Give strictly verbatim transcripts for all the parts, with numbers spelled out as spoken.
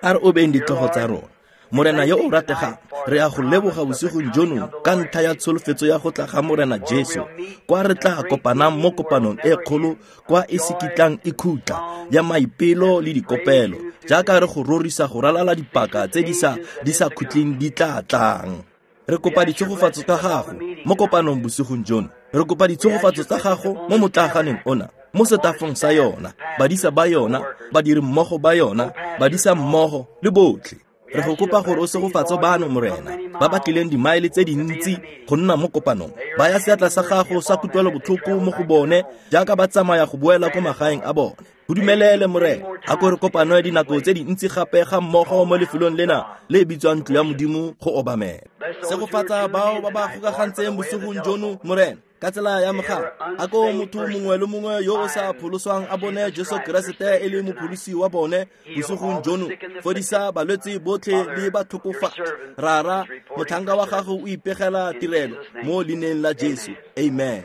A re obeng ditlhogo tsa rona. Morena yo o rategang, re a go leboga bosigong jono ka ntlha ya tsholofetso ya go tla ga Morena Jesu, kwa re tla kopanang mo kopanong e kgolo kwa e se kitlang e khutla ya maipelo le dikopelo, jaaka re go rorisa go ralala dipaka tse di sa di sa khutleng di tla tlang. Re kopa ditshegofatso tsa gago mo kopanong bosigong jono. Re kopa ditshegofatso tsa gago mo motlaaganeng ona, mo setafong sa yona, badisa ba yona, badiri mmogo ba yona, badisa mmogo le botlhe. Re go kopa gore o segofatse bano, Morena, ba ba tlileng dimaele tse dintsi go nna mo kopanong. Baya seatla sa gago sa kutlwelobotlhoko mo go bone jaaka ba tsamaya go boela ko magaeng a bone. Go dumelele, Morena, a ko re kopano ya dinako tse dintsi gape ga mmogo mo lefelong lena le bitswang ntlo ya Modimo go obamela. Segofatsa bao ba ba gokagantseng bosigong jono, Morena, ka tsela ya mogala. A ko motho mongwe le mongwe yo o sa pholoswang a bone Jesu Keresete e le mopholosi wa bone bosigong jono. Fodisa balwetse botlhe le batlhokofatsi. Rara, motlhanka wa gago o ipegela tirelo mo leineng la Jesu. Amen.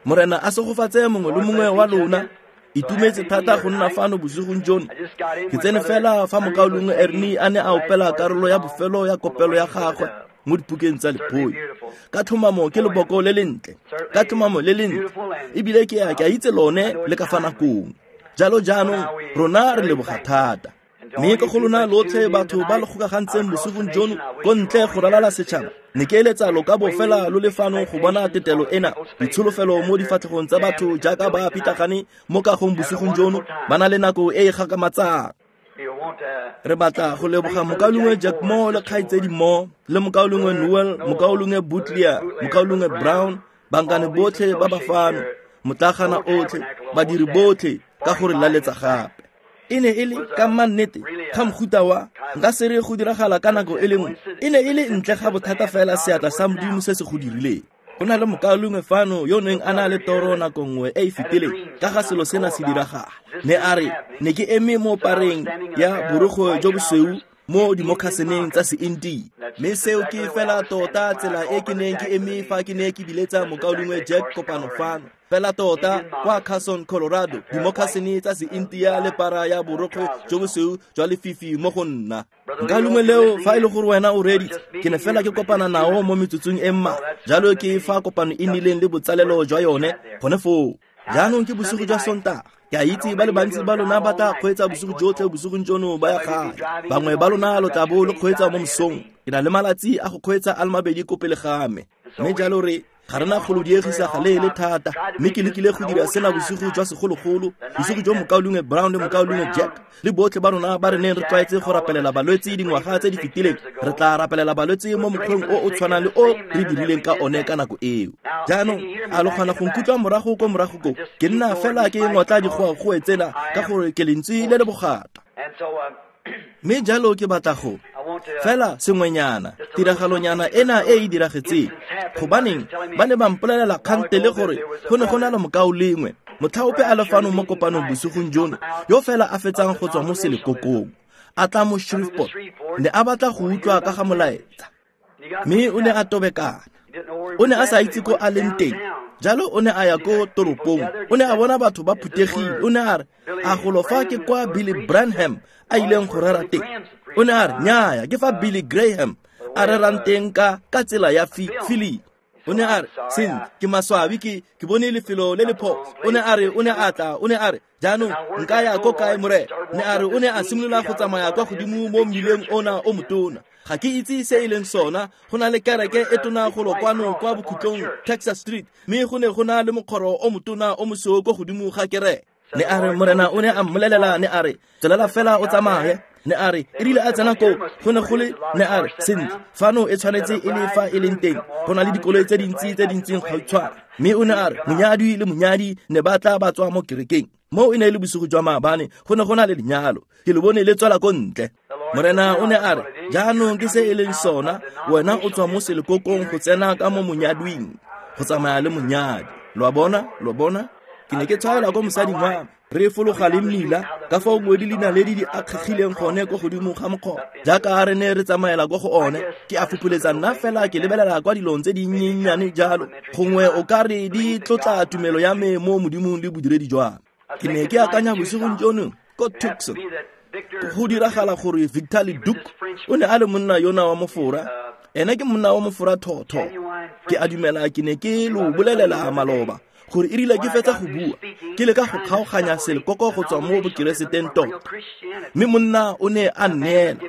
Morena a segofatse mongwe le mongwe wa lona. Itumetse thata go nna fano bosigong jono. Ke tsene fela fa mokaulengwe Ernie a ne a opela karolo ya bofelo ya kopelo ya gagwe mo dipukeng tsa lephoi. Ka tlhomamo ke leboko le lentle, ka tlhomamo le lentle, ebile ke a ke a itse lone le ka fa nakong. Jalo jaanong rona re leboga thata. Mme ka go lona lotlhe batho ba le gokagantseng bosigong jono ko ntle go ralala setšhaba, ne ke eletsa lo ka bo fela lo le fano go bona tetelo ena, ditsholofelo mo difatlhegong tsa batho jaaka ba pitlagane mo kagong bosigong jono, ba na le nako e e gakgamatsang. Re batla go leboga mokaulengwe Jack Moore le kgaitsedi Moore, le mokaulengwe Noel, mokaulengwe Butler, mokaulengwe Brown, bankane botlhe ba ba fano, motlagana otlhe, badiri botlhe ka gore laletsa gape. E ne e le ka mannete ga mofuta wa nka se re go diragala ka nako e le nngwe. E ne e le ntle ga bothata fela seatla sa Modimo se se go dirileng. Go na le mokaulengwe fano yo neng a na le toro nako nngwe e e fetileng ka ga selo sena se diragala. Ne a re ne ke eme mo pareng ya borokgwe jo bosweu mo dimokhaseneng tsa se-India. Mme seo ke fela tota tsela e ke neng ke eme fa ke ne ke biletsa mokaulengwe Jack kopano fano. Fela tota kwa Carson, Colorado, dimokhasene tsa se-India le para ya borokgwe jo bosweu jwa lefifi mo go nna. Nka leo fa e le gore wena o reeditse, ke ne fela ke kopana nao mo metsotsong e mmalwa. Jalo ke fa kopano e nnileng le botsalelo jwa yone gone foo. Jaanong ke bosigo jwa Sontaga. Ke a itse ba le bantsi ba lona ba tla kgweetsa bosigo jotlhe bosigong jono ba ya gae. Bangwe ba lona lo tla bo lo kgweetsa mo mosong. Ke na le malatsi a go kgweetsa a le mabedi ko pele ga me. Mme jalo re ga rena go lo diegisa ga le le thata. Mme ke lekile go dira sena bosigo jwa segologolo, bosigo jo mokaulengwe Brown le mokaulengwe Jack le botlhe ba rona ba re neng re tlwaetse go rapelela balwetse dingwaga tse di fetileng. Re tla rapelela balwetse mo mokgweng o o tshwanang le o re dirileng ka one ka nako eo. Jaanong a lo kgona go nkutlwa morago ko morago ko? Ke nna fela ke ngotla digoagoe tsena ka gore ke lentswe le le bogata. Mme jalo ke batla go fela sengwenyana, tiragalonyana ena e e diragetseng. Gobaneng ba ne ba mpolelela kgante le gore go ne go na le mokaulengwe motlhaope a le fano mo kopanong bosigong jono yo fela a fetsang go tswa mo selekokong a tla mo Shreveport, ne a batla go utlwa ka ga molaetsa. Mme o ne a tobekana, o ne a sa itse ko a leng teng. Jalo o ne a ya ko toropong, o ne a bona batho ba phuthegile. O ne a re a golo fa ke kwa Billy Branham a ileng go rera teng. O ne a re nnyaya, ke fa Billy Graham a rerang teng ka ka tsela ya Philly. O ne a re sentle, ke maswabi ke ke bone lefelo le le phoso. O ne a re o ne a tla, o ne a re jaanong nka ya ko kae, Morena? Ne a re o ne a simolola go tsamaya kwa godimo mo mmileng ona o motona. Ga ke itse se e leng sona, go na le kereke e tona golo kwano kwa bokhutlong Texas Street, mme go ne go na le mokgoro o motona o mosweu ko godimo ga kereke. Ne a re Morena o ne a mmolelela, ne a re tswelela fela o tsamaye. Ne a re e rile a tsena koo go ne go le, ne a re sentle fano e tshwanetse e le fa e leng teng, go na le dikoloi tse dintsi tse dintseng gautshwane. Mme o ne a re monyadi le monyadi ne ba tla ba tswa mo kerekeng. Mo e ne e le bosigo jwa maabane, go ne go na le lenyalo, ke le bone le tswela ko ntle. Morena o ne a re jaanong ke se e leng sona, wena o tswa mo selekokong go tsena ka mo monyadwing, go tsamaya le monyadi. Lo a bona, lo bona? Ke ne ke tshwaela ko mosading wa me. Re fologa le mmila ka fao ngwedi le dinaledi di akgegileng gone ko godimo ga mokgoba jaaka re ne re tsamaela ko go one. Ke a fopholetsa nna fela ke lebelela kwa dilong tse dinyenyane jalo, gongwe o ka re di tlotla tumelo ya me mo Modimong le bodiredi jwa me. Ke ne ke akanya bosigong jono ko Tucson go diragala gore Victor Leduc o ne a le monna yona wa mofora. Ene ke monna wa mofora thotho. Ke a dumela ke ne ke lo bolelela maloba gore e rile ke fetsa go bua ke leka go kgaoganya selekoko go tswa mo bokereseteng tota, mme monna o ne a nneela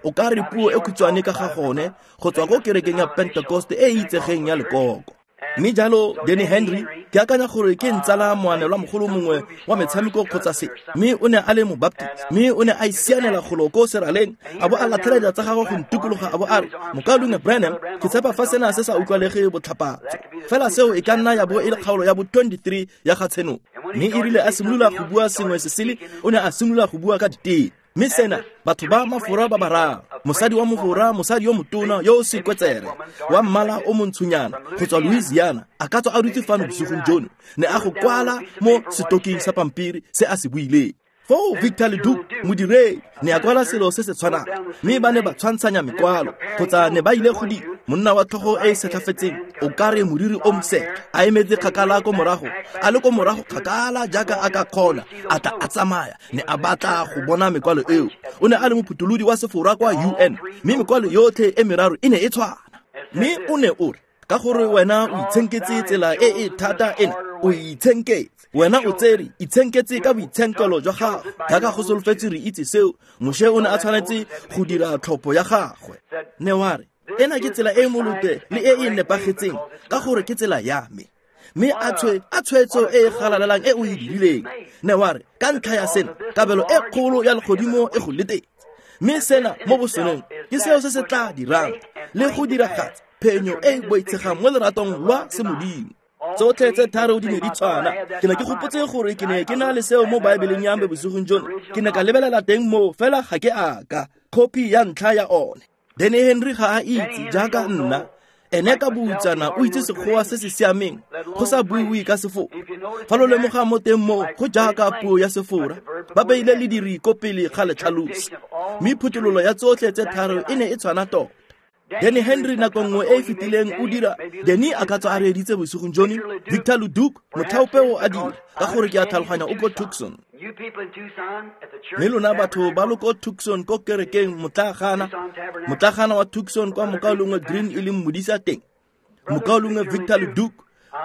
o ka re puo e khutshwane ka ga gone go tswa ko kerekeng ya Pentecost e e itsegeng ya lekoko. Mme jalo Danny Henry ke akanya gore ke ntsala moanelwa mogolo mongwe wa metshameko kgotsa se, mme o ne a le mobaptist, mme o ne a isianela golo ko seraleng a bo a latlhela diatla tsa gagwe go ntikologa a bo a re, Mokaulengwe Branham, ke tshepa fa sena se sa utlwalege botlhapatso, fela seo e ka nna ya bo e le kgaolo ya bo twenty-three ya ga Tshenolo. Mme e rile a simolola go bua sengwe se sele, o ne a simolola go bua ka diteme. Mme sena batho ba mafora ba bararo, mosadi wa mofora, mosadi yo motona yo o sekwetsere wa mmala o montshonyana go tswa Louisiana, a ka tswa a dutse fano bosigong jono, ne a go kwala mo setoking sa pampiri se a se buileng. Foo Victor Leduc modiredi ne a kwala selo se se tshwanang, mme ba ne ba tshwantshanya mekwalo kgotsa ne ba ile go di monna wa tlhogo e e setlhafetseng o ka re moriri o moseka a emetse kgakala ko morago, a le ko morago kgakala jaaka a ka kgona, a tla a tsamaya, ne a batla go bona mekwalo eo. O ne a le mophutholodi wa sefora kwa U N, mme mekwalo yotlhe e meraro e ne e tshwana. Mme o ne o re, ka gore wena o itshenketse tsela e e thata ena, o itshenketse wena o tsere itshenketse ka boitshenkelo jwa gago jaaka go solofetse re itse seo. Moshe o ne a tshwanetse go dira tlhopho ya gagwe. Ne wa re, ena ke tsela e e molote le e e nepagetseng ka gore ke tsela ya me, mme a tshwe a tshwetso e e galalelang e o e dirileng. Ne wa re, ka ntlha ya sena kabelo e kgolo ya legodimo e go letetse, mme sena mo bosonong ke seo se se tla dirang le go diragatsa phenyo e e boitshegang mo leratong lwa semodimo. Tsotlhe tse tharo di ne di tshwana. Ke ne ke gopotse gore ke ne ke na le seo mo Baebeleng ya me bosigong jono. Ke ne ka lebelela teng moo, fela ga ke a ka copy ya ntlha ya one. Danny Henry ga a itse jaaka nna, ene ka boutsana o itse Sekgowa se se siameng go sa buiwe ka sefora. Fa lo lemoga mo teng moo go jaaka puo ya sefora, ba beile lediri ko pele ga letlhalosi, mme phuthololo ya tsotlhe tse tharo e ne e tshwana tota. Danny Henry nako nngwe e e fetileng o dira, Danny a ka tswa a reeditse bosigong jono, Victor Leduc motlhaopeo a dira, ka gore ke a tlhaloganya o ko Tucson. Mme lona batho ba lo ko Tucson ko kerekeng motlagana, motlagana wa Tucson kwa mokaulengwe Green e leng modisa teng, mokaulengwe Victor Leduc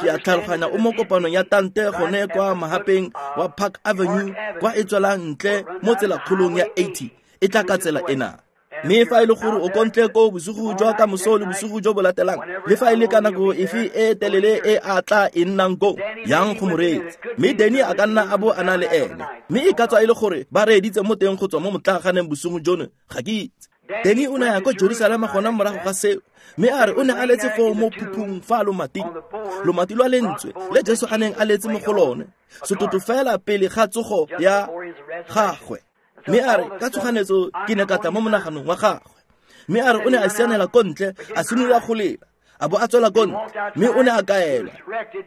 ke a tlhaloganya o mo kopanong ya tante gone kwa mahapeng wa Park Avenue kwa e tswelang ntle mo tselakgolong ya eighty e tla ka tsela ena. Mme fa e le gore o kontle ko bosigo jwa ka moso le bosigo jo bo latelang, le fa e le ka nako efe e telele e a tla e nnang ko, yang go mo reetsa. Mme Danny a ka nna a bo a na le ene, mme e ka tswa e le gore ba reeditse mo teng go tswa mo motlaganeng bosigo jono, ga ke itse. Danny o ne a ya ko Jerusalema gona morago ga seo, mme a re o ne a letse foo mo phuphung fa lomating, lomati lwa lentswe le Jesu a neng a letse mo go lone, setoto fela pele ga tsogo ya gagwe. Mme a re ka tshoganetso ke ne ka tla mo monaganong wa gagwe. Mme a re o ne a sianela ko ntle, a simolola go lela, a bo a tswela ko ntle, mme o ne a kaelwa.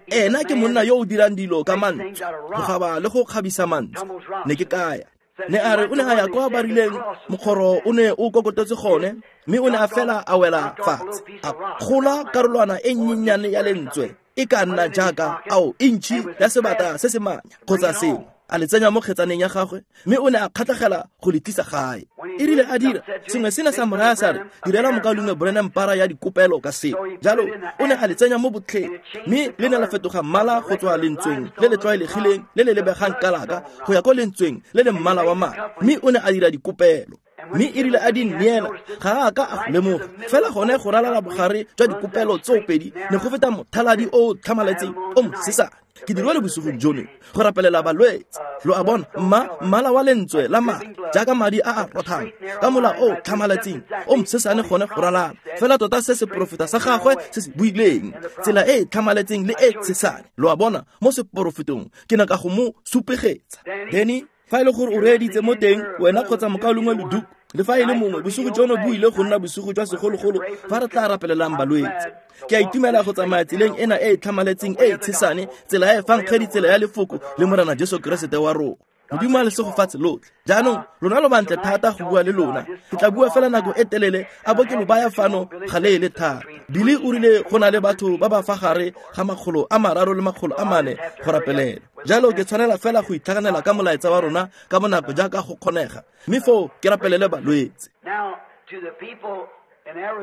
Ena ke monna yo o dirang dilo ka mantswe, go gaba le go kgabisa mantswe. Ne ke kaya. Ne a re o ne a ya kwa ba rileng mokgoro o ne o kokotetse gone, mme o ne a fela a wela fatshe, a kgola karolwana e nnyenyane ya lentswe e ka nna jaaka ao intšhi ya sebata se se manya kgotsa sengwe, a le tsenya mo kgetsaneng ya gagwe, mme o ne a kgatlhegela go le tlisa gae. E rile a dira sengwe sena sa mo raya sa re, direla mokaulengwe Branham para ya dikopelo ka seo. Jalo o ne a le tsenya mo botlheng, mme le ne la fetoga mmala go tswa lentsweng le le tlwaelegileng le le lebegang kalaka go ya ko lentsweng le le mmala wa madi, mme o ne a dira dikopelo. Mme e rile a di nneela ga a ka a go lemoga, fela gone go ralala bogare jwa dikopelo tseo pedi ne go feta mothaladi o o tlhamaletseng o mosesane. Ke dirile le bosigong jono go rapelela balwetse. Lo a bona, mma mmala wa lentswe la madi jaaka madi a a rothang ka mola o tlhamaletseng o mosesane gone go ralala, fela tota se seporofeta sa gagwe se se buileng, tsela e e tlhamaletseng le e tshesane. Lo a bona, mo seporofetong ke ne ka go mo supegetsa. Danny, fa e le gore o reeditse mo teng, wena kgotsa mokaulengwe Leduc, Le fa e le mongwe, bosigo jono bo ile go nna bosigo jwa segologolo fa re tla rapelelang balwetse. Ke a itumela go tsamaya tseleng ena e e tlhamaletseng e e tshesane, tsela ya efangedi, tsela ya lefoko le Morena Jesu Keresete wa rona. Modimo a le segofatse lotlhe. Jaanong lona lo bantle thata go bua le lona. Ke tla bua fela nako e telele a bo ke lo baya fano ga le le thata. Billy o rile go na le batho ba ba fa gare ga makgolo a mararo le makgolo a mane go rapelela. Jalo ke tshwanela fela go itlhaganela ka molaetsa wa rona ka bonako jaaka go kgonega, mme foo ke rapelele balwetse.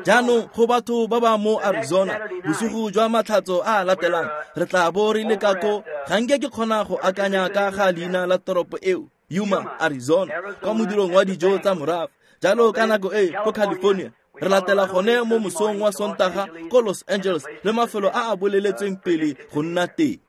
Jaanong go batho ba ba mo Arizona, bosigo jwa matlhatso a a latelang re tla bo re le ka ko. Ga nke ke kgona go akanya ka ga leina la toropo eo, Yuma, Arizona, kwa modirong wa dijo tsa morafe. Jalo ka nako e ko California re latela gone mo mosong wa Sontaga ko Los Angeles le mafelo a a boleletsweng pele go nna teng.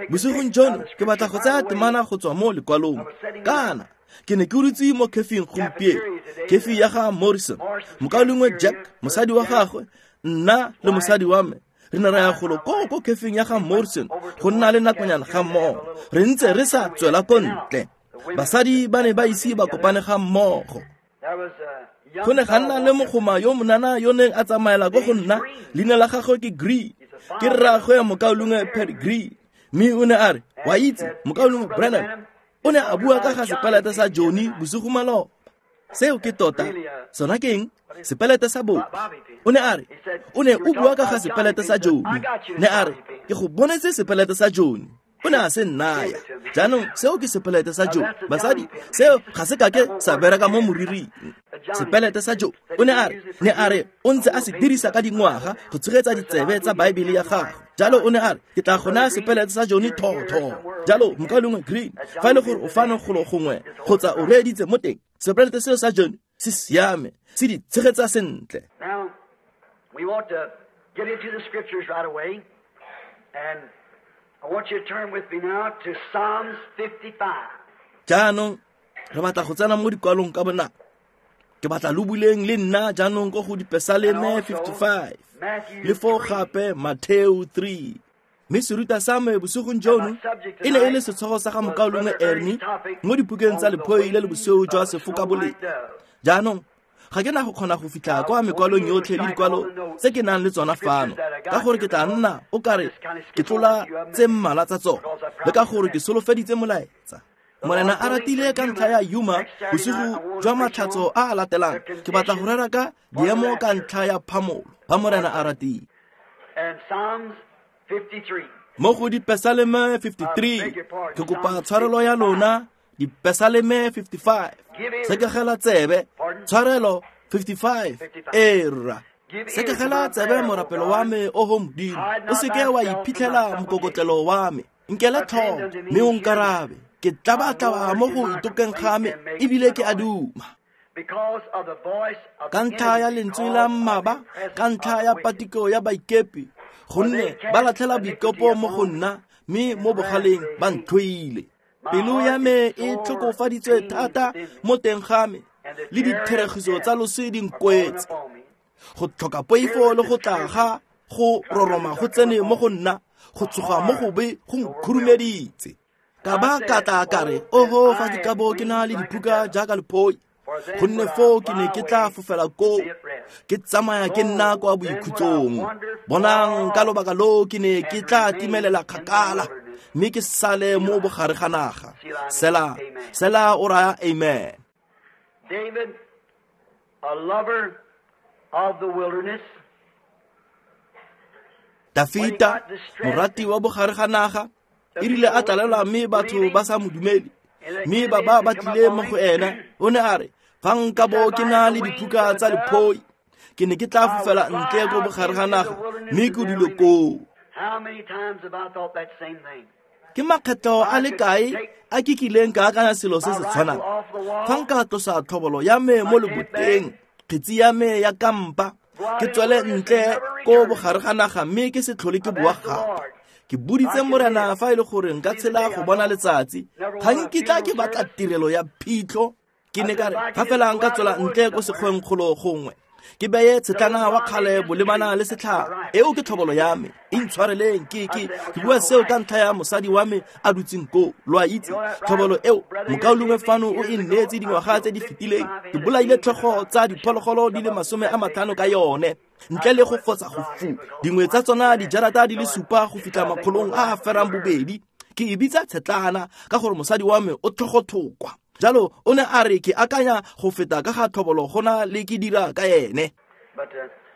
Bosigong jono ke batla go tsaya temana go tswa mo lekwalong. Kana ke ne ke dutse mo khefing gompieno, khefi ya ga Morrison, mokaulengwe Jack, mosadi wa gagwe, nna le mosadi wa me re ne ra ya golo ko ko khefing ya ga Morrison go nna le nakonyana ga mmogo. Re ntse re sa tswela ko ntle. Basadi ba ne ba ise ba kopane ga mmogo. Go ne ga nna le mogoma yo monana yo neng a tsamaela ko go nna, leina la gagwe ke Green, ke rraagwe ya mokaulengwe Pat Green. Mme o ne a re, wa itse, mokaulengwe Branham o ne a bua ka ga sepelete sa Johnny bosigo maloba. Seo ke tota, sona ke eng? Sepelete sa Bobby. O ne a re, o ne o bua ka ga sepelete sa Johnny. Ne a re, ke go bonetse sepelete sa Johnny. O ne a se nnaya. Jaanong seo ke sepelete sa Joe. Basadi, seo ga se kake sa bereka mo moriring. Sepelete sa Joe. O ne a re, ne a re o ntse a se dirisa ka dingwaga go tshegetsa ditsebe tsa Baebele ya gagwe. Jalo o ne a re, ke tla go naya sepelete sa Johnny thotho. Jalo mokaulengwe Green, fa e le gore o fano golo gongwe kgotsa o reeditse mo teng, sepelete seo sa Johnny se siame, se di tshegetsa sentle. Now, we want to get into the scriptures right away, and I want you to turn with me now to Psalms fifty-five. Jaanong re batla go tsena mo dikwalong ka bonako. Ke batla lo buleng le nna jaanong ko go Dipesaleme fifty-five le foo gape Mateo three. Mme seruta sa me bosigong jono e ne e le setlhogo sa ga mokaulengwe Ernie mo dipukeng tsa Lephoi le le bosweu jwa Sefokabolea. Jaanong ga ke na go kgona go fitlha kwa mekwalong yotlhe le dikwalo tse ke nang le tsona fano, ka gore ke tla nna o kare ke tlola tse mmalwa tsa tsona, le ka gore ke solofeditse molaetsa. Morena a ratile ka ntlha ya Yuma bosigo jwa matlhatso a a latelang, ke batla go rera ka diemo ka ntlha ya phamolo ba Morena a ratile. Mo go Dipesaleme fifty-three, ke kopa tshwarelo ya lona. Dipesaleme fifty-five, sekegela tsebe, tshwarelo fifty-five, era. Sekegela tsebe morapelo wa me, oho Modimo, o seke wa iphitlhela mokokotlelo wa me. Nkele tlhoko mme o nkarabe. Ke tlabatlaba mo go itokeng ga me, ebile ke a duma. Ka ntlha ya lentswe la mmaba, ka ntlha ya patiko ya baikepi, gonne ba latlhela boikopo mo go nna, mme mo bogaleng ba ntlhoile. Pelo ya me e tlhokofaditswe thata mo teng ga me, le ditheregiso tsa loso di nkwetse. Go tlhoka poifo le go tla ga go roroma go tsene mo go nna, go tsoga mo gobe go nkhurumeditse. Ka ba ka tla ka re, oho, fa ke ka bo ke na le diphuka jaaka lephoi, gonne foo ke ne ke tla fofela koo, ke tsamaya ke nna kwa boikhutsong. Bonang, ka lobaka loo ke ne ke tla timelela kgakala, mme ke sale mo bogare ga naga. Sela, sela o raya amen. David, a lover of the wilderness. Dafita, morati wa bogare ga naga, e rile a tlalelwa mme batho ba sa mo dumele, mme ba ba ba tlile mo go ena, o ne a re, fa nka bo ke na le diphuka tsa lephoi, ke ne ke tla fofela ntle ko bogare ga naga, mme ke dule koo. Ke makgetho a le kae a ke kileng ka akanya selo se se tshwanang? Fa nka tlosa tlhobolo ya me mo leboteng, kgetsi ya me ya kampa, ke tswele ntle ko bogare ga naga mme ke se tlhole ke boa gape. Ke boditse Morena fa e le gore nka tshela go bona letsatsi, ga nkitla ke batla tirelo ya phitlho. Ke ne ka re, fa fela nka tswela ntle ko sekgweng kgolo gongwe, Ke beye tshetlana wa kgale bolebana le setlhare. Eo ke tlhobolo ya me. Intshwareleng ke ke ke bua seo ka ntlha ya mosadi wa me a dutseng koo. Lo a itse tlhobolo eo mokaulengwe fano o e nneetse dingwaga tse di fetileng. Ke bolaile tlhogo tsa diphologolo di le masome a matlhano ka yone. Ntle le go fotsa go fu. Dingwe tsa tsona dijarata di le supa go fitlha makgolong a a ferang bobedi. Ke e bitsa tshetlana ka gore mosadi wa me o tlhogothokwa. Jalo o ne a re ke akanya go feta ka ga tlhobolo gona le ke dira ka ene.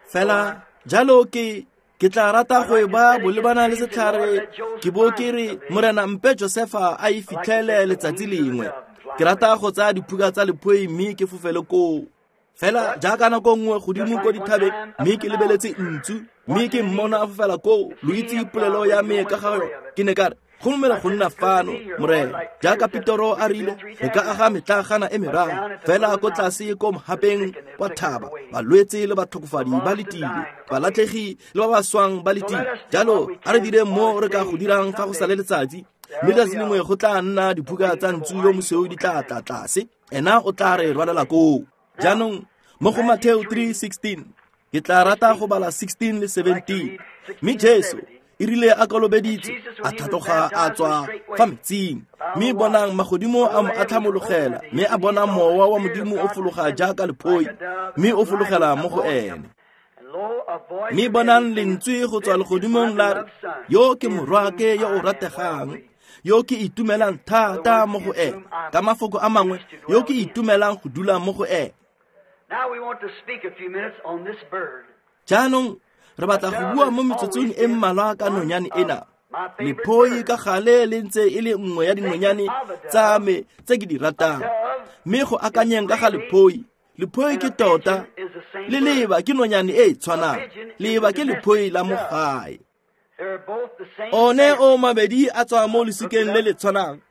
Fela jalo ke ke tla rata go e ba bolebana le setlhare ke bo ke re Morena mpe Josefa a e fitlhele letsatsi lengwe. Ke rata go tsaya diphuka tsa lephoi mme ke fofele koo. Fela jaaka nako nngwe godimo ko dithabeng mme ke lebeletse ntsu mme ke mmona a fofela koo. Lo itse polelo ya me ka ga yone. Ke ne ka re go dumela go nna fano Morena jaaka Petoro a rile re ka aga metlagana e meraro fela ko tlase ko mohapeng wa thaba balwetse le batlhokofadi ba letile balatlhegi le ba ba swang ba letile. Jalo a re dire mo re ka go dirang fa go sa le letsatsi mme letsatsi lengwe go tla nna diphuka tsa ntsu yo mosweu di tla tla tlase ena o tla re rwalela koo. Jaanong mo go Mateo three sixteen ke tla rata go bala sixteen le seventeen. Mme Jesu e rile a kolobeditse a tlhatloga a tswa fa metsing mme bonang magodimo a mo atlhamologela mme a bona mowa wa Modimo o fologa jaaka lephoi mme o fologela mo go ene. Mme bonang lentswe go tswa legodimong la re yo ke morwake yo o rategang yo ke itumelang thata mo go ene. Ka mafoko a mangwe yo ke itumelang go dula mo go ene. Jaanong re batla go bua mo metsotsong e mmalwa ka nonyane ena. Lephoi ka gale le ntse e le nngwe ya dinonyane tsa me tse ke di ratang. Mme go akanyeng ka ga lephoi, lephoi ke tota le leba ke nonyane e e tshwanang. Leba ke lephoi la mo gae. One o mabedi a tswa mo lesikeng le le tshwanang.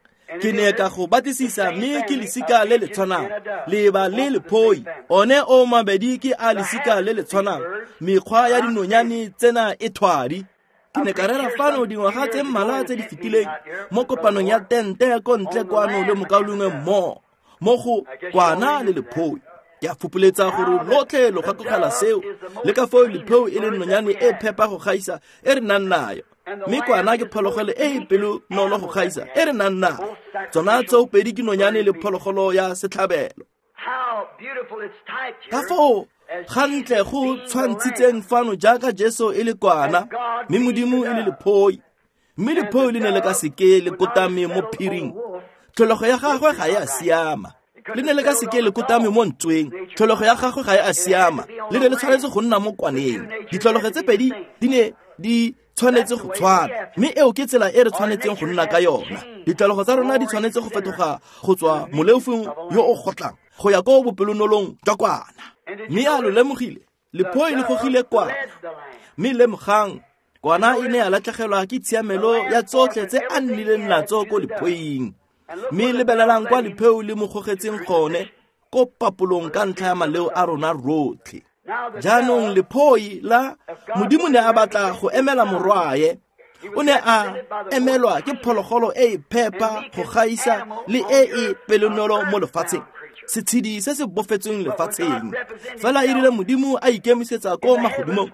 Ke ne ka go batlisisa mme ke lesika le le tshwanang. Leba le lephoi one o mabedi ke a lesika le le tshwanang. Mekgwa ya dinonyane tsena e thwadi. Ke ne ka rera fano dingwaga tse mmalwa tse di fetileng mo kopanong ya tente ko ntle kwano le mokaulengwe mmo mo go kwana le lephoi. Ke a fopoletsa gore lotlhe lo gakogela seo le ka foo lephoi e le nonyane e phepa go gaisa e re nang nayo. Mme kwana ke phologolo e e pelonolo go gaisa e re nang nayo. Tsona tsoopedi ke nonyane le phologolo ya setlhabelo. Ka foo gantle go tshwantshitseng fano jaaka Jesu e le kwana mme Modimo e le lephoi. Mme lephoi le ne le ka seke le kotame mo phiring. Tlholego ya gagwe ga e a siama. Le ne le ka seke le kotame mo ntsweng. Tlholego ya gagwe ga e a siama. Le ne le tshwanetse go nna mo kwaneng. Ditlholego tse pedi di ne di tshwanetse go tshwana mme eo ke tsela e re tshwanetseng go nna ka yona. Ditlholego tsa rona di tshwanetse go fetoga go tswa moleofing yo o gotlang go ya ko bopelonolong jwa kwana. Mme a lo lemogile lephoi le gogile kwana. Mme lemogang kwana e ne ya latlhegelwa ke tshiamelo ya tsotlhe tse a nnileng natso ko lephoing. Mme lebelelang kwa lepheo le mo gogetseng gone ko papolong ka ntlha ya maleo a rona rotlhe. Jaanong lephoi la Modimo ne a batla go emela morwae. O ne a emelwa ke phologolo e e phepa go gaisa le e e pelonolo mo lefatsheng, setshedi se se bofetsweng lefatsheng. Fela e rile Modimo a ikemisetsa ko magodimong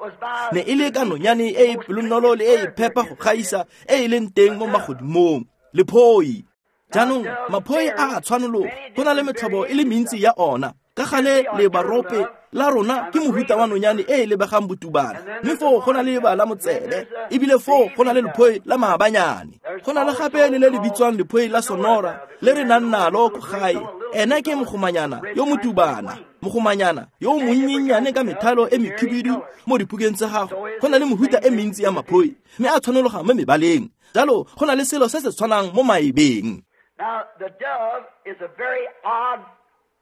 ne e le ka nonyane e e pelonolo le e e phepa go gaisa e e leng teng mo magodimong, lephoi. Jaanong maphoi a a tshwanologo go na le metlhobo e le mentsi ya ona. Ka gale lebarope la rona ke mohuta wa nonyane e e lebegang botubana mme foo go na le leba la motsebe ebile foo go na le lephoi la maabanyane. Go na le gape le le le bitswang lephoi la Sonora le re nang nalo ko gae. Ena ke mogomanyana yo motubana, mogomanyana yo monnyenyane ka methalo e mekhibidu mo diphukeng tsa gagwe. Go na le mehuta e mentsi ya maphoi mme a tshwanologa mo mebaleng. Jalo go na le selo se se tshwanang mo maebeng. Now the dove is a very odd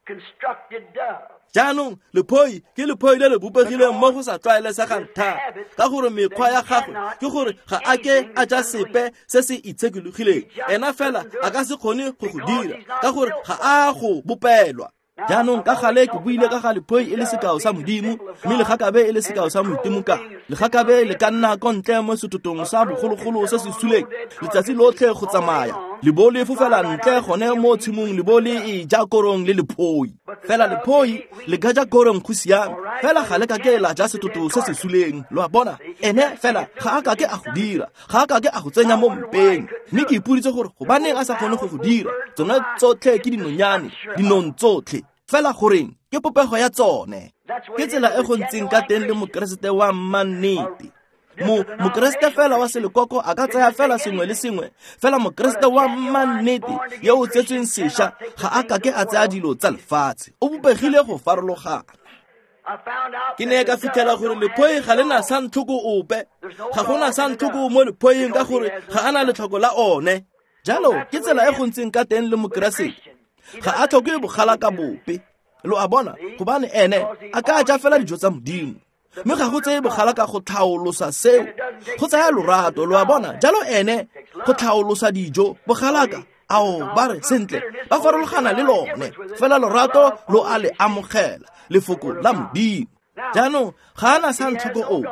constructed dove. Jaanong lephoi ke lephoi le le bopegileng mo go sa tlwaelesegang thata ka gore mekgwa ya gagwe ke gore ga a ke a ja sepe se se itshekologileng. Ena fela a ka se kgone go go dira ka gore ga a go bopelwa. Jaanong ka gale ke buile ka ga lephoi e le sekao sa Modimo mme legakabe e le sekao sa moitimoka. Legakabe le ka nna ko ntle mo setotong sa bogologolo se se suleng letsatsi lotlhe go tsamaya. Le bo le fofela ntle gone mo tshimong le bo le e ja korong le lephoi. Fela lephoi le ka ja korong go siame, fela ga le ka ke la ja setoto se se suleng. Lo a bona? Ene fela ga a ka ke a go dira, ga a ka ke a go tsenya mo mpeng. Mme ke ipoditse gore gobaneng a sa kgone go go dira. Tsone tsotlhe ke dinonyane, dinong tsotlhe. Fela goreng ke popego ya tsone. Ke tsela e go ntseng ka teng le mokeresete wa mannete. Mo mokeresete fela wa selekoko a ka tsaya fela sengwe le sengwe, fela mokeresete wa mannete yo o tsetsweng sešwa ga a ka ke a tsaya dilo tsa lefatshe. O bopegile go farologana. Ke ne ka fitlhela gore lephoi ga le na santlhoko ope, ga gona santlhoko mo lephoing ka gore ga a na letlhoko la one. Jalo ke tsela e go ntseng ka teng le mokeresete, ga a tlhoke bogala ka bope. Lo a bona? Gobane ene a ka ja fela dijo tsa Modimo, mme ga go tseye bogala ka go tlhaolosa seo, go tsaya lorato. Lo a bona? Jalo ene go tlhaolosa dijo bogalaka ao ba re sentle ba farologana le lone, fela lorato lo a le amogela lefoko la Modimo. Jaanong ga a na santlhoko ope,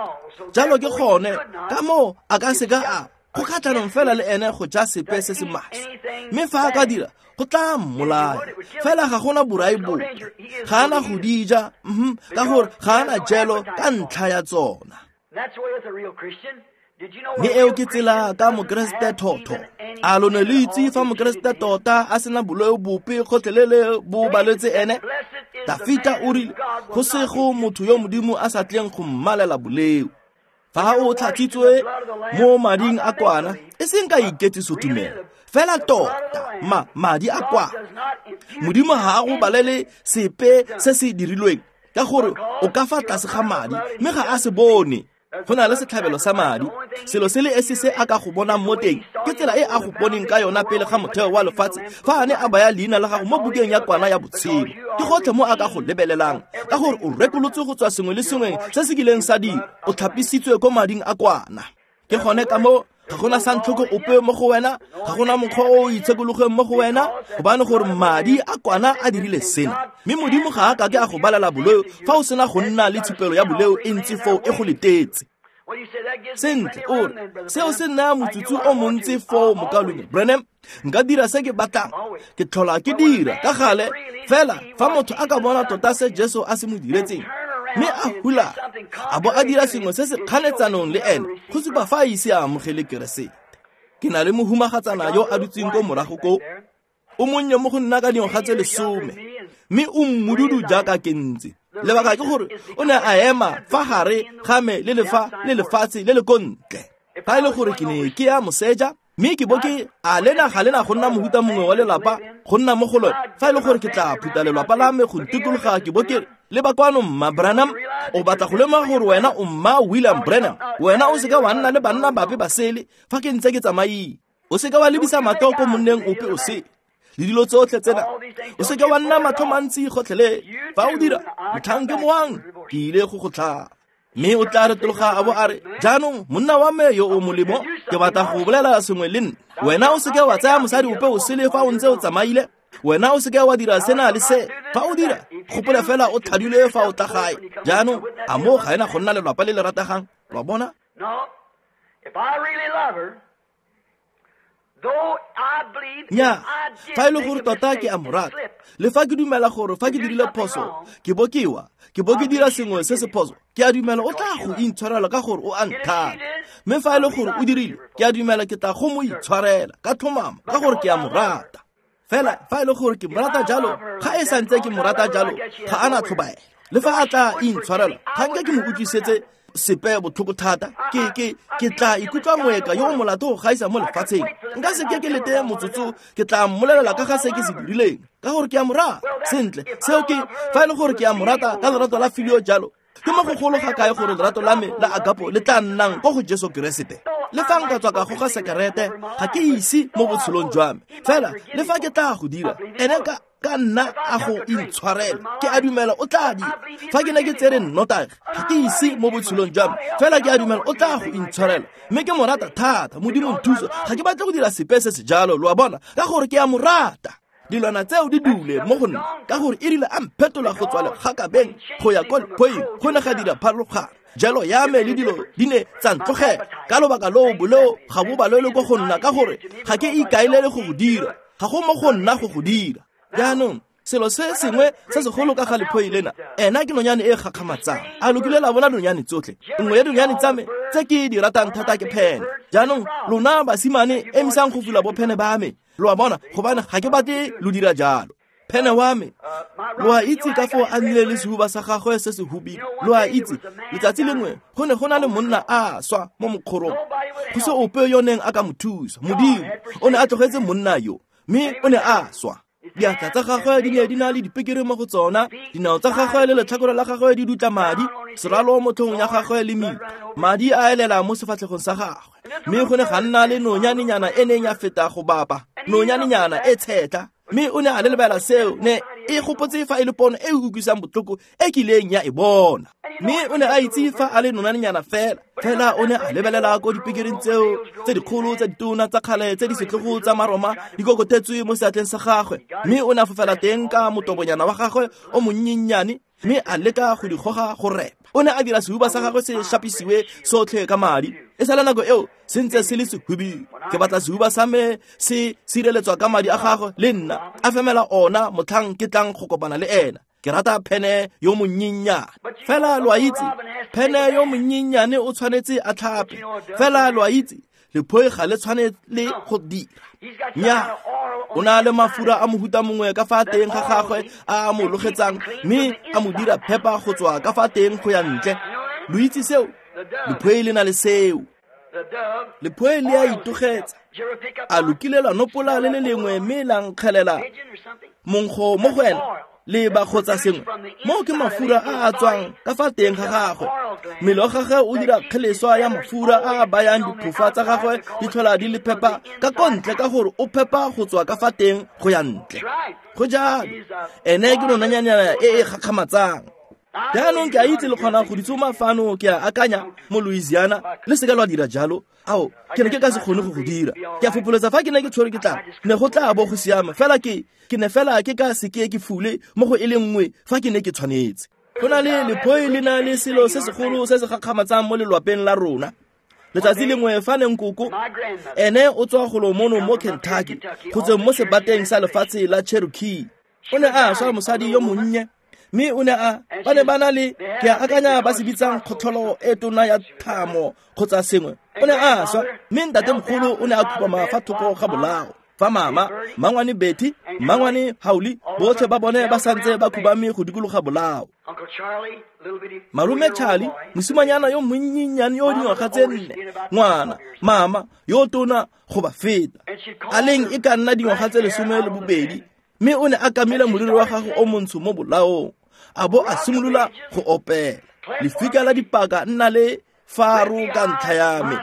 jalo ke gone ka moo a ka seka a go kgatlhanong fela le ene go ja sepe se se maswe. Mme fa a ka dira go tla mmolaya, fela ga gona borai bope, ga ana go di ja, ka gore ga ana jelo ka ntlha ya tsona. Mme eo ke tsela ka mokeresete thotho. A lo ne le itse fa mokeresete tota a sena boleo bope gotlhelele bo baletse ene? Dafita o rile go sego motho yo Modimo a sa tleng go mmalela boleo. Fa o tlhatswitswe mo mading a kwana, e seng ka iketliso tumelo, fela tota ma madi a kwana, Modimo ga a go balele sepe se se dirilweng, ka gore o ka fa tlase ga madi, mme ga a se bone. Go na le setlhabelo sa madi, selo se le esi se a ka go bonang mo teng ke tsela e a go boneng ka yona pele ga motheo wa lefatshe, fa a ne a baya leina la gago mo bukeng ya kwana ya botshelo. Ke gotlhe mo a ka go lebelelang, ka gore o rekolotswe go tswa sengwe le sengwe se se kileng sa dira, o tlhapisitswe ko mading a kwana. Ke gone ka moo ga gona santlhoko ope mo go wena, ga gona mokgwa o o itshekologeng mo go wena, gobane gore madi a kwana a dirile sena. Mme Modimo ga a ka ke a go balela boleo fa o sena go nna le tshupelo ya boleo e ntsi foo e go letetse. Sentle, o re seo se naya motsotso o montsi foo, mokaulengwe Branham, nka dira se ke batlang, ke tlhola ke dira ka gale. Fela fa motho a ka bona tota se Jesu a se mo diretseng, mme a hula a bo a dira sengwe se se kganetsanong le ene, go supa fa a ise a amogele Keresete. Ke na le mohumagatsana yo a dutseng ko morago ko, o monnye mo go nna ka dingwaga tse lesome, mme o mmududu jaaka ke ntse. Lebaka ke gore o ne a ema fa gare ga me le lefa le lefatshe le le ko ntle. Fa e le gore ke ne ke ya moseja, mme ke bo ke a lena ga lena go nna mohuta mongwe wa lelapa go nna mo go lone. Fa e le gore ke tla phuta lelapa la me go ntikologa, ke bo ke le ba kwano mma Branham, o batla go lemoga gore wena o mma William Branham, wena o seka wa nna le banna bape ba sele fa ke ntse ke tsamaile. O seka wa lebisa matlho ko monneng ope o sele le dilo tsotlhe tsena, o seka wa nna matlho mantsi gotlhelele. Fa o dira, motlhang ke moang, ke ile go go tlhaba. Mme o tla retologa a bo a re, jaanong monna wa me yo o molemo, ke batla go bolela sengwe le nna. Wena o seke wa tsaya mosadi ope o sele fa o ntse o tsamaile. Wena o seke wa dira sena le se. Fa o dira, gopola fela o tlhadilwe fa o tla gae. Jaanong a mo ga ena go nna lelapa le le rategang? Lo a bona? Nya, fa e le gore tota ke a mo rata, le fa ke dumela gore fa ke dirile phoso, ke bo ke wa, ke bo ke dira sengwe se se phoso, ke a dumela o tla go intshwarela ka gore o a nthata. Mme fa e le gore o dirile, ke a dumela ke tla go mo itshwarela ka tlhomamo ka gore ke a mo rata. Fela fa e le gore ke mo rata jalo, ga e santse ke mo rata jalo, ga ana tlhobaelo. Le fa a tla intshwarela, ga nke ke mo utlwisetse sepe botlhoko thata, ke ke ke tla ikutlwa moeka yo o molato go gaisa mo lefatsheng. Nka se ke ke lete motsotso, ke tla mmolelela ka ga se ke se dirileng, ka gore ke a mo rata. Sentle, seo ke fa e le gore ke a mo rata ka lerato la filio jalo, ke mo go golo ga kae gore lerato la me la agapo le tla nnang ko go Jesu Keresete. Le fa nka tswa ka goga sekerete, ga ke ise mo botshelong jwa me, fela le fa ke tla go dira, ene ka ka nna a go intshwarela, ke a dumela o tla dira. Fa ke ne ke tsere nnotagi, ga ke ise mo botshelong jwa me, fela ke a dumela o tla go intshwarela. Mme ke mo rata thata, Modimo nthuso, ga ke batle go dira sepe se se jalo, lo a bona, ka gore ke a mo rata. Dilwana tseo di dule mo go nna, ka gore e rile a mphetola go tswa legakabeng go ya ko lephoing, go ne ga dira pharologano. Jalo ya me le dilo di ne tsa ntlogela. Ka lobaka loo boleo ga bo balelwe ko go nna ka gore ga ke ikaelele go go dira. Ga go mo go nna go go dira. Jaanong selo se sengwe se segolo ka ga lephoi lena, ena ke nonyane e gakgamatsang. A lo kile la bona nonyane tsotlhe? Nngwe ya dinonyane tsa me tse ke di ratang thata ke phene. Jaanong lona basimane emisang go fula bophene ba me. Lo a bona, gobane ga ke batle lo dira jalo. Phene wa me, lo a itse ka foo a nnile le sehuba sa gagwe se se hubidu. Lo a itse, letsatsi lengwe go ne go na le monna a swa mo mokgorong. Go se ope yo neng a ka mo thusa. Modimo o ne a tlogetse monna yo, mme o ne a swa. Diatla tsa gagwe di ne di na le dipekere mo go tsona, dinao tsa gagwe le letlhakore la gagwe di dutla madi, seralo mo tlhogong ya gagwe le mito. Madi a elela mo sefatlhegong sa gagwe. Mme go ne ga nna le nonyanenyana e neng ya feta go bapa, nonyanenyana e tshetla. Mme o ne a lebela seo, ne e gopotse fa e le pono e e utlwisang botlhoko e kileng ya e bona. Mme o ne a itse fa a le nonyanenyana fela. Fela o ne a lebelela ko dipekereng tseo tse dikgolo tsa ditona tsa kgale tse di setlhogo tsa Maroma di kokotetswe mo seatleng sa gagwe. Mme o ne a fofela teng ka motobonyana wa gagwe o monnyennyane, mme a leka go di goga go repa. O ne a dira sehuba sa gagwe se šapisiwe sotlhe ka madi. E sale nako eo se ntse se le sehubidu. Ke batla sehuba sa me se sireletswa ka madi a gagwe le nna, a femela ona motlhang ke tlang go kopana le ena. Ke rata phene yo monnyennyane. Fela lo a itse, phene yo monnyennyane o tshwanetse a tlhape. Fela lo a itse, lephoi ga le tshwane le go dira. Nnyaa, o na le mafura a mohuta mongwe ka fa teng ga gagwe a a mo logetsang, mme a mo dira phepa go tswa ka fa teng go ya ntle. Lo itse seo? Lephoi le na le seo. Lephoi le a itogetsa. A lo kile la nopola le le lengwe mme la nkgelela monkgo mo go ena, le ba kgotsa sengwe. Moo ke mafura a a tswang ka fa teng ga gagwe. Mmele wa gagwe o dira kgeleswa ya mafura a a bayang diphofa tsa gagwe di tlhola di le phepa ka ko ntle ka gore o phepa go tswa ka fa teng go ya ntle. Go jalo, ene ke nonanyana e e gakgamatsang. Jaanong ke a itse le kgona go di tsoma fano, ke a akanya mo Louisiana, le seka lwa dira jalo. Ao, ke ne ke ka se kgone go go dira. Ke a fopholetsa fa ke ne ke tshwerwe ke tlala, ne go tla bo go siama. Fela ke ke ne fela ke ka seke ke fule mo go e le nngwe fa ke ne ke tshwanetse. Go na le lephoi le na le selo se segolo se se gakgamatsang mo lelwapeng la rona. Letsatsi lengwe fa ne nkoko, ene o tswa golo mono mo Kentucky, go tsweng mo sebateng sa lefatshe la Cherokee. O ne a swa mosadi yo monnye, mme o ne a ba ne ba na le, ke a akanya ba se bitsang kgotlholo e tona ya thamo kgotsa sengwe. O ne a swa, mme ntatemogolo o ne a khubama fa thoko ga bolao. Fa mama, mmangwane Betty, mmangwane Hauli, botlhe ba bone ba santse ba khubame go dikologa bolao. Malome Charlie, mosimanyana yo monnyennyane yo dingwaga tse nne, ngwana, mama yo tona go ba feta, a leng e ka nna dingwaga tse lesome le bobedi, mme o ne a kamile moriri wa gagwe o montsho mo bolaong, a bo a simolola go opela. Lefika la dipaka nna le faro ka ntlha ya me,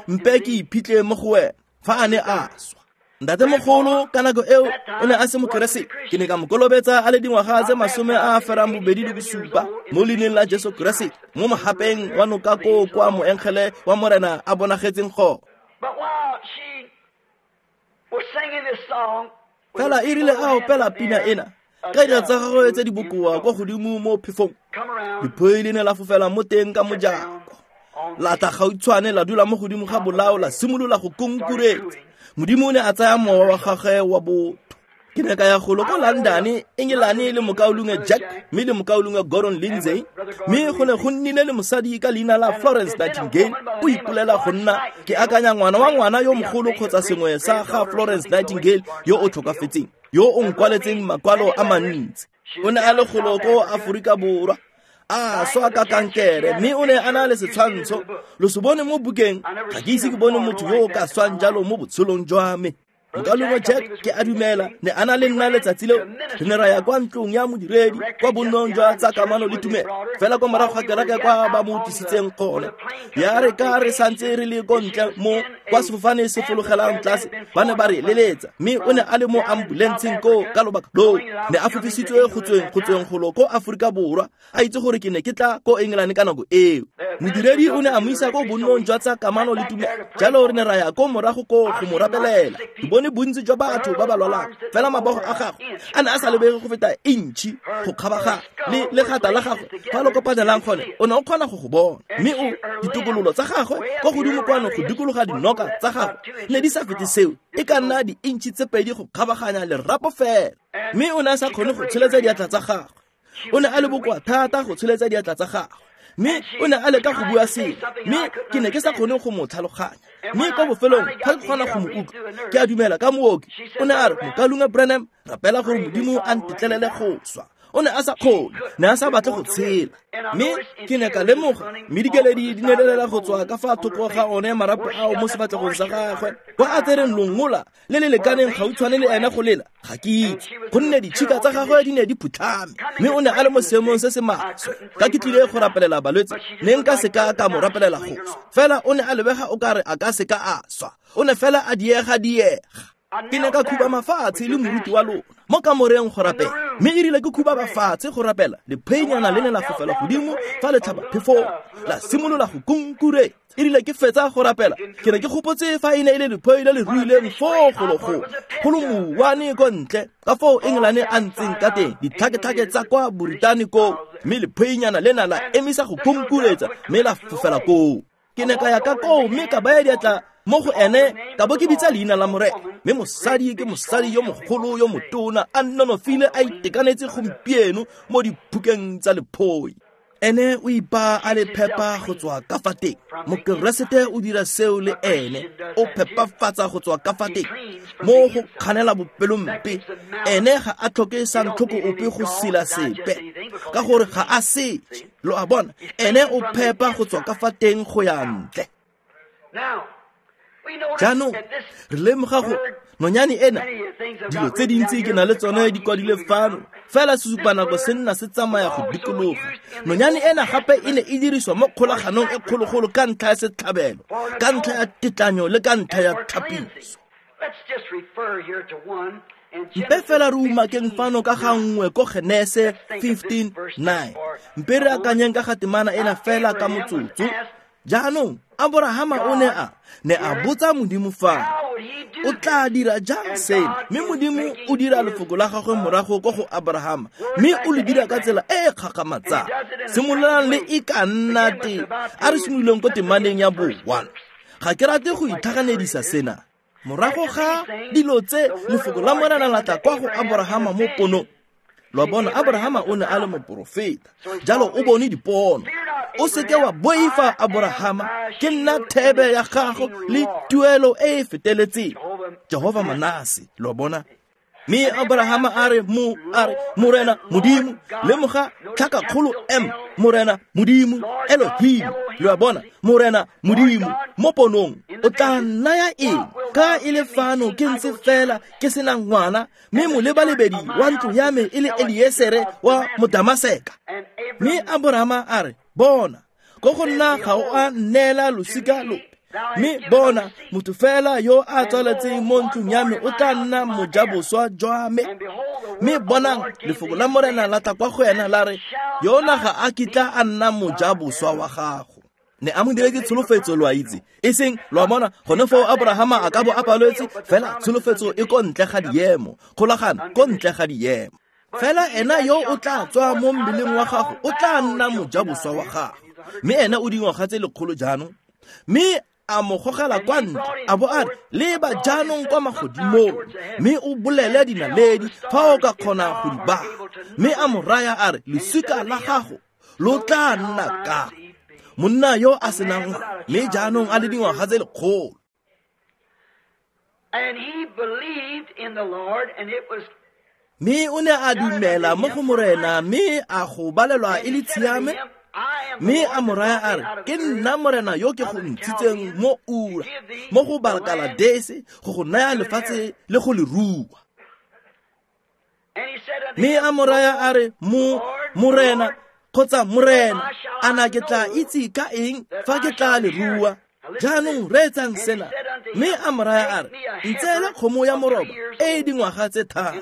mpe ke iphitlhe mo go wena fa a ne a swa. Ntatemogolo ka nako eo o ne a se mokeresete. Ke ne ka mo kolobetsa a le dingwaga tse masome a a ferang bobedi le bosupa mo leineng la Jesu Keresete, mo mogapeng wa noka koo kwa moengele wa Morena a bonagetseng gone. Fela e rile a opela pina ena ka dira tsa gagwe tse di bokoa kwa godimo mo phefong, lephoi le ne la fofela mo teng ka mojako, la tla gautshwane la dula mo godimo ga bolao, la simolola go konkuretsa. Modimo o ne a tsaya mowa wa gagwe wa botho. Ke ne ka ya golo ko London, Engelane le mokaulengwe Jack mme le mokaulengwe Gordon Lindsay, mme go ne go nnile le mosadi ka leina la Florence Nightingale. O ipolela go nna, ke akanya ngwana wa ngwana yo mogolo kgotsa sengwe sa ga Florence Nightingale yo o tlhokafetseng, yo o nkwaletseng makwalo a mantsi. O ne a le golo ko Aforika Borwa, a swa ka kankere, mme o ne a na le setshwantsho. Lo se bone mo bukeng, ga ke ise ke bone motho yo o ka swang jalo mo botshelong jwa me. Mokaulengwe Jack, ke a dumela, ne a na le nna letsatsi leo. Re ne ra ya kwa ntlong ya modiredi, kwa bonnong jwa tsa kamano le tumelo, fela kwa morago ga kereke kwa ba mo tlisitseng gone. Ya re ka re santse re le ko ntle mo kwa sefofane se fologelang tlase, ba ne ba re leletsa, mme o ne a le mo ambulenseng koo ka lobaka loo. Ne a fofisitswe go tsweng go tsweng golo ko Aforika Borwa, a itse gore ke ne ke tla ko England ka nako eo. Modiredi o ne a mo isa ko bonnong jwa tsa kamano le tumelo, jalo re ne ra ya ko morago koo go mo rapelela. Ke bone bone bontsi jwa batho ba ba lwalang, fela mabogo a gagwe a ne a sa lebege go feta intšhi go kgabaganya le legata la gagwe fa lo kopanelang gone, o ne o kgona go go bona. Mme o ditokololo tsa gagwe kwa godimo kwano go dikologa dinoka tsa gagwe ne di sa fete seo, e ka nna di-intšhi tse pedi go kgabaganya lerapo fela. Mme o ne a sa kgone go tsholetsa diatla tsa gagwe, o ne a le bokoa thata go tsholetsa diatla tsa gagwe. Mme o ne a leka go bua sengwe, mme ke ne ke sa kgone go mo tlhaloganya. Mme kwa bofelong ga ke kgona go mo utlwa, ke a dumela ka mooki, o ne a re, Mokaulengwe Branham, rapela gore Modimo a ntetlelele go swa. O ne a sa kgone, ne a sa batle go tshela. Mme ke ne ka lemoga, mme dikeledi di ne di lela go tswa ka fa thoko ga one marapo ao mo sefatlhegong sa gagwe. Kwa a tsereng longola le le lekaneng gautshwane le ene go lela, ga ke itse, gonne ditšhika tsa gagwe di ne di phutlhame. Mme o ne a le mo seemong se se maswe. Ka ke tlile go rapelela balwetse, ne nka se ka ka mo rapelela go swa. Fela o ne a lebega o kare a ka se ka a swa. O ne fela a diega diega. Ke ne ka khuba mafatshe le moruti wa lona mo kamoreng go rapela. Mme e rile ke khuba mafatshe go rapela, lepheinyana le ne la fofela godimo fa le tlhaba phefong, la simolola go kunkuretsa. E rile ke fetsa go rapela, ke ne ke gopotse fa e ne e le lephoi le le ruileng foo golo-golo, go lo mouwane ko ntle, ka foo Engelane a ntseng ka teng, ditlhaketlhake tsa kwa Boritane koo. Mme lepheinyana lena la emisa go kunkuretsa, mme la fofela koo. Ke ne ka ya ka koo mme ka baya diatla mo go ene, ka bo ke bitsa leina la Morena. Mme mosadi ke mosadi yo mogolo yo motona, a nonofile, a itekanetse gompieno mo diphukeng tsa lephoi. Ene o ipaa a le phepa go tswa ka fa teng. Mokeresete o dira seo le ene, o phepafatsa go tswa ka fa teng mo go kganela bopelompe. Ene ga a tlhoke santlhoko ope go sila sepe, ka gore ga a setse. Lo a bona, ene o phepa go tswa ka fa teng go ya ntle. Jaanong re lemoga gore nonyane ena, dilo tse dintsi ke na le tsone di kwadile fano, fela sesupanako se nna se tsamaya go dikologa. Nonyane ena gape e ne e diriswa mo kgolaganong e kgologolo ka ntlha ya setlhabelo, ka ntlha ya tetlanyo le ka ntlha ya tlhapiso. Mpe fela re umakeng fano ka ga nngwe ko Genese fifteen nine. Mpe re akanyeng ka ga temana ena fela ka motsotso. Jaanong Aborahama o ne a ne a botsa Modimo fa o tla dira jang seno, mme Modimo o dira lefoko la gagwe morago ko go Aborahama, mme o le dira ka tsela e e kgakgamatsang. Simololang le e ka nna teng, a re simololeng ko temaneng ya bo one. Ga ke rate go itlhaganedisa sena. Morago ga dilo tse, lefoko la Morena la tla kwa go Aborahama mo ponong. Lo a bona, Aborahama o ne a le moporofeta, jalo o bone dipono. O seke wa boifa, Aborahama, ke nna thebe ya gago le tuelo e e feteletseng. Jehova Manase, lo a bona. Mme Aborahama a re, mo a re, Morena Modimo, lemoga tlhakakgolo M, Morena Modimo, Elohim, lo a bona, Morena Modimo, mo ponong, o tla nnaya eng? Ka e le fano ke ntse fela ke sena ngwana, mme molebalebedi wa ntlo ya me e le Eliesere wa Modamaseka. Mme Aborahama a re, bona, ko go nna ga o a nneela losika lope. Mme bona, motho fela yo a tswaletseng mo ntlong ya me o tla nna mojaboswa jwa me. Mme bonang, lefoko la Morena la tla kwa go ena la re, yona ga a kitla a nna mojaboswa wa gago. Ne a mo diretse tsholofetso, lo a itse, e seng, lo a bona, gone foo Aborahama a ka bo a paletse, fela tsholofetso e ko ntle ga diemo, kgolagano ko ntle ga diemo. Fela ena yo o tla tswa mo mmeleng wa gago o tla nna mojaboswa wa gago. Mme ena o dingwaga tse lekgolo jaanong. Mme a mo gogela kwa ntle, a bo a re, leba jaanong kwa magodimong, mme o bolele dinaledi fa o ka kgona go di bala. Mme a mo raya a re, losika la gago lo tla nna ka monna yo a senang ngwana, mme jaanong a le dingwaga tse lekgolo. And he believed in the Lord, and it was Mme o ne a dumela mo go Morena, mme a go balelwa e le tshiame. Mme a mo raya a re, ke nna Morena yo ke go ntshitseng mo Ura, mo go Bakaladese, go go naya lefatshe le go le rua. Mme a mo raya a re, mo Morena kgotsa Morena, a na ke tla itse ka eng fa ke tla le rua? Jaanong reetsang sena. Mme a mo raya a re, ntseele kgomo ya moroba e e dingwaga tse tharo,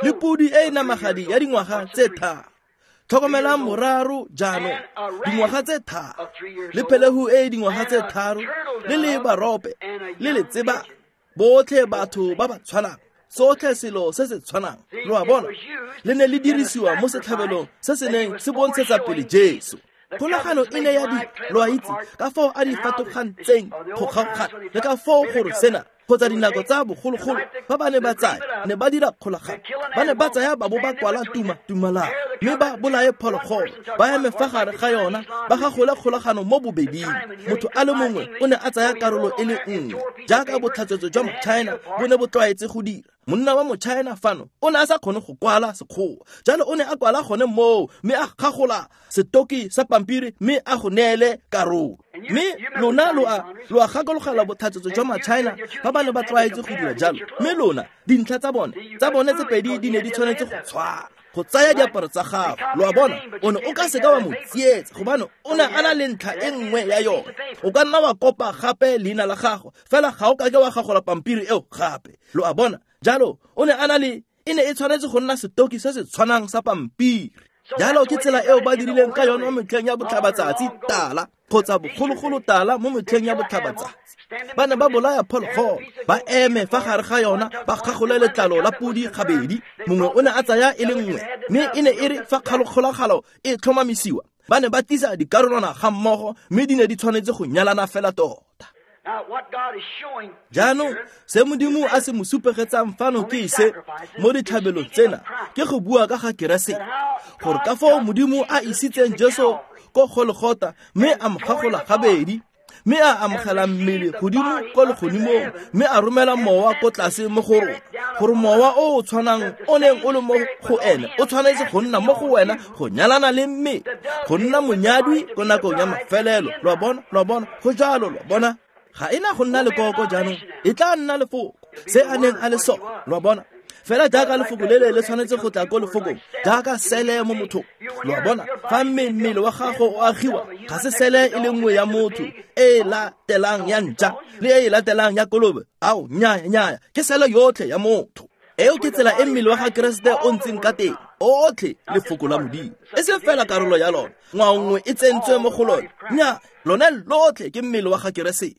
le podi e e namagadi ya dingwaga tse tharo. Tlhokomelang moraro jaanong, dingwaga tse tharo, le phelehu e e dingwaga tse tharo, le lebarope, le letseba, Botlhe batho ba ba tshwanang, sotlhe selo se se tshwanang. Lo a bona, le ne le dirisiwa mo setlhabelong se se neng se bontshetsa pele Jesu. Kgolagano e ne ya di, lo a itse, ka foo a di fatogantseng go kgaogana, le ka foo gore sena kgotsa dinako tsa bogologolo ba ba ne ba tsaya ne ba dira kgolagano, ba ne ba tsaya ba bo ba kwala tuma tumalano, mme ba bolaye phologolo, ba eme fa gare ga yona, ba gagole kgolagano mo bobeding. Motho a le mongwe o ne a tsaya karolo e le nngwe, jaaka botlhatswetso jwa Mochina bo ne bo tlwaetse go dira. Monna wa Mochina fano o ne a sa kgone go kwala Sekgowa, jalo o ne a kwala gone moo, mme a gagola setoki sa pampiri mme a go neele karolo. Mme lona lo a lo a gakologela botlhatswetso jwa Machina ba ba ne ba tlwaetse go dira jalo. Mme lona dintlha tsa bone tsa bone tse pedi di ne di tshwanetse go tshwana. Go tsaya diaparo tsa gago, lo a bona, o ne o ka seka wa mo tsietsa, gobane o ne a na le ntlha e nngwe ya yone. O ka nna wa kopa gape leina la gago, fela ga o kake wa gagola pampiri eo gape. Lo a bona, jalo o ne a na le, e ne e tshwanetse go nna setoki se se tshwanang sa pampiri. Jalo ke tsela eo ba dirileng ka yone mo metlheng ya botlhabatsatsi tala, kgotsa bogologolo tala mo metlheng ya botlhabatsatsi. Ba ne ba bolaya phologolo, ba eme fa gare ga yona, ba kgagole letlalo la podi gabedi. Mongwe o ne a tsaya e le nngwe, mme e ne e re fa kgolagalo e tlhomamisiwa, ba ne ba tlisa dikarolwana ga mmogo, mme di ne di tshwanetse go nyalana fela tota. Jaanong se Modimo a se mo supegetsang fano ke se mo ditlhabelong tsena, ke go bua ka ga Keresete, gore ka foo Modimo a isitseng Jesu ko Golgotha mme a mo gagola gabedi, mme a amogela mmele godimo ko legodimong, mme a romela mowa ko tlase mo go rona, gore mowa o o tshwanang o neng o le mo go ene o tshwanetse go nna mo go wena, go nyalana le mme, go nna monyadwi ko nakong ya mafelelo. Lo a bona, lo a bona, go jalo, lo a bona. Ga ena go nna lekoko jaanong, e tla nna lefoko se a neng a le sone. Lo a bona, fela jaaka lefoko lele le tshwanetse go tla ko lefokong, jaaka sele mo mothong. Lo a bona, fa mmele wa gago o agiwa, ga se sele e le nngwe ya motho e e latelang ya ntša le e e latelang ya kolobe. Ao, nnyaya, nnyaya, ke sele yotlhe ya motho. Eo ke tsela e mmele wa ga Keresete o ntseng ka teng, otlhe lefoko la Modimo, e seng fela karolo ya lona, ngwao nngwe e tsentswe mo go lone. Nnyaa, lone lotlhe ke mmele wa ga Keresete.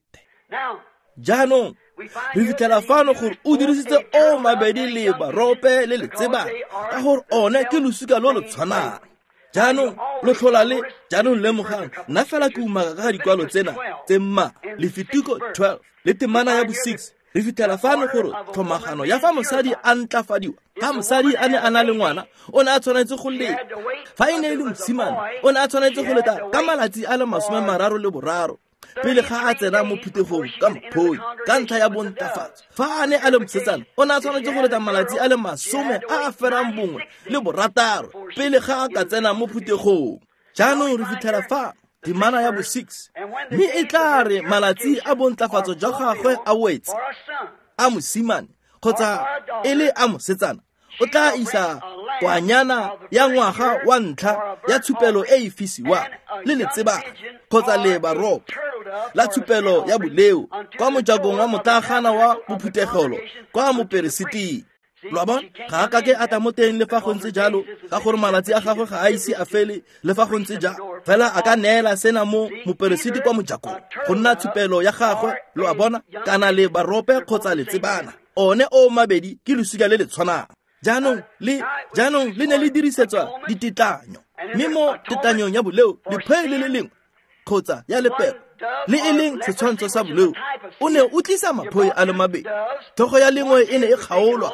Jaanong re fitlhela fano gore o dirisitse o mabedi lebarope le letsebana, ka gore one ke losika lo lo tshwanang. Jaanong lo tlhola le, jaanong lemogang, nna fela ke umaka ka ga dikwalo tsena tse mma, Lefitiko twelve le temana ya bo six. Re fitlhela fano gore tlhomagano ya fa mosadi a ntlafadiwa, fa mosadi a ne a na le ngwana, o ne a tshwanetse go leta. Fa e ne e le mosimane, o ne a tshwanetse go leta ka malatsi a le masome mararo le boraro pele ga a tsena mo phuthegong ka mphoi, ka ntlha ya bontlafatso. Fa a ne a le mosetsana, o ne a tshwanetse go leta malatsi a le masome a a ferang bongwe le borataro pele ga a ka tsena mo phuthegong. Jaanong re fitlhela fa temana ya bo six, mme e tla re malatsi a bontlafatso jwa gagwe a wetse, a mosimane kgotsa e le a mosetsana, o tla isa kwanyana ya ngwaga wa ntlha ya tshupelo e e fisiwang le letsebana kgotsa lebarope la tshupelo ya boleo kwa mojakong wa motlagana wa bophuthegelo kwa moperesiting. Lo a bona, ga a kake a tla mo teng le fa go ntse jalo, ka gore malatsi a gagwe ga a ise a fele le fa go ntse jalo. Fela a ka neela sena mo moperesiti kwa mojakong go nna tshupelo ya gagwe. Lo a bona, kana lebarope kgotsa letsebana, one o mabedi ke losika le le tshwanang. Jaanong le jaanong le ne le dirisetswa ditetlanyo, mme mo tetlanyong ya boleo lephoi le le lengwe kgotsa ya lepero le e leng setshwantsho sa boleo, o ne o tlisa maphoi a le mabedi. Tlhogo ya lengwe e ne e kgaolwa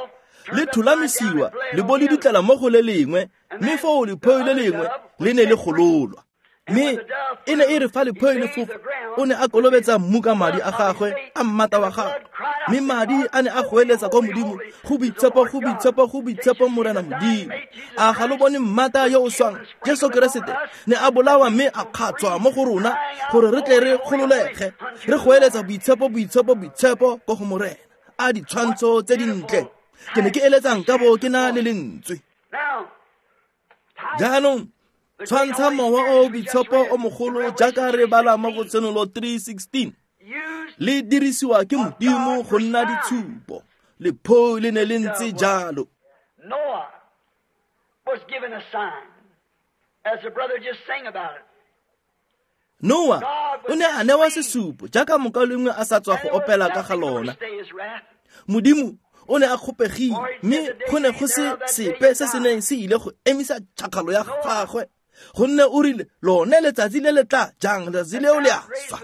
le thulamisiwa le bo le dutlela mo go le lengwe, mme foo lephoi le lengwe le ne le gololwa. Mme e ne e re fa lephoi le fofa, o ne a kolobetsa mmu ka madi a gagwe a mmata wa gagwe, mme madi a ne a goeletsa kwa Modimo, go boitshepo, go boitshepo, go boitshepo Morena Modimo. A ga lo bone mmata yo o swang, Jesu Keresete, ne a bolawa mme a kgatswa mo go rona gore re tle re gololege, re goeletsa boitshepo, boitshepo, boitshepo ko go Morena. A ditshwantsho tse dintle. Ke ne ke eletsang ka bo ke na le lentswe. Jaanong tshwantsha mowa o boitshepo o mogolo jaaka re bala mo go Tshenolo three sixteen, le dirisiwa ke Modimo go nna ditshupo. Lephoi le ne le ntse jalo. Noah was given a sign, as the brother just sang about it. Noah o ne a newa sesupo jaaka mokaulengwe a sa tswa go opela ka ga lona. Modimo o ne a kgopegile, mme go ne go se sepe se se neng se ile go emisa tšhakgalo ya gagwe, gonne o rile lone letsatsi le le tla jang, letsatsi leo le a swa.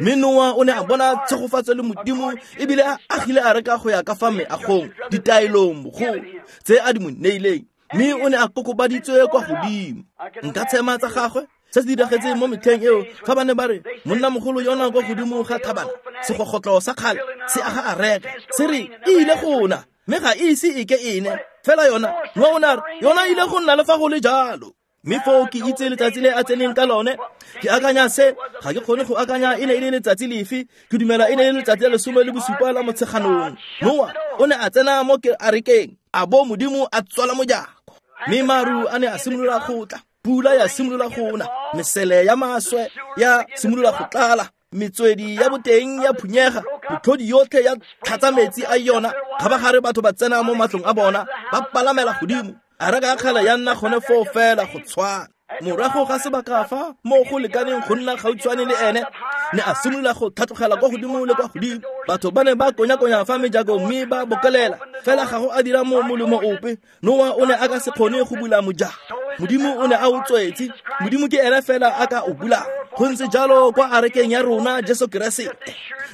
Mme Noa o ne a bona tshegofatso le Modimo, ebile a agile areka go ya ka fa meagong, ditaelong bogolo tse a di mo neileng, mme o ne a kokobaditswe kwa godimo. Nka tshema tsa gagwe se se diragetseng mo metlheng eo, fa ba ne ba re monnamogolo yona kwa godimo ga thabana, segogotlo sa kgale se aga areka, se re e ile go na, mme ga e ise e ke ene fela yona. Noa o ne a re yona ile go nna le fa go le jalo. Mme foo ke itse letsatsi le a tseneng ka lone. Ke akanya se, ga ke kgone go akanya e ne e le letsatsi lefe. Ke dumela e ne e le letsatsi la lesome le bosupa la Motsheganong. Noa o ne a tsena mo arekeng, a bo Modimo a tswala mojako, mme maru a ne a simolola go tla, pula ya simolola go na, mesele ya maswe ya simolola go tlala, metswedi ya boteng ya phunyega, metlhodi yotlhe ya tlhatsa metsi a yona. Kgabagare batho ba tsena mo matlong a bona, ba palamela godimo. Areka ya kgale ya nna gone foo fela go tshwana. Morago ga sebaka fa mo go lekaneng go nna gautshwane le ene, ne a simolola go tlhatlogela kwa godimo le kwa godimo. Batho ba ne ba konya-konya fa mejako mme ba bokelela, fela ga go a dira mo molemo ope. Noa o ne a ka se kgone go bula mojako, Modimo o ne a o tswetse. Modimo ke ene fela a ka o bulang. Go ntse jalo kwa arekeng ya rona Jesu Keresete.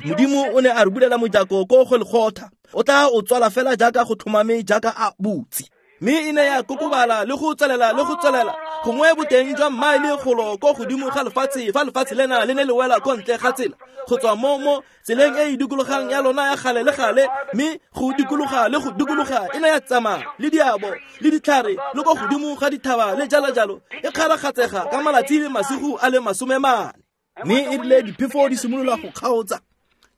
Modimo o ne a re bulela mojako ko Golgotha, o tla o tswala fela jaaka go tlhomame jaaka a butse. Mme e ne ya kokobala le go tswelela le go tswelela, gongwe boteng jwa mmaele golo ko godimo ga lefatshe, fa lefatshe lena le ne le wela ko ntle ga tsela, go tswa mo mo tseleng e e dikologang ya lona ya gale le gale, mme go dikologa le go dikologa e ne ya tsamaya le diabo le ditlhare le ko godimo ga dithaba le jalo jalo, e kgaragatsega ka malatsi le masigo a le masome mane. Mme e rile diphefo di simolola go kgaotsa,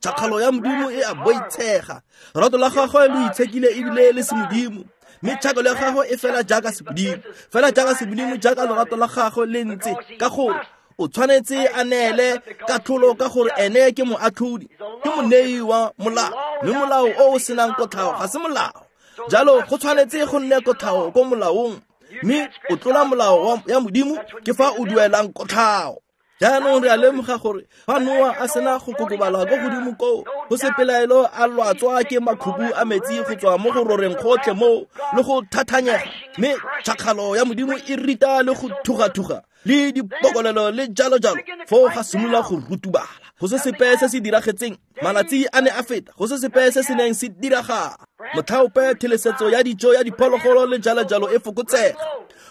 tšhakgalo ya Modimo e a boitshega, rato la gagwe le itshekile ebile le semodimo, mme tšhakalo ya gagwe e fela jaaka semodimo, fela jaaka semodimo, jaaka lorato la gagwe le ntse, ka gore o tshwanetse a neele katlholo, ka gore ene ke moatlhodi, ke monei wa molao, mme molao o o senang kotlhao ga se molao. Jalo go tshwanetse go nne kotlhao ko molaong, mme o tlola molao ya Modimo ke fa o duelang kotlhao. Jaanong re a lemoga gore fa Noa a sena go kokobala ko godimo koo, go se pelaelo a lwatswa ke makhubu a metsi go tswa mo go roreng gotlhe moo le go thathanyega, mme tšhakgalo ya Modimo e rita le go thuga-thuga le dipokolelo le jalo-jalo, foo ga simolola go rutubala. Go se sepe se se diragetseng, malatsi a ne a feta, go se sepe se se neng se diragala. Motlhaope thelesetso ya dijo ya diphologolo le jalo-jalo e fokotsega,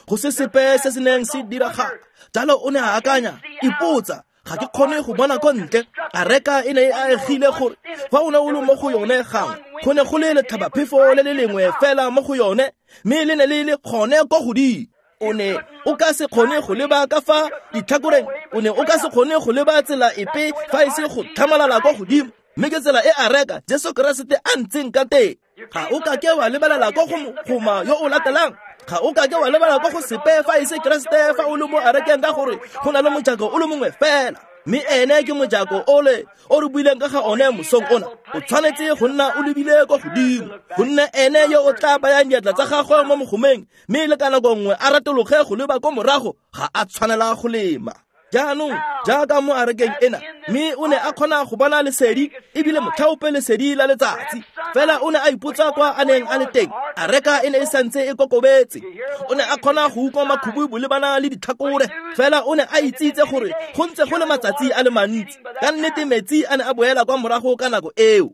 go se sepe se se neng se diragala. Jalo o ne a akanya, ipotsa, ga ke kgone go bona ko ntle. Areka e ne e aegile gore fa o ne o le mo go yone gangwe, go ne go le letlhabaphefo le le lengwe fela mo go yone, mme le ne le le gone ko godimo. O ne o ka se kgone go leba ka fa ditlhakoreng, o ne o ka se kgone go leba tsela epe fa e se go tlhamalala kwa godimo. Mme ke tsela e areka Jesu Keresete a ntseng ka teng. Ga o ka ke wa lebelela kwa go mogoma yo o latelang, ga o ka ke wa lebala kwa go sepe fa e se Keresete fa o le mo arekeng, ka gore go na le mojako o le mongwe fela, mme ene ke mojako ole o re buileng ka ga one mosong ona. O tshwanetse go nna o lebile kwa godimo, gonne ene yo o tla bayang diatla tsa gagwe mo mogomeng, mme le ka nako nngwe a ratologe go leba ko morago, ga a tshwanela go lema. Jaanong jaaka mo arekeng ena, mme o ne a kgona go bona lesedi, ebile motlhaope lesedi la letsatsi, fela o ne a ipotsa kwa a neng a le teng. Areka e ne e santse e kokobetse, o ne a kgona go utlwa makhubu bolebana le ditlhakore, fela o ne a itsitse gore go ntse go le matsatsi a le mantsi. Ka nnete metsi a ne a boela kwa morago ka nako eo.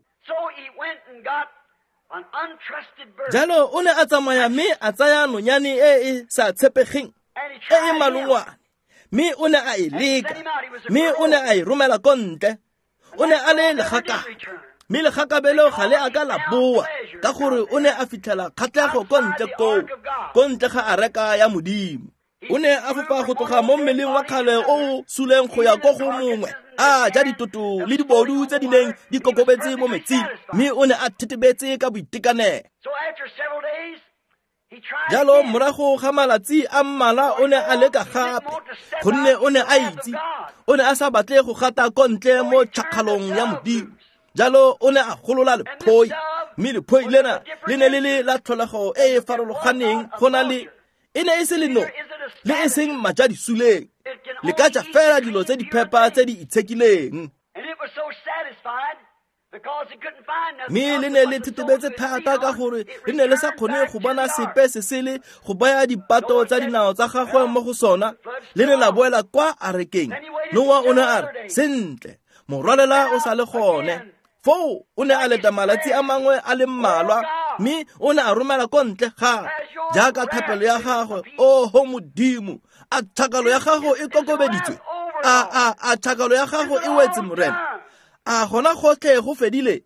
Jalo o ne a tsamaya mme a tsaya nonyane e e sa tshepegeng, e e malongwane, mme o ne a e leka, mme o ne a e romela ko ntle. O ne a le legakabe, mme legakabelo ga le a ka la boa, ka gore o ne a fitlhela kgatlhego ko ntle koo, ko ntle ga areka ya Modimo. O ne a fofa go tloga mo mmeleng wa kgale o o suleng go ya ko go mongwe, a ja ditoto le dibodu tse di neng di kokobetse mo metsing, mme o ne a thetebetse ka boitekanelo. Jalo morago ga malatsi a mmala o ne a leka gape, gonne o ne a itse o ne a sa batle go gata ko ntle mo tšhakgalong ya Modimo. Jalo o ne a golola lephoi, mme lephoi lena le ne le le la tlholego e e farologaneng go na le e ne e se leno le e seng majadisuleng, le ka ja fela dilo tse di phepa tse di itshekileng. Mme le ne le thitibetse thata ka gore le ne le sa kgone go bona sepe se sele go baya dipato tsa dinao tsa gagwe mo go sona, le ne la boela kwa arekeng. Noa o ne a re, sentle, morwalela o sa le gone. Foo o ne a leta malatsi a mangwe a le mmalwa, mme o ne a romela ko ntle gape jaaka thapelo ya gagwe. Oho Modimo, a tšhakalo ya gago e kokobeditswe? A a a tšhakalo ya gago e wetse, Morena? A gona gotlhe go fedile?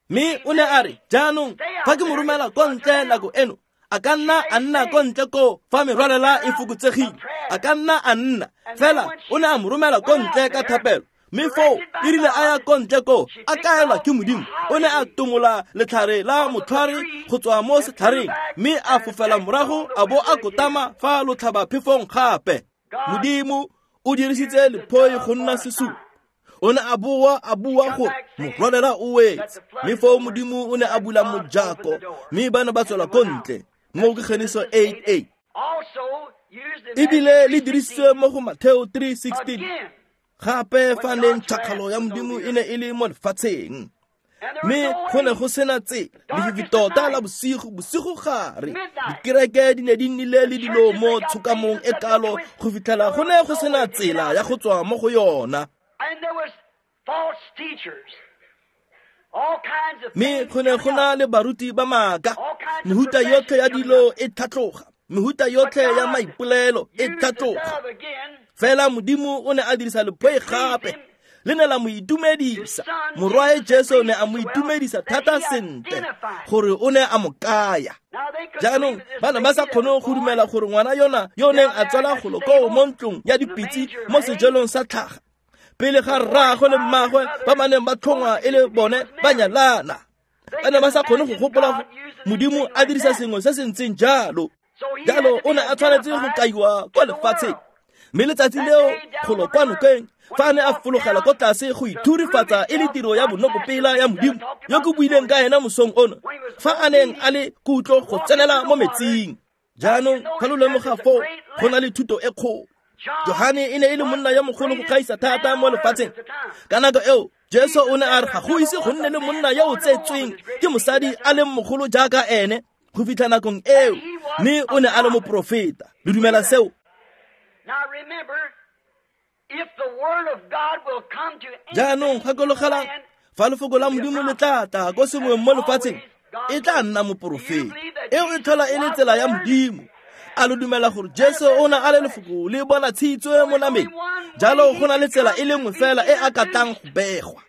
Mme o ne a re, jaanong fa ke mo romela ko ntle nako eno, a ka nna a nna ko ntle koo fa merwalela e fokotsegile, a ka nna a nna. Fela o ne a mo romela ko ntle ka thapelo. Mme foo e rile a ya ko ntle koo a kaelwa ke Modimo, o ne a tomola letlhare la motlhware go tswa mo setlhareng, mme a fofela morago a bo a kotama fa lotlhabaphefong gape. Modimo o dirisitse lephoi go nna sesupo. O ne a boa a bua gore morwalela o wetse, mme foo Modimo o ne a bula mojako, mme ba ne ba tswela ko ntle. Mo ke Genesis eight eight. Ebile le dirisitswe mo go Mateo three sixteen. Gape fa neng tšhakgalo ya Modimo e ne e le mo lefatsheng, mme go ne go sena tsela, lefifi tota la bosigo, bosigo gare. Dikereke di ne di nnile le dilo mo tshokamong e kalo go fitlhela go ne go sena tsela ya go tswa mo go yona. Mme go ne go na le baruti ba maaka, mehuta yotlhe ya dilo e tlhatloga, mehuta yotlhe ya maipolelo e tlhatloga. Fela Modimo o ne a dirisa lephoi gape, le ne la mo itumedisa. Morwae Jesu ne a mo itumedisa thata sentle gore o ne a mo kaya. Jaanong ba ne ba sa kgone go dumela gore ngwana yona yo neng a tswala golo koo mo ntlong ya dipitse mo sejelong sa tlhaga, pele ga rraagwe le mmagwe ba ba neng ba tlhongwa e le bone ba nyalana. Ba ne ba sa kgone go gopola Modimo a dirisa sengwe se se ntseng jalo. Jalo o ne a tshwanetse go kaiwa kwa lefatsheng. Mme letsatsi leo golo kwa nokeng, fa a ne a fologela ko tlase go ithurifatsa e le tiro ya bonokopela ya Modimo yo ke buileng ka ena mosong ono, fa a neng a le kutlo go tsenela mo metsing. Jaanong fa lo lemoga foo go na le thuto e kgolo. Johane e ne e le monna yo mogolo go gaisa thata mo lefatsheng. Ka nako eo Jesu o ne a re ga go ise go nne le monna yo o tsetsweng ke mosadi a leng mogolo jaaka ene go fitlha nakong eo, mme o ne a le moporofeta. Le dumela seo? Jaanong gakologelang, fa lefoko la Modimo le tla tla ko sengweng mo lefatsheng, e tla nna moporofeta. Eo e tlhola e le tsela ya Modimo. A lo dumela gore Jesu o ne a le lefoko le bonatshitswe mo nameng? Jalo go na le tsela e le nngwe fela e a ka tlang go begwa,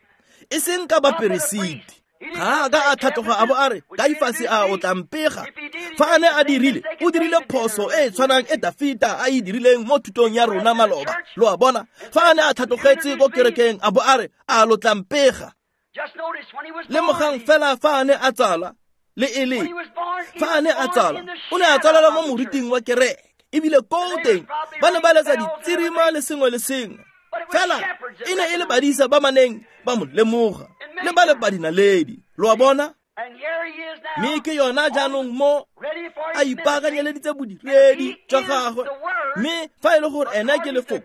e seng ka baperesiti. Ga a ka a tlhatloga a bo a re, Kaifase a o tla mpega? Fa a ne a dirile, o dirile phoso e e tshwanang e Dafita a e dirileng mo thutong ya rona maloba. Lo a bona? Fa a ne a tlhatlogetse ko kerekeng a bo a re, a lo tla mpega? Lemogang fela fa a ne a tsala, le e le fa a ne a tsala, o ne a tsalela mo moriting wa kereke, ebile koo teng ba ne ba letsa ditsirima le sengwe le sengwe. Fela e ne e le badisa ba maneng ba mo lemoga, le ba le badinaledi. Lo a bona? Mme ke yona jaanong mo a ipaakanyeleditse bodiredi jwa gagwe. Mme fa e le gore ene ke lefoko,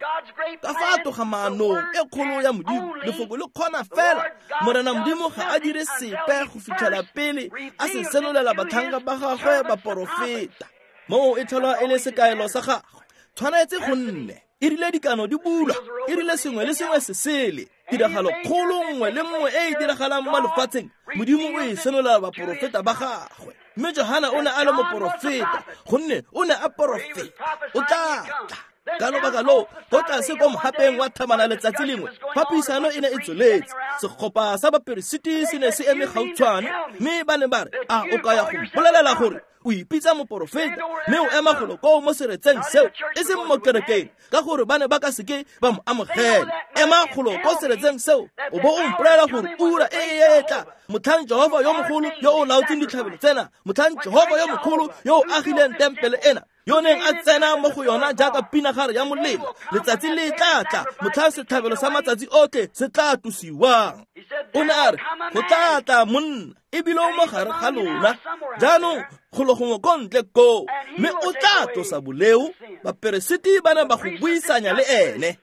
ka fa a toga maanong e kgolo ya Modimo, lefoko le kgona fela. Morena Modimo ga a dire sepe go fitlhela pele a se senolela batlhanka ba gagwe baporofeta. Moo e tlhola e le sekaelo sa gagwe. Tshwanetse go nne e rile dikano di bulwa, e rile sengwe le sengwe se sele, tiragalo kgolo nngwe le nngwe e e diragalang mo lefatsheng, Modimo o e senolela baporofeta ba gagwe. Mme Johana o ne a le moporofeta, gonne o ne a porofeta, o tla tla. Ka lobaka loo, ko tlase ko mohapeng wa thamana letsatsi lengwe, fa puisano e ne e tsweletse, segopa sa baperesiti se ne se eme gautshwane, mme ba ne ba re, a o ka ya go mpolelela gore o ipitsa moporofeta, mme o ema golo koo mo seretseng seo, e seng mo kerekeng, ka gore ba ne ba ka seke ba mo amogela. Ema golo ko seretseng seo, o bo o mpolelela gore ura e e etla, motlhang Jehova yo mogolo yo o laotseng ditlhabelo tsena, motlhang Jehova yo mogolo yo o agileng tempele ena, yo neng a tsena mo go yona jaaka pinagare ya molelo, letsatsi le tla tla motlhang setlhabelo sa matsatsi otlhe se tla tlosiwang. O ne a re, go tla tla monna, ebile o mo gare ga lona jaanong golo gongwe ko ntle koo, mme o tla tlosa boleo. Baperesiti ba ne ba go buisanya le ene.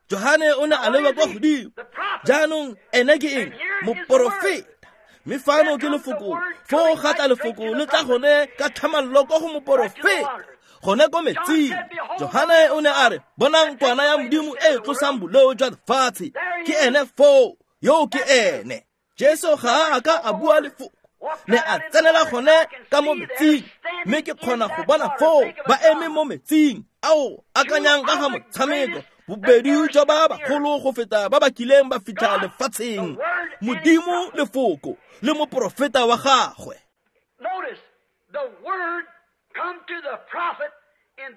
Johane o ne a leba kwa godimo. Jaanong ene ke eng? Moporofeta. Mme fano ke lefoko, foo ga tla lefoko le tla gone ka tlhamallo kwa go moporofeta, gone ko metsing. Johane o ne a re, bonang kwana ya Modimo e e tlosang boleo jwa lefatshe. Ke ene foo, yo ke ene. Jesu ga a ka a bua lefoko, ne a tsenela gone ka mo metsing, mme ke kgona go bona foo ba eme mo metsing ao akanyang ka ga motshameko, bobedi jwa ba bagolo go feta ba ba kileng ba fitlha lefatsheng. Modimo lefoko le moporofeta wa gagwe.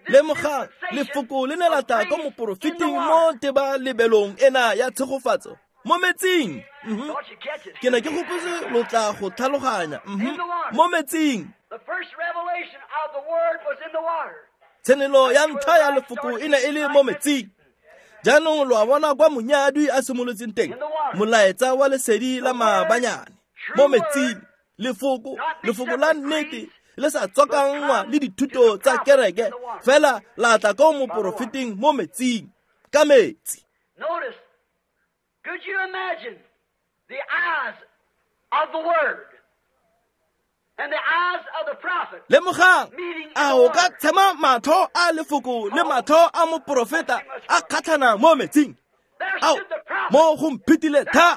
Lemogang, lefoko le ne la tla ko moporofeting mo tebalebelong ena ya tshegofatso mo metsing. Ke ne ke gopotse lo tla go tlhaloganya. Mo metsing. Tshenolo ya ntlha ya lefoko e ne e le mo metsing. Jaanong lo a bona kwa monyadwi a simolotseng teng, molaetsa wa lesedi la maabanyane mo metsing. Lefoko, lefoko la nnete le sa tswakanngwa le dithuto tsa kereke, fela la tla ko moporofeting mo metsing, ka metsi. Notice, could you imagine the eyes of the Word and the eyes of the prophet? Lemogang, a o ka tshema matlho a lefoko le matlho a moporofeta a kgatlhana mo metsing? Ao, mo go mphetile tha,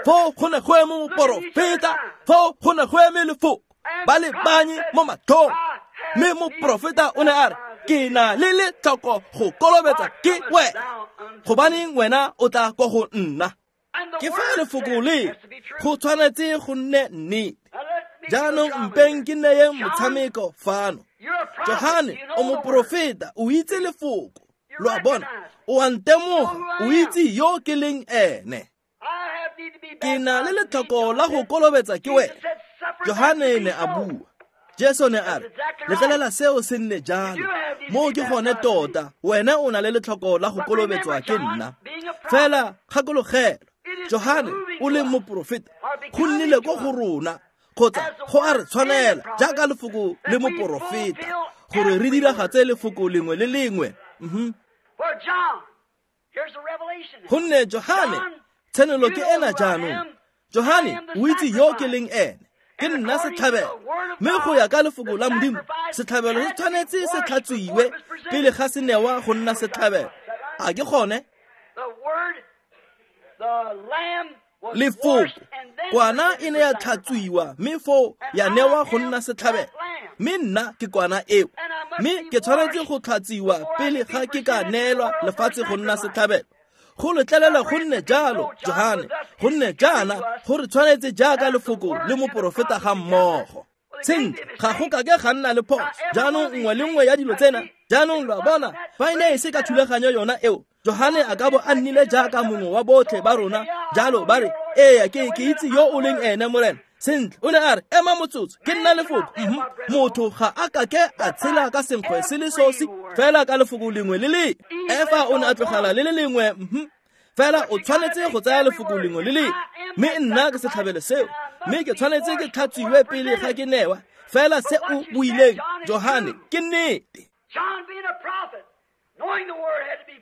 foo go ne go eme moporofeta, foo go ne go eme lefoko, ba le banye mo matlhong. Mme moporofeta o ne a re, ke na le letlhoko go kolobetsa ke wena, gobaneng wena o tla ko go nna? Ke fa lefoko le go tshwanetse go nne nnete. Jaanong mpeng ke neyeng motshameko fano. Johane o moporofeta, o itse lefoko, lo a bona, o a ntemoga, o itse yo ke leng ene. Ke na le letlhoko la go kolobetsa ke wena. Johane ne a bua. Jesu ne a re, letlelela seo se nne jalo. Moo ke gone tota, wena o na le letlhoko la go kolobetswa ke nna. Fela gakologelwa, Johane o leng moporofeta, go nnile ko go rona, kgotsa go a re tshwanela jaaka lefoko le moporofeta, gore re diragatse lefoko lengwe le lengwe. Gonne Johane, tshenolo ke ena jaanong. Johane o itse yo ke leng ene. Ke nna setlhabelo, mme go ya ka lefoko la Modimo, setlhabelo se tshwanetse se tlhatswiwe pele ga se newa go nna setlhabelo. A ke gone? Lefoko, kwana e ne ya tlhatswiwa, mme foo ya newa go nna setlhabelo. Mme nna ke kwana eo, mme ke tshwanetse go tlhatsiwa pele ga ke ka neelwa lefatshe go nna setlhabelo. Go letlelela go nne jalo, Johane, go nne jaana go re tshwanetse jaaka lefoko le moporofeta ga mmogo. Sentle, ga go kake ga nna le phoso. Jaanong nngwe le nngwe ya dilo tsena, jaanong lo a bona, fa e ne e se ka thulaganyo yona eo, Johane a ka bo a nnile jaaka mongwe wa botlhe ba rona, jalo ba re, eya ke ke itse yo o leng ene Morena. Sentle, o ne a re, ema motsotso, ke nna lefoko. Motho ga a kake a tshela ka senkgwe se le sosi, fela ka lefoko lengwe le lengwe. Efa o ne a tlogela le le lengwe, fela o tshwanetse go tsaya lefoko lengwe le lengwe. Mme nna ke setlhabelo seo, mme ke tshwanetse ke tlhatswiwe pele ga ke newa. Fela se o buileng, Johane, ke nnete.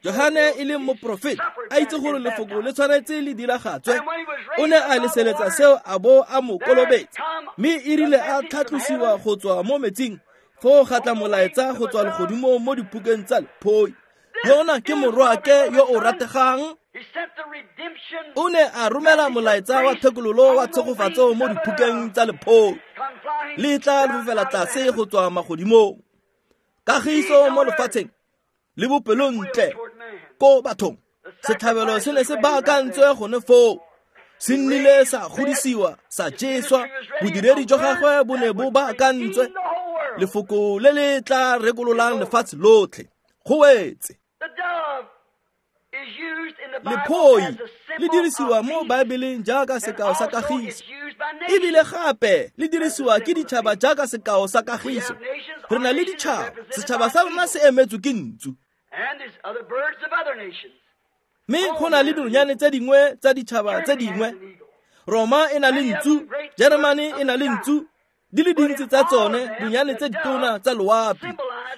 Johane e leng moporofeta, a itse gore lefoko le tshwanetse le diragatswe, o ne a leseletsa seo a bo a mo kolobetsa. Mme e rile a tlhatlosiwa go tswa mo metsing, foo ga tla molaetsa go tswa legodimong mo diphukeng tsa lephoi. Yona ke morwaake yo o rategang. O ne a romela molaetsa wa thekololo wa tshegofatso mo diphukeng tsa lephoi, le tla fofela tlase go tswa magodimong. Kagiso mo lefatsheng le bopelontle ko bathong. Setlhabelo se ne se baakantswe gone foo, se nnile sa godisiwa, sa jeswa. Bodiredi jwa gagwe bo ne bo baakantswe, lefoko le le tla rekololang lefatshe lotlhe. Go wetse. Lephoi le dirisiwa mo Baebeleng jaaka sekao sa kagiso, ebile gape le dirisiwa ke ditšhaba jaaka sekao sa kagiso. Re na le ditšhaba, setšhaba sa rona se emetswe ke ntsu, mme go na le dinonyane tse dingwe tsa ditšhaba tse dingwe. Roma e na le ntsu, Germany e na le ntsu, di le dintsi tsa tsone dinonyane tse ditona tsa loapi.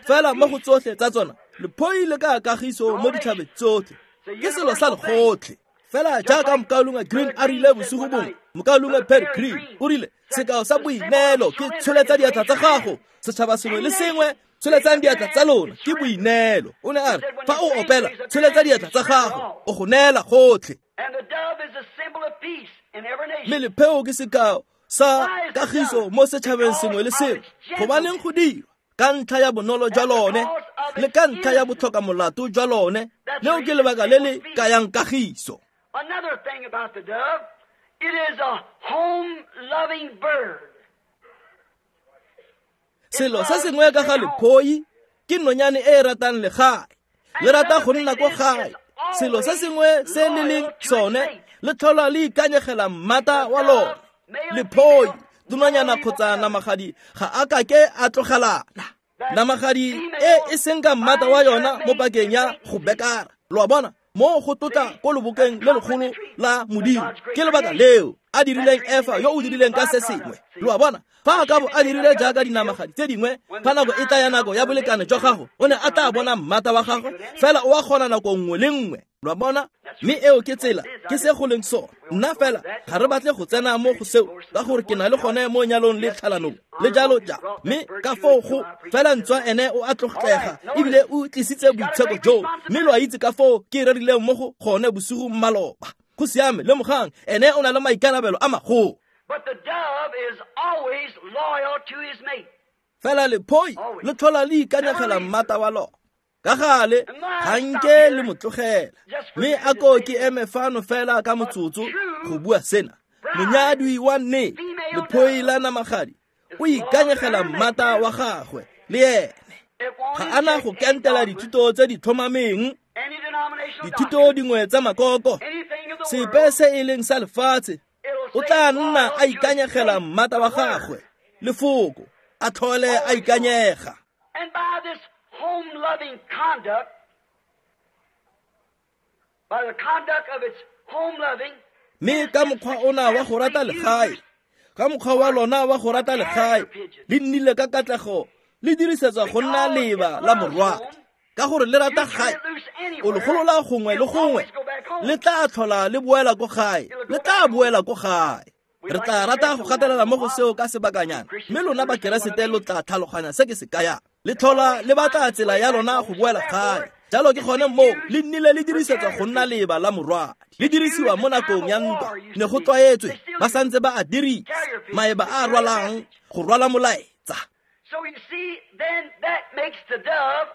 Fela mo go tsotlhe tsa tsona, lephoi le ka kagiso mo ditšhabeng tsotlhe. Ke selo sa legotlhe. Fela jaaka mokaulengwe Green a rile bosigo bongwe, mokaulengwe Perry Green o rile sekao sa boineelo ke tsholetsa diatla tsa gago. Setšhaba sengwe le sengwe tsholetsang diatla tsa lona ke boineelo. O ne a re fa o opela tsholetsa diatla tsa gago, o go neela gotlhe. Mme lepheo ke sekao sa kagiso mo setšhabeng sengwe le sengwe. Gobaneng go dirwa? Ka ntlha ya bonolo jwa lone le ka ntlha ya botlhoka molato jwa lone. Leo ke lebaka le le kayang kagiso. Another thing about the dove, it is a home-loving bird. Selo se sengwe ka ga lephoi ke nonyane e e ratang legae, le rata go nna ko gae. Selo se sengwe se le leng sone le tlhola le ikanyegela mmata wa lone. Lephoi, dinonyana kgotsa namagadi ga a kake a tlogelana. Namagadi e e seng ka mmata wa yona mo pakeng ya go bekara. Lo a bona? Mo go tlotla ko lobokeng le legolo la Modimo. Ke lebaka leo a dirileng Efa yo o dirileng ka se sengwe. Lo a bona? Fa a ka bo a dirile jaaka dinamagadi tse dingwe, fa nako e tla ya nako ya bolekane jwa gago, o ne a tla bona mmata wa gagwe, fela o a kgona nako nngwe le nngwe. Lo a bona? Mme eo ke tsela, ke se go leng sone. Nna fela ga re batle go tsena mo go seo, ka gore ke na le gone mo nyalong le tlhalanong le jalo jalo. Mme ka foo go fela ntswa ene o a tlotlega ebile o tlisitse boitsheko joo, mme lo a itse ka foo ke rerileng mo go gone bosigo maloba. Go siame, lemogang ene o na le maikarabelo a magolo. But the dove is always loyal to his mate. Fela lephoi le tlhola le ikanyegela mmata wa lona. Ka gale ga nke le mo tlogela. Mme a ko ke eme fano fela ka motsotso go bua sena. Monyadwi wa nnete, lephoi la namagadi, o ikanyegela mmata wa gagwe le ene. Ga ana go kentela dithuto tse di tlhomameng, dithuto dingwe tsa makoko, sepe se e leng sa lefatshe. O tla nna a ikanyegela mmata wa gagwe, lefoko, a tlhole a ikanyega. And by this home-loving conduct, by the conduct of its home-loving, mme ka mokgwa ona wa go rata legae, ka mokgwa wa lona wa go rata legae, le nnile ka katlego le dirisetswa go nna leba la morwadi. Ka gore le rata gae, o le golola gongwe le gongwe, le tla tlhola le boela ko gae, le tla boela ko gae. Re tla rata go gatelela mo go seo ka sebakanyana, mme lona bakeresete lo tla tlhaloganya se ke se kayang. Le tlhola le batla tsela ya lona go boela gae. Jalo ke gone moo le nnile le dirisetswa go nna leba la morwadi. Le dirisiwa mo nakong ya ntwa, ne go tlwaetswe, ba santse ba a dirisa, maeba a rwalang go rwala molaetsa. So you see, then that makes the dove,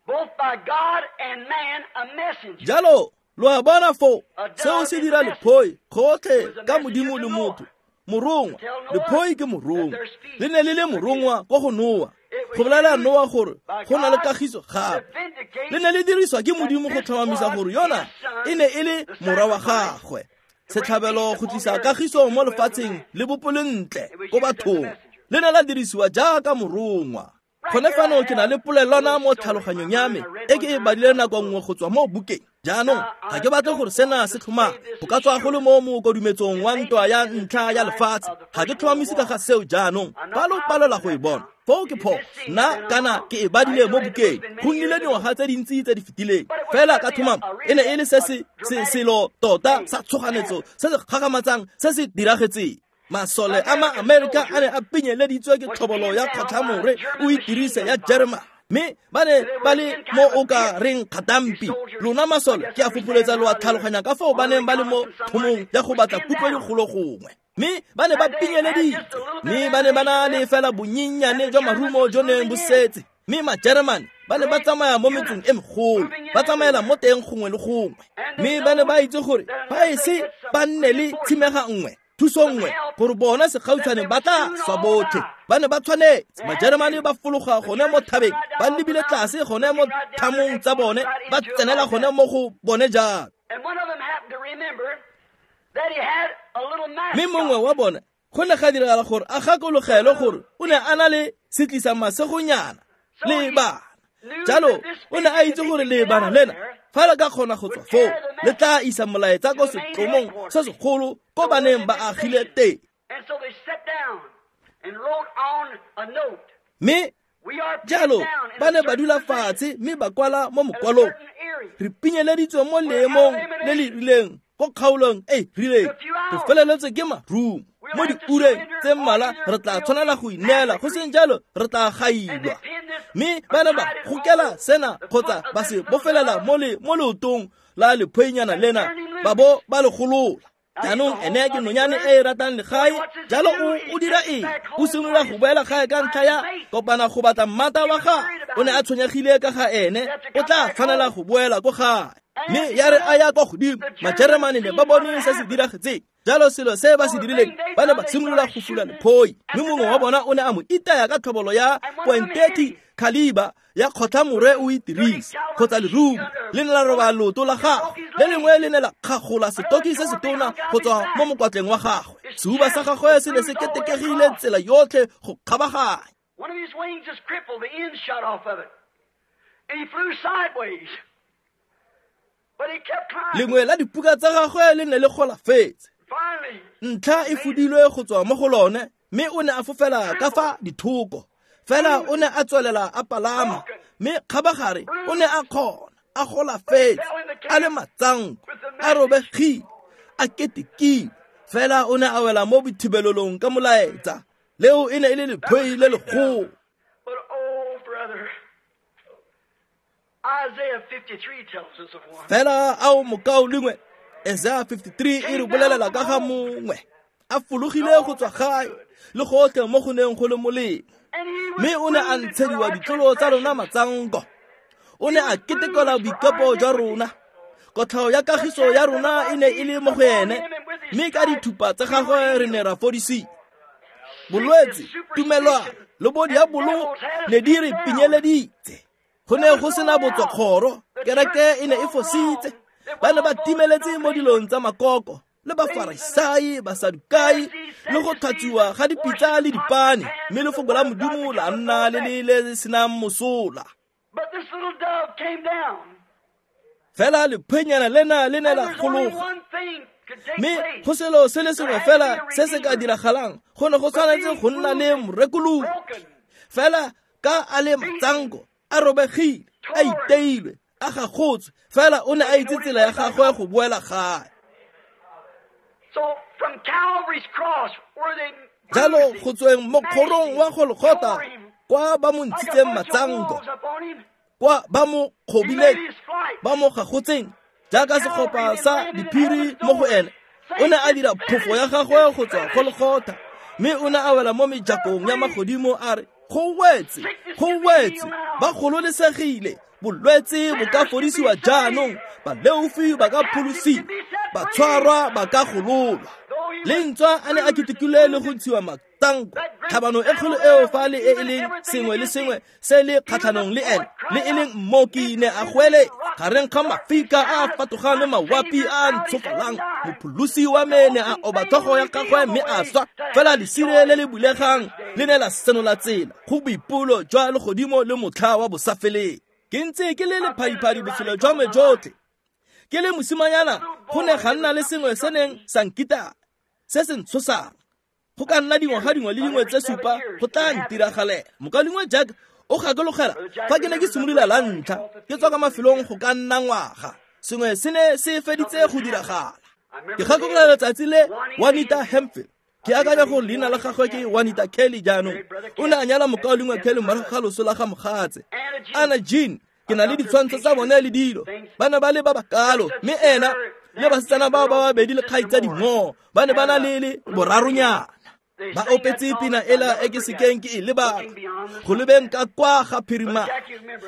both by God and man, a messenger. Jalo lo a bona foo, seo se dira lephoi gotlhe ka Modimo le motho. Morongwa, lephoi ke morongwa. Le ne le le morongwa ko go Noa, go bolela Noa gore go na le kagiso gape. Le ne le diriswa ke Modimo go tlhomamisa gore yona e ne e le morwa wa gagwe. Setlhabelo go tlisa kagiso mo lefatsheng le bopolentle ko bathong. Le ne la dirisiwa jaaka morongwa. Gone fano ke na le polelwana mo tlhaloganyong ya me e ke e badile nako nngwe go tswa mo bukeng. Jaanong ga ke batle gore sena se tlhomame, go ka tswa go le mo mokodumetsong wa ntwa ya ntlha ya lefatshe. Ga ke tlhomamise ka ga seo jaanong, ba lo palela go e bona. Foo ke phoso, nna kana ke e badile mo bukeng. Go nnile dingwaga tse dintsi tse di fetileng, fela ka tlhomamo e ne e le se se selo tota sa tshoganetso se se gagamatsang se se diragetseng. Masole a ma-Amerika a ne a pinyeleditswe ke tlhobolo ya kgotlhamore o itirise ya Jerema. Mme ba ne ba le mo o ka reng kgatampi. Lona masole ke a fopoletsa lo a tlhaloganya ka foo ba neng ba le mo thomong ya go batla kutlo dikgolo gongwe. Mme ba ne ba pinyeleditswe, mme ba ne ba na le fela bonyenyane jwa marumo jo neng bo setse. Mme ma-Jeremane ba ne ba tsamaya mo metseng e megolo, ba tsamaela mo teng gongwe le gongwe. Mme ba ne ba itse gore fa e se ba nne le tshimega nngwe, thuso nngwe, gore bona segautshwane ba tla swa botlhe. Ba ne ba tshwanetse. Majeremane ba fologa gone mo thabeng, ba lebile tlase gone mo thamong tsa bone, ba tsenela gone mo go bone jalo. Mme mongwe wa bone go ne ga diragala gore a gakologelwe gore o ne a na le setlisa masegonyana le bana. Jalo o ne a itse gore lebana lena fa le ka kgona go tswa foo, le tla isa molaetsa ko setlomong se segolo ko baneng ba agile teng. Mme Jalo ba ne ba dula fatshe mme ba kwala mo mokwalong, re pinyeleditswe mo leemong le le rileng ko kgaolong e rileng, re feleletswe ke marumo. Mo diureng tse mmalwa re tla tshwanela go ineela, go seng jalo re tla gailwa. Mme ba ne ba gokela sena kgotsa ba se bofelela mo le mo leotong la lephoinyana lena, ba bo ba le golola. Jaanong ene ke nonyane e e ratang legae, jalo o o dira eng? O simolola go boela gae ka ntlha ya kopana go batla mmata wa gagwe. O ne a tshwenyegile ka ga ene, o tla tshwanela go boela ko gae. Mme ya re a ya kwa godimo, Majeremane ne ba bone se se diragetseng. Jalo selo se ba se dirileng, ba ne ba simolola go fula lephoi. Mme mongwe wa bona o ne a mo itaya ka tlhobolo ya point thirty caliber ya kgotlhamore o itirisa kgotsa lerumo le ne la roba leoto la gagwe, le lengwe le ne la kgagola setoki se setona go tswa mo mokwatleng wa gagwe. Sehuba sa gagwe se ne se ketekegile tsela yotlhe go kgabaganya. One of his wings is crippled, the end shot off of it, and he flew sideways. But he kept climbing. Lengwe la dipuka tsa gagwe le ne le golafetse, Finally, ntlha e fudilwe go tswa mo go lone, mme o ne a fofela ka fa dithoko. Fela o ne a tswelela a palama, mme kgabagare o ne a kgona, a golafetse, a le matsanko, a robegile, a ketekile. Fela o ne a wela mo bothibelelong ka molaetsa. Leo e ne e le lephoi le legolo. But oh, brother, Isaiah fifty-three tells us of one. Fela ao mokaulengwe, Isaiah fifty-three e re bolelela ka ga mongwe a fologile go tswa gae le gotlhe mo go neng go le molemo. And he was Mme o ne a wounded for ntshediwa our ditlolo tsa rona transgressions. matsanko. O ne a ketekelwa boikepo jwa rona. Kotlhao ya kagiso ya rona e ne e le mo go ene, mme ka dithupa tsa gagwe re ne ra fodisiwa. Bolwetse, tumelwana le bo diabolo ne di re pinyeleditse. Go ne go sena botswakgoro, kereke e ne e fositse. Ba ne ba timeletse mo dilong tsa makoko, le Bafarisai, Basadukai, le go tlhatswiwa ga dipitsa le dipane, mme lefoko la Modimo la nna le le le senang mosola. But this little dove came down. Fela lephenyana lena le ne And la there's only gologa. one thing could take Mme place. go selo se le sengwe fela se se ka diragalang, go ne go tshwanetse go nna le morekolodi. Broken, Fela ka a le matsanko, a robegile, a iteilwe, a gagotswe, fela o ne a itse tsela ya gagwe go boela gae. So from Calvary's cross, where they Jalo bruised go him, tsweng mo kgorong wa Golgotha, tore him, kwa ba mo like a ntshitseng bunch of matsanko, wolves upon him, kwa ba mo he kgobileng, made his flight. ba mo gagotseng jaaka segopa sa diphiri mo go ene. O ne a dira phofo ya gagwe go tswa Golgotha, mme o ne a wela mo mejakong ya magodimo a re, go wetse, go wetse, ba gololesegile, bolwetse bo ka fodisiwa jaanong, baleofi ba ka pholosiwa, batshwarwa ba ka gololwa. Le ntswa a ne a ketekile le go ntshiwa matsanko, tlhabano e kgolo eo fa le e e leng sengwe le sengwe se le kgatlhanong le ene, le e leng mmoki ne a goele gareng ga mafika a a fatogang le mawapi a a ntshofalang. Mopholosi wa me ne a oba tlhogo ya gagwe mme a swa. Fela lesire le le bulegang le ne la senola tsela go boipolo jwa legodimo le motlha wa bosafeleng. Ke ntse ke le lephadiphadi botshelo jwa me jotlhe. Ke le mosimanyana, go ne ga nna le sengwe se neng sa nkita, se se ntshosang. Go ka nna dingwaga dingwe le dingwe tse supa go tla ntiragalela. Mokaulengwe Jack o gakologela fa ke ne ke simolola la ntlha, ke tswa ka mafelong go ka nna ngwaga. Sengwe se ne se feditse go diragala. Ke gakologela letsatsi le Juanita Hemphill. Ke akanya gore leina la gagwe ke Juanita Kelly jaanong. O ne a nyala mokaulengwe Kelly morago ga loso la ga mogatse. Anna Jean, ke na le ditshwantsho tsa bone le dilo. Ba ne ba le ba bakalo, mme ena le basetsana bao ba babedi le kgaitsadi mmogo ba ne ba na le le boraronyana. Ba opetse pina ela e ke sekeng ke e lebala, go lebeng ka kwa ga phirima.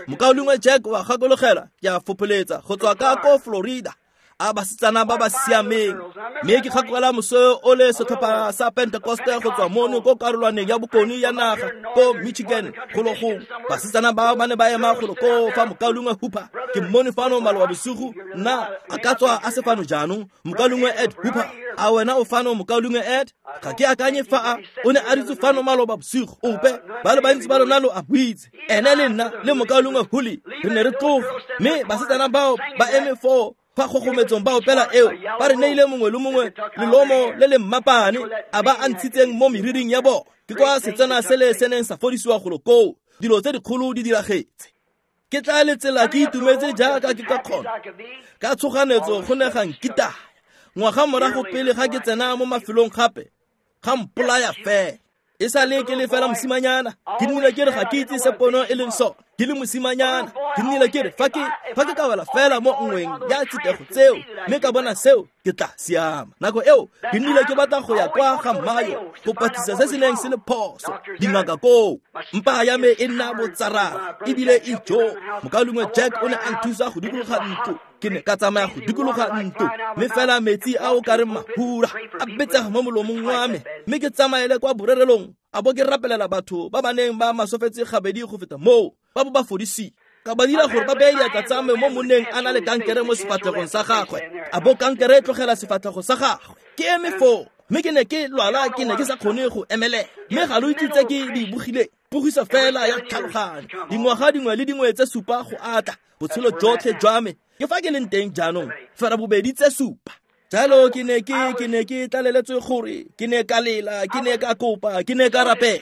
Mokaulengwe Jack wa gakologela, ke a fopholetsa go tswa ka ko Florida, a basetsana ba ba siameng. Mme ke gakologelwa moso o le setlhopha sa Pentecoste go tswa mono ko karolwaneng ya bokone ya naga ko Michigan golo gongwe. Basetsana bao ba ne ba ema golo koo fa mokaulengwe Hooper, ke mmone fano maloba bosigo, nna a ka tswa a se fano jaanong. Mokaulengwe Ed Hooper, a wena o fano mokaulengwe Ed? Ga ke akanye fa a o ne a dutse fano maloba bosigo ope, ba le bantsi ba lona lo a buitse. Ene le nna le mokaulengwe Huli re ne re tloga, mme basetsana bao ba eme foo fa kgogometsong ba opela eo, ba re neile mongwe le mongwe lelomo le le mmapane a ba a ntshitseng mo meriring ya bona. Ke kwa setswana se le se neng sa fodisiwa golo koo. Dilo tse dikgolo di diragetse. Ke tla letsela ke itumetse jaaka ke ka kgona. Ka tshoganetso go ne ga nkitaya. Ngwaga morago pele ga ke tsena mo mafelong gape, ga mpolaya fela. E sa le ke le fela mosimanyana, ke nnile ke re ga ke itse se pono e leng sone. Ke le mosimanyana, ke nnile ke re fa ke fa ke ka wela fela mo nngweng ya tsitego tseo, mme ka bona seo, ke tla siama. Nako eo, ke nnile ke batla go ya kwa ga Mayo go patlisa se se neng se le phoso. Dingaka koo, mpa ya me e nna botsarara, ebile e jo. Mokaulengwe Jack o ne a nthusa go dikologa ntlo. Ke ne ka tsamaya go dikologa ntlo, mme fela metsi a o ka reng mahura a betsega mo molomong wa me, mme ke tsamaele kwa borerelong, a bo ke rapelela batho ba ba neng ba masofetse gabedi go feta moo, ba bo ba fodisiwa. Ka ba dira gore ba beye diatla tsa me mo monneng a na le kankere mo sefatlhegong sa gagwe, a bo kankere e tlogela sefatlhego sa gagwe. Ke eme foo, mme ke ne ke lwala, ke ne ke sa kgone go emelela, mme ga lo itse tse ke di bogileng. Pogiso fela ya tlhaloganyo, dingwaga dingwe le dingwe tse supa go atla, botshelo jotlhe jwa me. Ke fa ke leng teng jaanong, fera bobedi tse supa. Jalo ke ne ke ke ne ke tlaleletswe gore ke ne ka lela, ke ne ka kopa, ke ne ka rapela.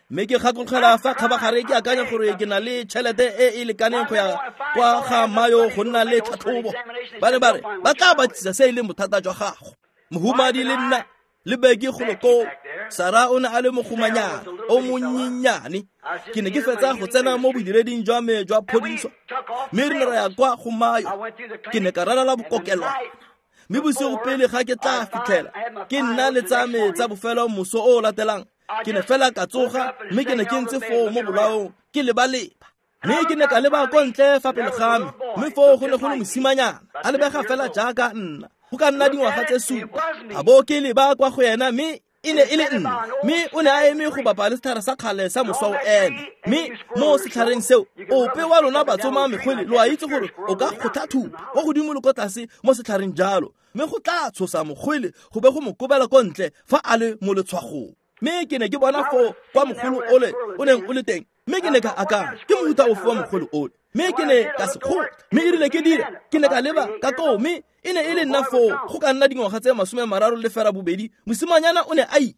Mme ke gakologelwa fa kgabagare ke akanya gore ke na le tšhelete e e lekaneng go ya kwa ga Mayo go nna le tlhatlhobo. Ba ne ba re ba tla batlisisa se e leng bothata jwa gago. Mohumadi le nna le beke golo koo. Sara o ne a le mogomanyana o monyenyane. Ke ne ke fetsa go tsena mo bodireding jwa me jwa phodiso, mme re ne ra ya kwa go Mayo. Ke ne ka ralala bokokelwana, mme bosigo pele ga ke tla fitlhela ke nna le tsa me tsa bofelo moso o o latelang, ke ne fela ka tsoga, mme ke ne ke ntse foo mo bolaong ke leba-leba. Mme ke ne ka leba ko ntle fa pele ga me, mme foo go ne go le mosimanyana a lebega fela jaaka nna, go ka nna dingwaga tse supa. A bo ke leba kwa go ena, mme e ne e le nna, mme o ne a eme go bapa le setlhare sa kgale sa moswa o eme. Mme mo setlhareng seo, ope wa lona batsoma mekgwele lo a itse gore o ka kgotha thupa kwa godimo le kwa tlase mo setlhareng jalo, mme go tla tshosa mokgwele go be go mo kobela ko ntle fa a le mo letshwagong. Mme ke ne ke bona foo kwa mogolo ole o neng o le teng, mme ke ne ka akanya ke mohuta ofe wa mogolo ole, mme ke ne ka se kgotla. Mme e rile ke dira, ke ne ka leba ka koo, mme e ne e le nna foo go ka nna dingwaga tse masome mararo le fera bobedi, mosimanyana o ne a ile.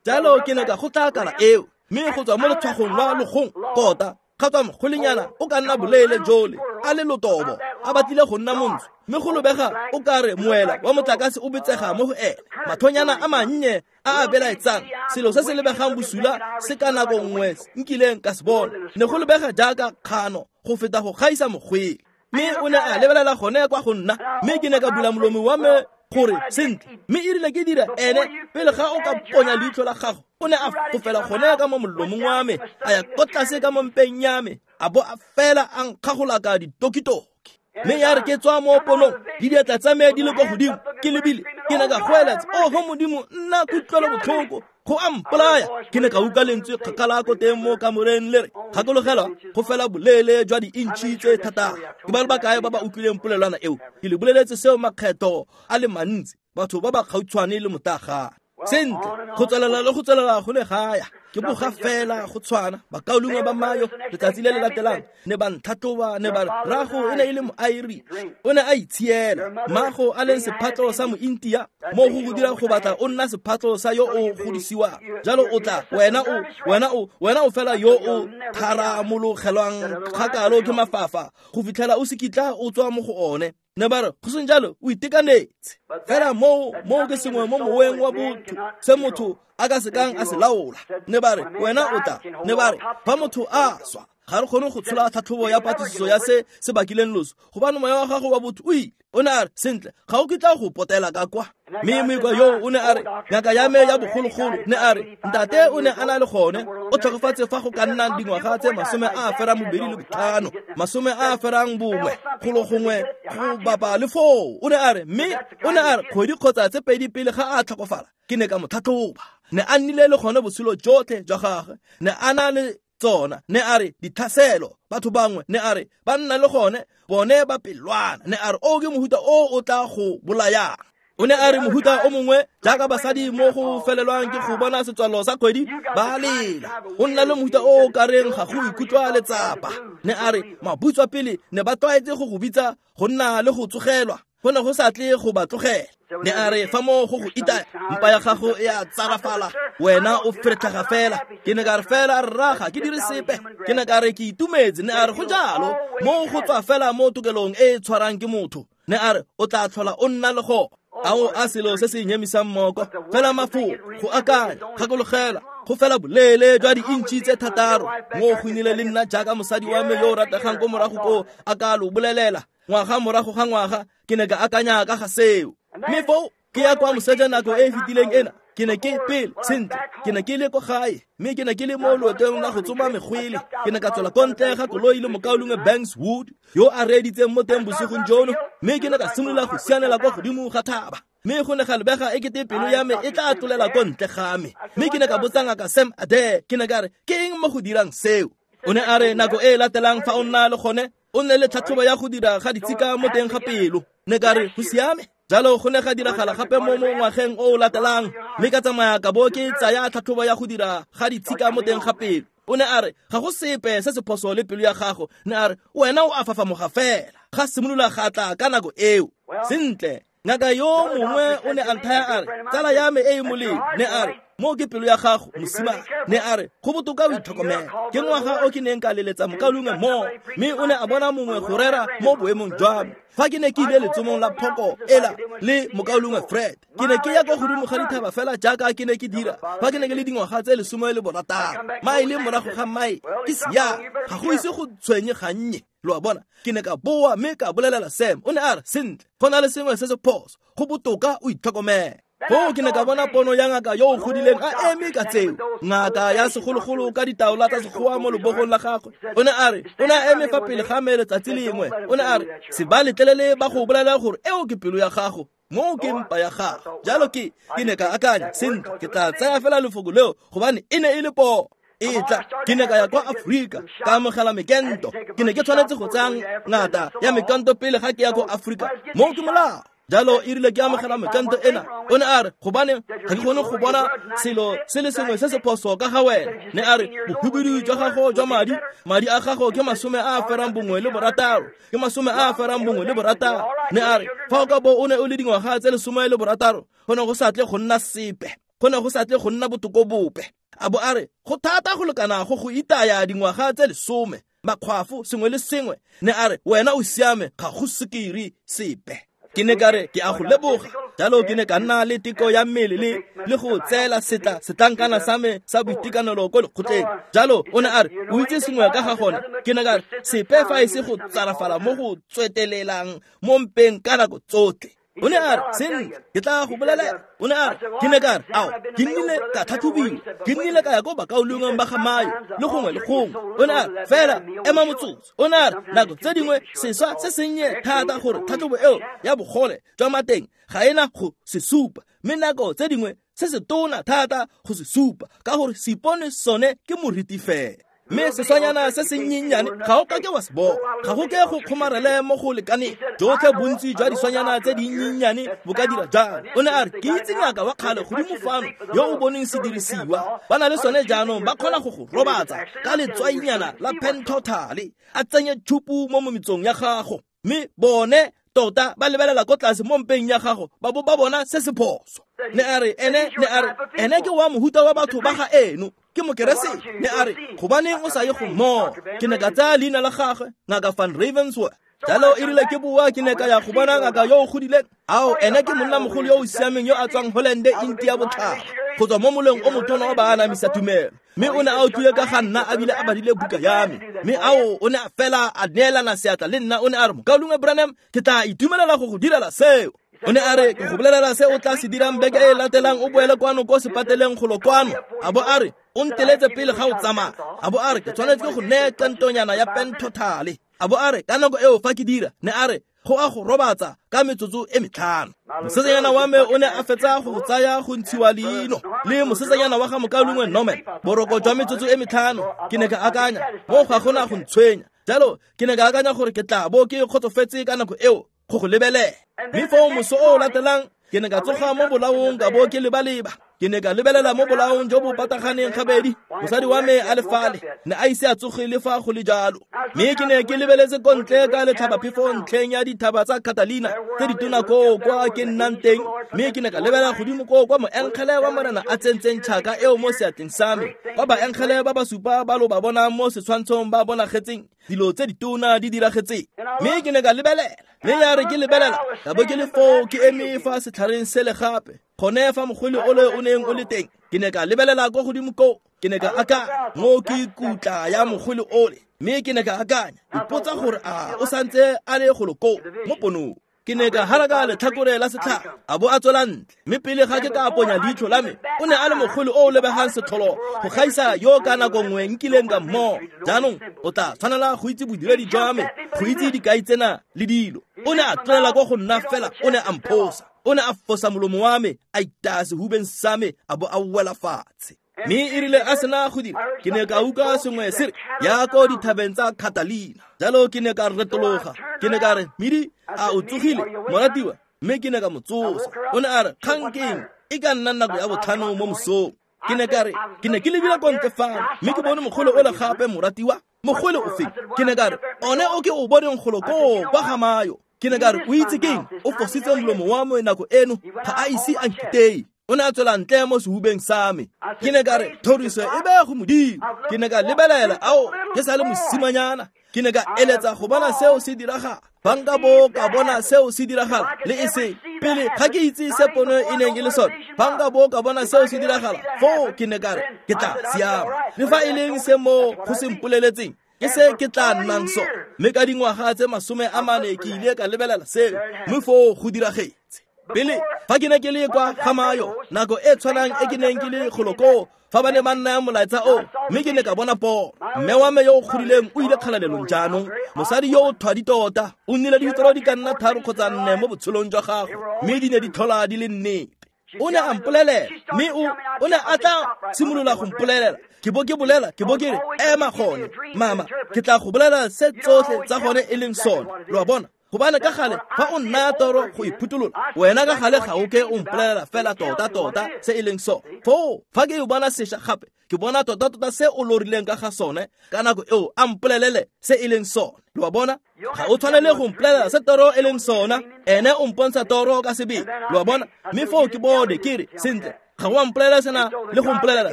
Jalo ke ne ka kgotla kala eo, mme go tswa mo letshwagong lwa logong tota ga tswa mogolenyana o ka nna boleele jole, a le lotobo, a batlile go nna montsho, mme go lobega o ka re moela wa motlakase o betsega mo go ene, mathonyana a mannye a a belaetsang, selo se se lebegang bosula se ka nako nngwe nkileng ka se bona. Ne go lebega jaaka kgano go feta go gaisa mogwele. Mme o ne a lebelela gone kwa go nna, mme ke ne ka bula molomo wa me gore sentle, mme e rile ke dira ene pele ga o ka ponya leitlho la gago, o ne a fofela gone ka mo molomong wa me, a ya ko tlase ka mo mpeng ya me, a bo a fela a nkgagolaka ditokitoki. Mme ya re ke tswa mo ponong, le diatla tsa me di le kwa godimo, ke lebile, ke ne ka goeletsa, oho Modimo, nna kutlwelo botlhoko, go a mpolaya. Ke ne ka utlwa lentswe kgakala ko teng mo kamoreng le re, gakologelwa go fela boleele jwa di-intšhi tse thataro. Ke ba le bakae ba ba utlwileng polelwana eo? Ke le boleletse seo makgetho a le mantsi, batho ba ba gautshwane le motagana. Sentle, go tswelela le go tswelela go le gaya, ke boga fela go tshwana. Bakaulengwe ba Mayo letsatsi le le latelang ne ba ntlhatlhoba, ne ba re rrago e ne e le mo-Irish, o ne a itshiela, mmago a leng sephatlo sa mo-India, mo go go dira go batla o nna sephatlo sa yo o godisiwang. Jalo o tla, wena o, wena o, wena o fela yo o tharamologelwang kgakalo ke mafafa go fitlhela o se kitla o tswa mo go one. Ne ba re go seng jalo o itekanetse. Fela moo moo ke sengwe mo moweng wa botho se motho a ka sekang a se laola. Ne ba re wena o tla, ne ba re fa motho a swa ga re kgone go tshola tlhatlhobo ya patlisiso ya se se bakileng loso, gobane moya wa gago wa botho o ile. O ne a re sentle, ga o kitla go potela ka kwa. Mme moikwa yo o ne a re ngaka ya me ya bogologolo ne a re ntate o ne a na le gone, o tlhokofatse fa go ka nnang dingwaga tse masome a ferang bobedi le botlhano, masome a ferang bongwe, golo gongwe go bapa le foo. O ne a re mme o ne a re kgwedi kgotsa tse pedi pele ga a tlhokofala, ke ne ka mo tlhatlhoba. Ne a nnile le gone botshelo jotlhe jwa gagwe, ne a na le tsona, ne a re ditlhaselo, batho bangwe ne a re ba nna le gone, bone ba pelwana. Ne a re o ke mohuta o o tla go bolayang. O ne a re mohuta o mongwe jaaka basadi mo go felelwang ke go bona setswalo sa kgwedi ba lela, o nna le mohuta o o kareng ga go ikutlwa letsapa. Ne a re mabutswa pele ne ba tlwaetse go go bitsa go nna le go tsogelwa, go ne go sa tle go ba tlogela. Ne a re fa mo go go itaya, mpa ya gago e a tsarafala, Wena o feretlhaga fela. Ke ne ka re fela rraga ke dire sepe. Ke ne ka re ke itumetse. Ne a re go jalo mo go tswa fela mo tokelong e e tshwarang ke motho. Ne a re o tla tlhola o nna le go. Ao a selo se se nyemisang moko. Fela mafoko go akanya gakologela go fela boleele jwa diintšhi tse thataro. Mo go nnile le nna jaaka mosadi wa me yo o rategang ko morago ko a ka lo bolelela. Ngwaga morago ga ngwaga ke ne ka akanya ka ga seo. Mme foo ke ya kwa moseja nako e e fetileng ena. Ke ne ke pele sentle ke ne ke le ko gae mme ke ne ke le mo loetong la go tsoma megwele. Ke ne ka tswela ko ntle ga koloi le mokaulengwe Banks Wood yo a reeditseng mo teng bosigong jono, mme ke ne ka simolola go sianela kwa godimo ga thaba. Mme go ne ga lebega ekete pelo ya me e tla tlolela ko ntle ga me. Mme ke ne ka botsa ngaka Sam Adair, ke ne ka re ke eng mo go dirang seo? O ne a re nako e e latelang fa o nna le gone o nne le tlhatlhobo ya go dira ga ditshika mo teng ga pelo. Ne ka re go siame. Jalo go ne ga diragala gape mo mo ngwageng o o latelang, mme ka tsamaya ka bo ke tsaya tlhatlhobo ya go dira ga ditshika mo teng ga pelo. O ne a re ga go sepe se se phoso le pelo ya gago. Ne a re wena o a fafamoga fela. Ga simolola ga tla ka nako eo. Sentle, ngaka yo mongwe o ne a nthaya a re tsala ya me e e molemo. Ne a re mo ke pelo ya gago mosimane. Ne a re go botoka o itlhokomele. Ke ngwaga o ke neng ka leletsa mokaulengwe mo, mme o ne a bona mongwe go rera mo boemong jwa me. Fa ke ne ke ile letsomong la phoko ela le mokaulengwe Fred, ke ne ke ya kwa godimo ga dithaba fela jaaka ke ne ke dira fa ke ne ke le dingwaga tse lesome le borataro. Maele morago ga mae ke sia ga go ise go tshwenye gannye. Lo a bona, ke ne ka boa mme ka bolelela Sam. O ne a re sentle, go na le sengwe se se phoso, go botoka o itlhokomele. Foo ke ne ka bona pono ya ngaka yo o godileng a eme ka tseo, ngaka ya segologolo ka ditaola tsa sekgowa mo lebogong la gagwe. O ne a re o ne a eme fa pele ga me letsatsi lengwe. O ne a re se ba letlelele ba go bolela gore eo ke pelo ya gago, mo ke mpa ya gago. Jalo ke ke ne ka akanya sentle, ke tla tsaya fela lefoko leo gobane e ne e le poo. E tla ke ne ka ya kwa Afrika ka amogela mekento. Ke ne ke tshwanetse go tsaya ngata ya mekento pele ga ke ya ko Afrika. Mo ke molao. Jalo e rile ke amogela mekento ena. O ne a re gobane ga ke kgone go bona selo se le sengwe se se phoso ka ga wena. Ne a re bohubedu jwa gago jwa madi, madi a gago ke masome a a ferang bongwe le borataro, ke masome a a ferang bongwe le borataro. Ne a re fa o ka bo o ne o le dingwaga tse lesome le borataro, go ne go sa tle go nna sepe, go ne go sa tle go nna botoko bope. A bo a re go thata go lekana go go itaya dingwaga tse lesome, makgwafo sengwe le sengwe. Ne a re wena o siame, ga go sukiri sepe. Ke ne ka re ke a go leboga. Jalo ke ne ka nna le teko ya mmele le le go tseela setla setlankana sa me sa boitekanelo ko lekgotleng. Jalo o ne a re o itse sengwe ka ga gone. Ke ne ka re sepe fa e se go tsarafala mo go tswetelelang mo mpeng ka nako tsotlhe. O ne a re sentle, ke tla go bolelela. O ne a re ke ne ka re ao ke nnile ka tlhatlhobiwa, ke nnile ka ya ko bakaulengweng ba ga Mayo le gongwe le gongwe. O ne a re fela ema motsotso. O ne a re nako tse dingwe seswa se sennye thata gore tlhatlhobo eo ya bogole jwa mateng ga ena go se supa, mme nako tse dingwe se se tona thata go se supa ka gore seipone sone ke moriti fela. Mme seswanyana se sennyenyane ga o ka ke wa se bona, ga go ke go kgomarele mo go lekaneng. Jotlhe bontsi jwa diswanyana tse dinnyenyane bo ka dira jalo. O ne a re ke itse ngaka wa kgale godimo fano yo o boneng sedirisiwa, ba na le sone jaanong, ba kgona go go robatsa ka letswainyana la pentothale, a tsenye tšhupu mo mometsong ya gago, mme bone tota ba lebelela ko tlase mo mpeng ya gago ba bo ba bona se se phoso. Ne a re ene ne a re ene ke wa mohuta wa batho ba ga eno, ke mokeresete. Ne a re gobaneng o sa ye go mmoa? Ke ne ka tsaya leina la gagwe, ngaka Van Ravensworth. Jalo e rile ke boa ke ne ka ya go bona ngaka yo o godileng. Ao ene ke monnamogolo yo o siameng yo a tswang Hollande India botlhaba, go tswa mo moleng o motona wa baanamisa tumelo. Mme o ne a utlwile ka ga nna a bile a badile buka ya me. Mme ao o ne a fela a neelana seatla le nna. O ne a re mokaulengwe Branham, ke tla itumelela go go direla seo. O ne a re ke go bolelela se o tla se dirang beke e latelang, o boele kwano ko sepateleng golo kwano. A bo a re o nteletse pele ga o tsamaya. A bo a re ke tshwanetse ke go neye kantonyana ya pentothale. A bo a re ka nako eo fa ke dira, ne a re go a go robatsa ka metsotso e metlhano. Mosetsanyana wa me o ne a fetsa go tsaya go ntshiwa leino le mosetsanyana wa ga mokaulengwe Norman, boroko jwa metsotso e metlhano. Ke ne ka akanya mo ga gona go ntshwenya. Jalo ke ne ka akanya gore ke tla bo ke kgotsofetse ka nako eo go go lebelela. Mme foo moso o o latelang ke ne ka tsoga mo bolaong ka bo ke lebaleba. Ke ne ka lebelela mo bolaong jo bo pataganeng gabedi, mosadi wa me a le fale, ne a ise a tsoge le fa go le jalo. Mme ke ne ke lebeletse ko ntle ka letlhabaphefo ntlheng ya dithaba tsa Catalina tse ditona koo kwa ke nnang teng, mme ke ne ka lebelela godimo koo kwa moengele wa Morena a tsentseng tšhaka eo mo seatleng sa me, kwa baengele ba ba supa ba lo ba bonang mo setshwantshong ba bonagetseng dilo tse ditona di diragetseng. Mme ke ne ka lebelela, mme ya re ke lebelela, ka bo ke le foo ke eme fa setlhareng sele gape, gone fa mogwele ole o neng o le teng. Ke ne ka lebelela kwa godimo koo, ke ne ka akanya mo ke kutla ya mogwele ole, mme ke ne ka akanya ipotsa gore a o santse a le golo koo mo ponong. Ke ne ka haraka letlhakore la setlhare, a bo a tswela ntle, mme pele ga ke ka ponya leitlho la me, o ne a le mogwele o o lebegang setlholo go gaisa yo ka nako nngwe nkileng ka mmogo. Jaanong o tla tshwanela go itse bodiredi jwa me, go itse dikai tsena le dilo. O ne a tlolela kwa go nna fela, o ne a mphosa, o ne a fosa molomo wa me, a itaya sehubeng sa me, a bo a wela fatshe. Mme e rile a sena go dira, ke ne ka utlwa sengwe se re ya ko dithabeng tsa Catalina. Jalo ke ne ka retologa, ke ne ka re, Midi, a o tsogile moratiwa? Mme ke ne ka mo tsosa. O ne a re, kgang ke eng? E ka nna nako ya botlhano mo mosong. Ke ne ka re, ke ne ke lebile ko ntle fano, mme ke bone mogolo ole gape, moratiwa. Mogolo o feng? Ke ne ka re, one o ke o boneng golo koo kwa ga Mayo. Ke ne ka re, o itse keng? O fositse molomo wa me nako eno, ga a ise a nkiteye. O ne a tswela ntle mo sehubeng sa me. Ke ne ka re, thoriso e be go Modimo. Ke ne ka lebelela, ao, ke sa le mosimanyana. Ke ne ka eletsa go bona seo se diragala. Fa nka bo ka bona seo se diragala, le e seng pele ga ke itse se pono e neng e le sone. Fa nka bo ka bona seo se diragala, foo ke ne ka re, ke tla siama. Le fa e leng se mo go se mpoleletseng, ke se ke tla nnang sone. Mme ka dingwaga tse masome a mane ke ile ka lebelela seo, mme foo go diragetse. Pele fa ke ne ke le kwa ga Mayo, nako e tshwanang e ke neng ke le golo koo, fa ba ne ba nnaya molaetsa o, mme ke ne ka bona pono. Mme wa me yo o godileng o ile kgalalelong jaanong, mosadi yo o thwadi tota, o nnile le ditoro di ka nna tharo kgotsa nne mo botshelong jwa gagwe, mme di ne di tlhola di le nnete. O ne a mpolelela, mme o o ne a tla simolola go mpolelela. Ke bo ke bolela, ke bo ke re, ema gone, mama, ke tla go bolela se tsotlhe tsa gone e leng sone. Lo a bona? Gobane ka gale fa o nnaya toro go iphutolola, wena ka gale ga o ke o mpolelela fela tota-tota se e leng sone. Foo fa ke e bona sešwa gape, ke bona tota-tota se o lorileng ka ga sone, ka nako eo a mpolelele se e leng sone. Lo a bona? Ga o tshwanele go mpolelela se toro e leng sona, ene o mpontsha toro ka sebele. Lo a bona? Mme foo ke bone ke re, sentle, ga o a mpolelela sena le go mpolelela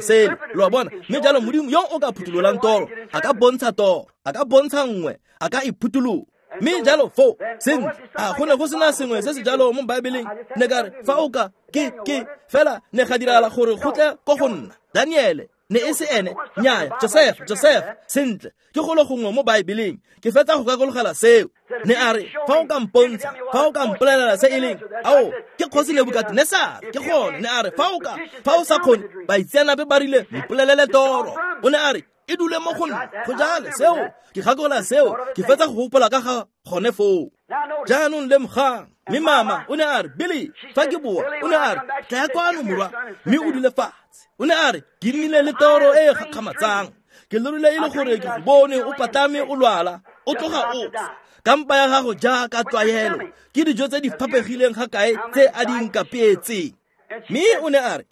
sele. Lo a bona? Mme jalo Modimo yo o ka phutololang toro, a ka bontsha toro, a ka bontsha nngwe, a ka iphutolola. Mme jalo foo, sentle, a go ne go sena sengwe se se jalo mo Baebeleng. Ne ka re, fa o ka, ke, ke, fela ne ga diragala gore go tle ko go nna. Daniele, ne e se ene, nnyaya, Joseph, Joseph, sentle, ke golo gongwe mo Baebeleng, ke fetsa go kakologela seo. Ne a re, fa o ka mpontsha, fa o ka mpolelela se e leng, ao, ke kgosi Nebukadnesar, ke gone. Ne a re, fa o ka, fa o sa kgone, baitseanape ba rile, mpolelele toro. O ne a re, e dule mo go nna, go jale seo, ke gakolola seo, ke fetsa go gopola ka ga gone foo. Jaanong lemogang, mme mama o ne a re, Billy, fa ke boa, o ne a re, tlaya kwano morwa, mme o dule fatshe. O ne a re, ke nnile le toro e e gakgamatsang. Ke lorile e le gore ke go bone o patlame o lwala, o tloga o swa. Ka mpa ya gago jaaka tlwaelo, ke dijo tse di fapegileng ga kae tse a di nkapeetseng. Mme o ne a re,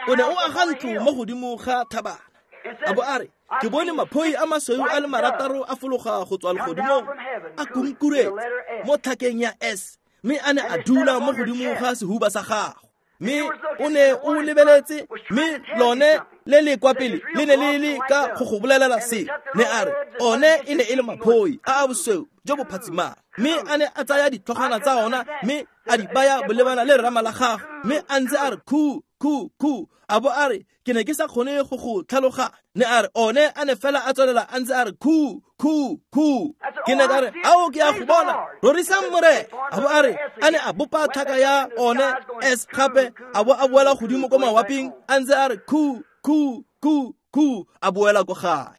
o ne o aga ntlo mo godimo ga thabana. A bo a re, ke bone maphoi a masweu a le marataro a fologa go tswa legodimong, a kunkuretse mo tlhakeng ya S, mme a ne a dula mo godimo ga sehuba sa gago. Mme o ne o lebeletse, mme lone le le kwa pele le ne le le ka go go bolelela se. Ne a re, one e ne e le maphoi a a bosweu jo bo phatsimang, mme a ne a tsaya ditlhogwana tsa ona mme a di baya bolebana le rama la gagwe, mme a ntse a re khu khu khu, a bo a re, ke ne ke sa kgone go go tlhaloganya. Ne a re, one a ne fela a tswelela a ntse a re khu khu khu. Ke ne ka re, ao ke a go bona, rorisang Morena. A bo a re, a ne a bopa tlhaka ya one S gape, a bo a boela godimo ko mawaping, a ntse a re khu khu khu khu, a boela ko gae.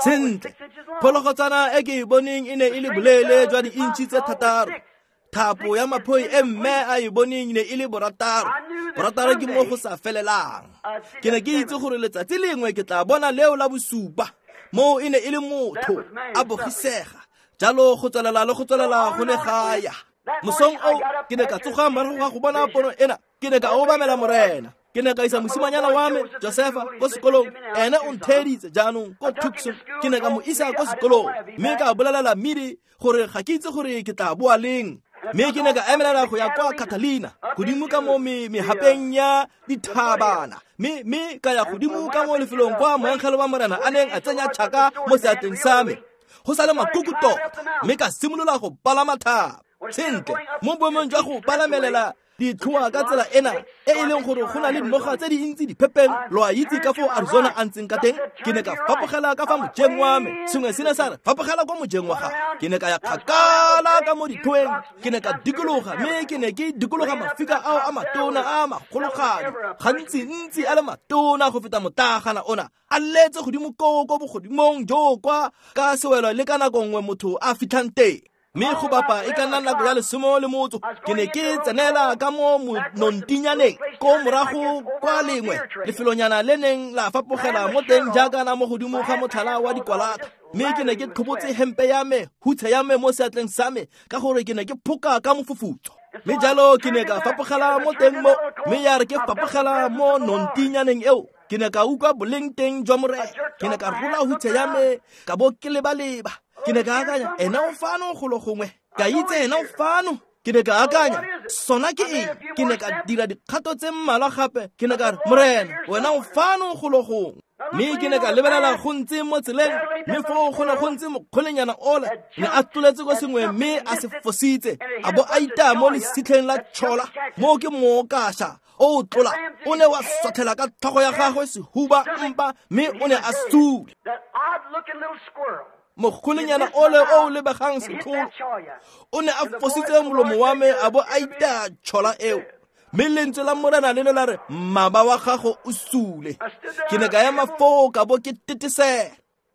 Sentle, phologotswana e ke e boneng e ne e le boleele jwa di-inch tse thataro. Thapo ya maphoi e mme a e boneng ne e le borataro. Borataro ke mo go sa felelang. Ke ne ke itse gore letsatsi lengwe ke tla bona leo la bosupa. Moo e ne e le motho, a bogisega. Jalo go tswelela le go tswelela go ne ga ya. Mosong o ke ne ka tsoga morago ga go bona pono ena, ke ne ka obamela Morena. Ke ne ka isa mosimanyana wa me Josefa ko sekolong, ene o ntheeditse jaanong ko Tucson. Ke ne ka mo isa ko sekolong mme ka bolelela Midi gore ga ke itse gore ke tla boa leng. Mme ke ne ka emelela go ya kwa Catalina, godimo ka mo mehapeng ya dithabana, mme mme ka ya godimo ka mo lefelong kwa moengele wa Morena a neng a tsenya tšhaka mo seatleng sa me, go sa le makuku tota, mme ka simolola go palama thaba. Sentle, mo boemong jwa go palamelela ditlhoa ka tsela ena e e leng gore go na le dinoga tse dintsi diphepeng, lo a itse ka foo Arizona a ntseng ka teng, ke ne ka fapogela ka fa mojeng wa me. Sengwe se ne sa re fapogela kwa mojeng wa gago. Ke ne ka ya kgakala ka mo ditlhoeng, ke ne ka dikologa, mme ke ne ke dikologa mafika ao a matona a magologadi, gantsi-ntsi a le matona go feta motlagana ona, a letse godimo koo ko bogodimong jo kwa ka sewelo le ka nako nngwe motho a fitlhang teng. Mme go bapa e ka nna nako ya lesome le motso, ke ne ke tsenela ka mo nontinyaneng ko morago kwa lengwe lefelonyana le neng la fapogela mo teng jaaka na mo godimo ga motlhala wa dikwalata. Mme ke ne ke tlhobotse hempe ya me, hutshe ya me mo seatleng sa me, ka gore ke ne ke phoka ka mofufutso. Mme jalo ke ne ka fapogela mo teng mo, mme ya re ke fapogela mo nontinyaneng eo, ke ne ka utlwa boleng teng jwa Morena. Ke ne ka rola hutshe ya me, ka bo ke leba-leba. Ke ne ka akanya, ena o fano golo gongwe, ka itse ena o fano. Ke ne ka akanya, sona ke eng? Ke ne ka dira dikgato tse mmalwa gape. Ke ne ka re, Morena, wena o fano golo gongwe. Mme ke ne ka lebelela go ntse mo tseleng, mme foo go ne go ntse mokgolenyana ola, ne a tloletse ko sengwe mme a se fositse, a bo a itaya mo lesitlheng la tšhola, moo ke mookaša o o tlola, o ne wa sothela ka tlhogo ya gagwe sehuba mpa, mme o ne a sule. Mokgolenyana ole o o lebegang setlholo o ne a fositse molomo wa me, a bo a itaya tšhola eo. Mme lentswe la Morena le ne la re, mmaba wa gago o sule. Ke ne ka ema foo ka bo ke tetesela.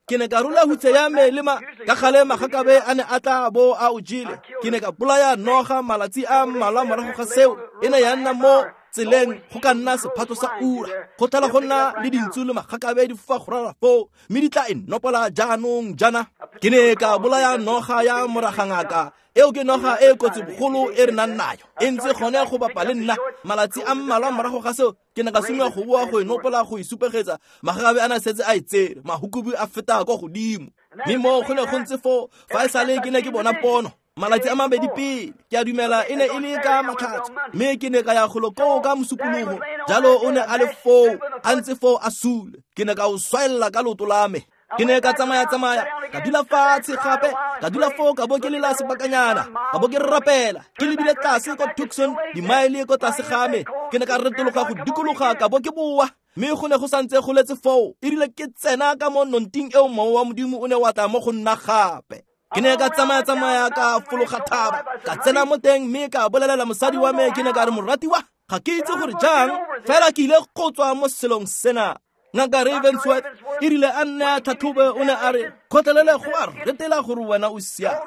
Ke ne ka rola hutshe ya me le ma ka gale magakabe a ne a tla bo a o jele. Ke ne ka bolaya noga malatsi a mmalwa morago ga seo, e ne ya nna mo tseleng go ka nna sephato sa ura. Go tlhola go nna le dintsu le magakabe di fofa go ralala foo, mme di tla e nopola jaanong jaana. Ke ne ka bolaya noga ya moragangaka, eo ke noga e kotsi bogolo e re nang nayo, e ntse gone go bapa le nna. Malatsi a mmalwa morago ga seo, ke ne ka simolola go boa go e nopola go e supegetsa. Magakabe a ne a setse a e tsere, mahukubu a feta kwa godimo. Mme mo go ne go ntse foo, fa e sale ke ne ke bona pono malatsi a mabedi pele, ke a dumela e ne e le ka Matlhatso, mme ke ne ka ya golo koo ka mosupologo. Jalo o ne a le foo, a ntse foo a sule. Ke ne ka o swaella ka leoto la me. Ke ne ka tsamaya-tsamaya, ka dula fatshe gape, ka dula foo ka bo ke lela sebakanyana, ka bo ke rapela, ke lebile tlase kwa Tucson, dimaele ko tlase ga me. Ke ne ka retologa go dikologa ka bo ke boa, mme go ne go santse go letse foo. E rile ke tsena ka mo nonting eo, mowa wa Modimo o ne wa tla mo go nna gape. Ke ne ka tsamaya-tsamaya ka fologa thaba, ka tsena mo teng mme ka bolelela mosadi wa me. Ke ne ka re, moratiwa, ga ke itse gore jang, fela ke ile go tswa mo selong sena. Ngaka Ravensworth e rile a nne a tlhatlhobe, o ne a re, kgotlelele go a retela gore wena o siame.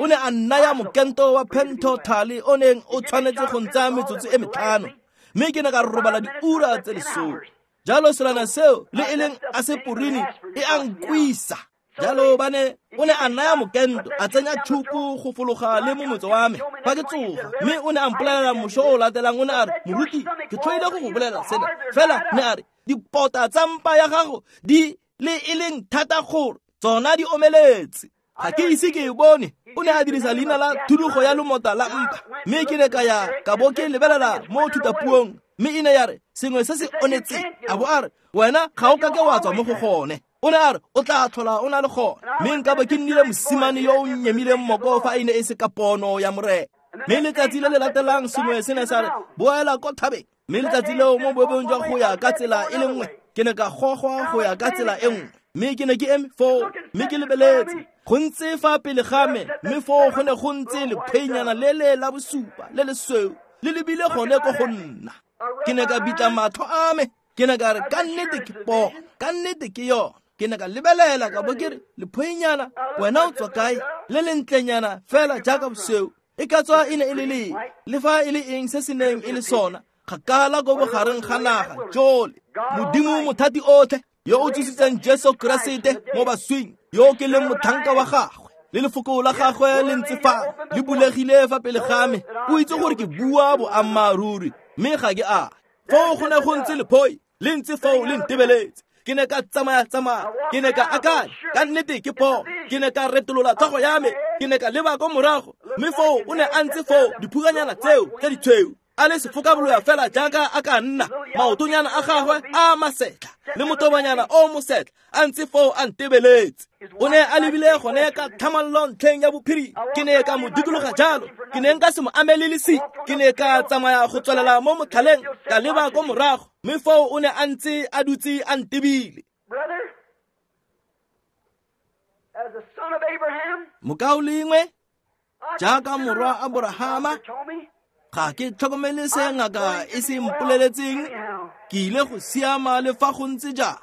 O ne a nnaya mokento wa pentothale o neng o tshwanetse go ntsaya metsotso e metlhano, mme ke ne ka robala diura tse lesome. Jalo selwana seo le e leng aseporini e a nkwisa. Jalo ba ne o ne a naya mokento, a tsenya tšhupu go fologa le mo motse wa me fa ke tsoga. Mme o ne a mpolelela mošo o latelang, o ne a re, moruti, ke tlhoile go go bolela sena, fela ne a re, dipota tsa mpa ya gago di le e leng thata gore tsona di omeletse. Ga ke ise ke e bone. O ne a dirisa leina la thudugo ya lomota la mpa. Mme ke ne ka ya ka bo ke lebelela mo thutapuong, mme e ne ya re sengwe se se onetseng. A bo a re, wena ga o ka ke wa tswa mo go gone. O ne a re, o tla tlhola o na le gone. Mme nka bo ke nnile mosimane yo o nyemileng moko fa e ne e se ka pono ya Morena. Mme letsatsi le le latelang sengwe se ne sa re, boela ko thabeng. Mme letsatsi leo mo boemong jwa go ya ka tsela e le nngwe, ke ne ka gogwa go ya ka tsela e nngwe. Mme ke ne ke eme foo, mme ke lebeletse go ntse fa pele ga me, mme foo go ne go ntse lephenyana le le la bosupa le lesweu le lebile gone ko go nna. Ke ne ka bitla matlho a me, ke ne ka re, ka nnete ke pono, ka nnete ke yone. Ke ne ka lebelela ka bo ke re, lephoinyana, wena o tswa kae? Le lentlenyana fela jaaka bosweu, e ka tswa e ne e le leng, le fa e le eng se se neng e le sona, kgakala ko bogareng ga naga jole. Modimo mothati otlhe yo o tsositseng Jesu Keresete mo baswing, yo ke leng motlhanka wa gagwe, Le lefoko la gagwe le ntse fa le bulegile fa pele ga me. O itse gore ke bua boammaaruri, mme ga ke a. Foo go ne go ntse lephoi le ntse foo le ntebeletse. Ke ne ka tsamaya tsamaya, ke ne ka akanya ka nnete ke pono. Ke ne ka retolola tlhogo ya me, ke ne ka leba ko morago, mme foo o ne a ntse foo diphukanyana tseo tse ditshweu, a le sefokaboloya fela jaaka a ka nna, maotonyana a gagwe a masetlha le motobanyana o mosetlha a ntse foo a ntebeletse. O ne a lebile gone ka tlhamallo ntlheng ya bophiri. Ke ne ka mo dikologa jalo, ke ne nka se mo amele lesi. Ke ne ka tsamaya go tswelela mo motlhaleng, ka leba ko morago, mme foo o ne a ntse a dutse a ntebile. Mokaulengwe, jaaka morwa Aborahama, ga ke tlhokomele se ngaka e se mpoleletseng, ke ile go siama le fa go ntse jang.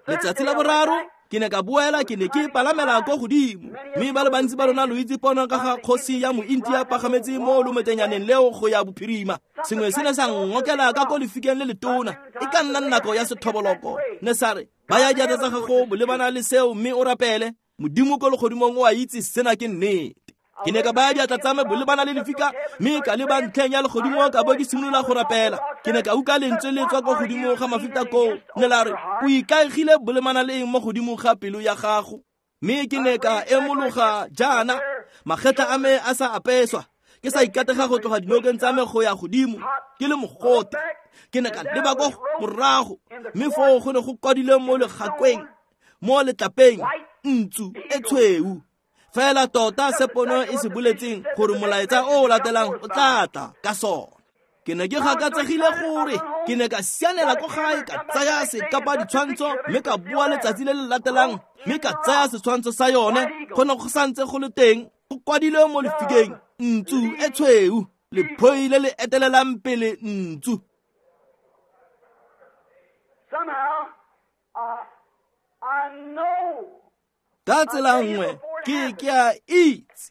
Letsatsi la boraro ke ne ka boela, ke ne ke palamela ko godimo, mme ba le bantsi ba lona lo itse pono ka ga kgosi ya mointi a pagametse mo lometenyaneng leo go ya bophirima. Sengwe se ne sa ngokela ka ko lefikeng le letona, e ka nna nako ya sethoboloko. Ne sa re, baya diatla tsa gago bolebana le seo mme o rapele. Modimo ko legodimong o a itse sena ke nnete. Ke ne ka baya diatla tsa me bolebana le lefika, mme ka leba ntlheng ya legodimo ka bo ke simolola go rapela. Ke ne ka utlwa lentswe le tswa ko godimo ga mafita koo, ne la re, o ikaegile bolemana le eng mo godimo ga pelo ya gago? Mme ke ne ka emologa jaana, magetla a me a sa apeswa, ke sa ikatega go tloga dinokeng tsa me go ya godimo, ke le mogote. Ke ne ka leba ko morago, mme foo go ne go kwadilwe mo legakweng, mo letlapeng, ntsu e tshweu. Fela tota se pono e se boletseng gore molaetsa o o latelang o tla tla ka sona. Ke ne ke gakatsegile gore ke ne ka sianela ko gae, ka tsaya sekapa ditshwantsho, mme ka boa letsatsi le le latelang, mme ka tsaya setshwantsho sa yone. Go ne go santse go le teng, go kwadilwe mo lefikeng, ntsu e tshweu, lephoi le le etelelang pele ntsu. Ka tsela nngwe ke ke a itse,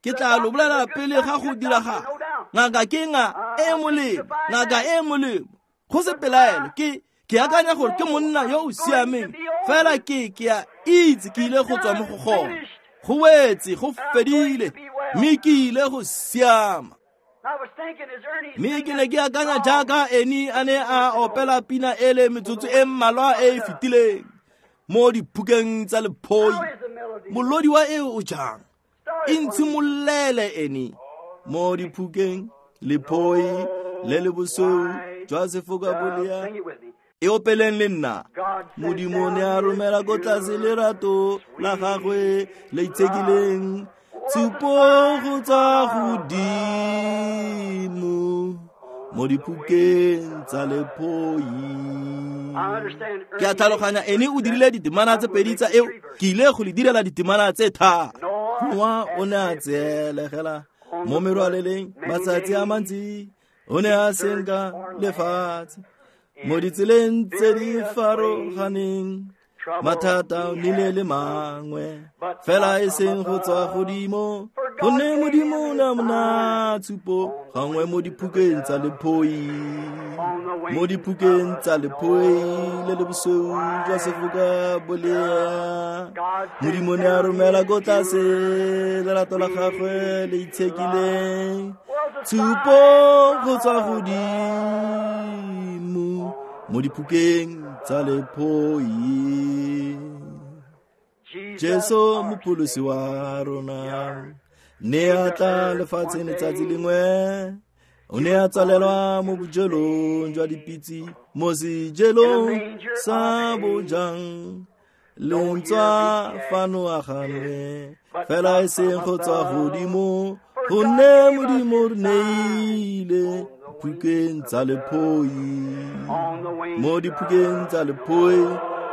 ke tla lo bolela pele ga go diragala. Ngaka ke nga e molemo, ngaka e molemo, go se pelaelo. Ke ke akanya gore ke monna yo o siameng, fela ke ke a itse ke ile go tswa mo go gone. Go wetse, go fedile, mme ke ile go siama. Mme ke ne ke akanya jaaka Eni a ne a opela pina ele metsotso e mmalwa e e fetileng mo diphukeng tsa lephoi. Molodi wa eo o jang? E ntshimolele Eni mo diphukeng, lephoi le le bosweu jwa sefoka bolea. E opeleng le nna. Modimo ne a romela ko tlase lerato la gagwe le itshekileng, tshupo go tswa godimo mo diphukeng tsa lephoi. Ke a tlhaloganya Ene o dirile ditemana tse pedi tsa eo, ke ile go le direla ditemana tse tharo. Noa o ne a tseelegela mo merwaleleng matsatsi a mantsi, o ne a senka lefatshe mo ditseleng tse di farologaneng. Mathata o nnile le mangwe, fela e seng go tswa godimo, gonne Modimo o ne a mo naya tshupo gangwe mo diphukeng tsa lephoi, mo diphukeng tsa lephoi le le bosweu jwa sefoka bolea. Modimo ne a romela ko tlase lerato la gagwe le itshekileng, tshupo go tswa godimo mo diphukeng tsa lephoi. Jesu mopholosi wa rona ne a tla lefatsheng letsatsi lengwe, o ne a tsalelwa mo bojelong jwa dipitse, mo sejelong sa bojang. Lentswa fano a ganwe, fela e seng go tswa godimo, gonne Modimo re neile phukeng tsa lephoi, mo diphukeng tsa lephoi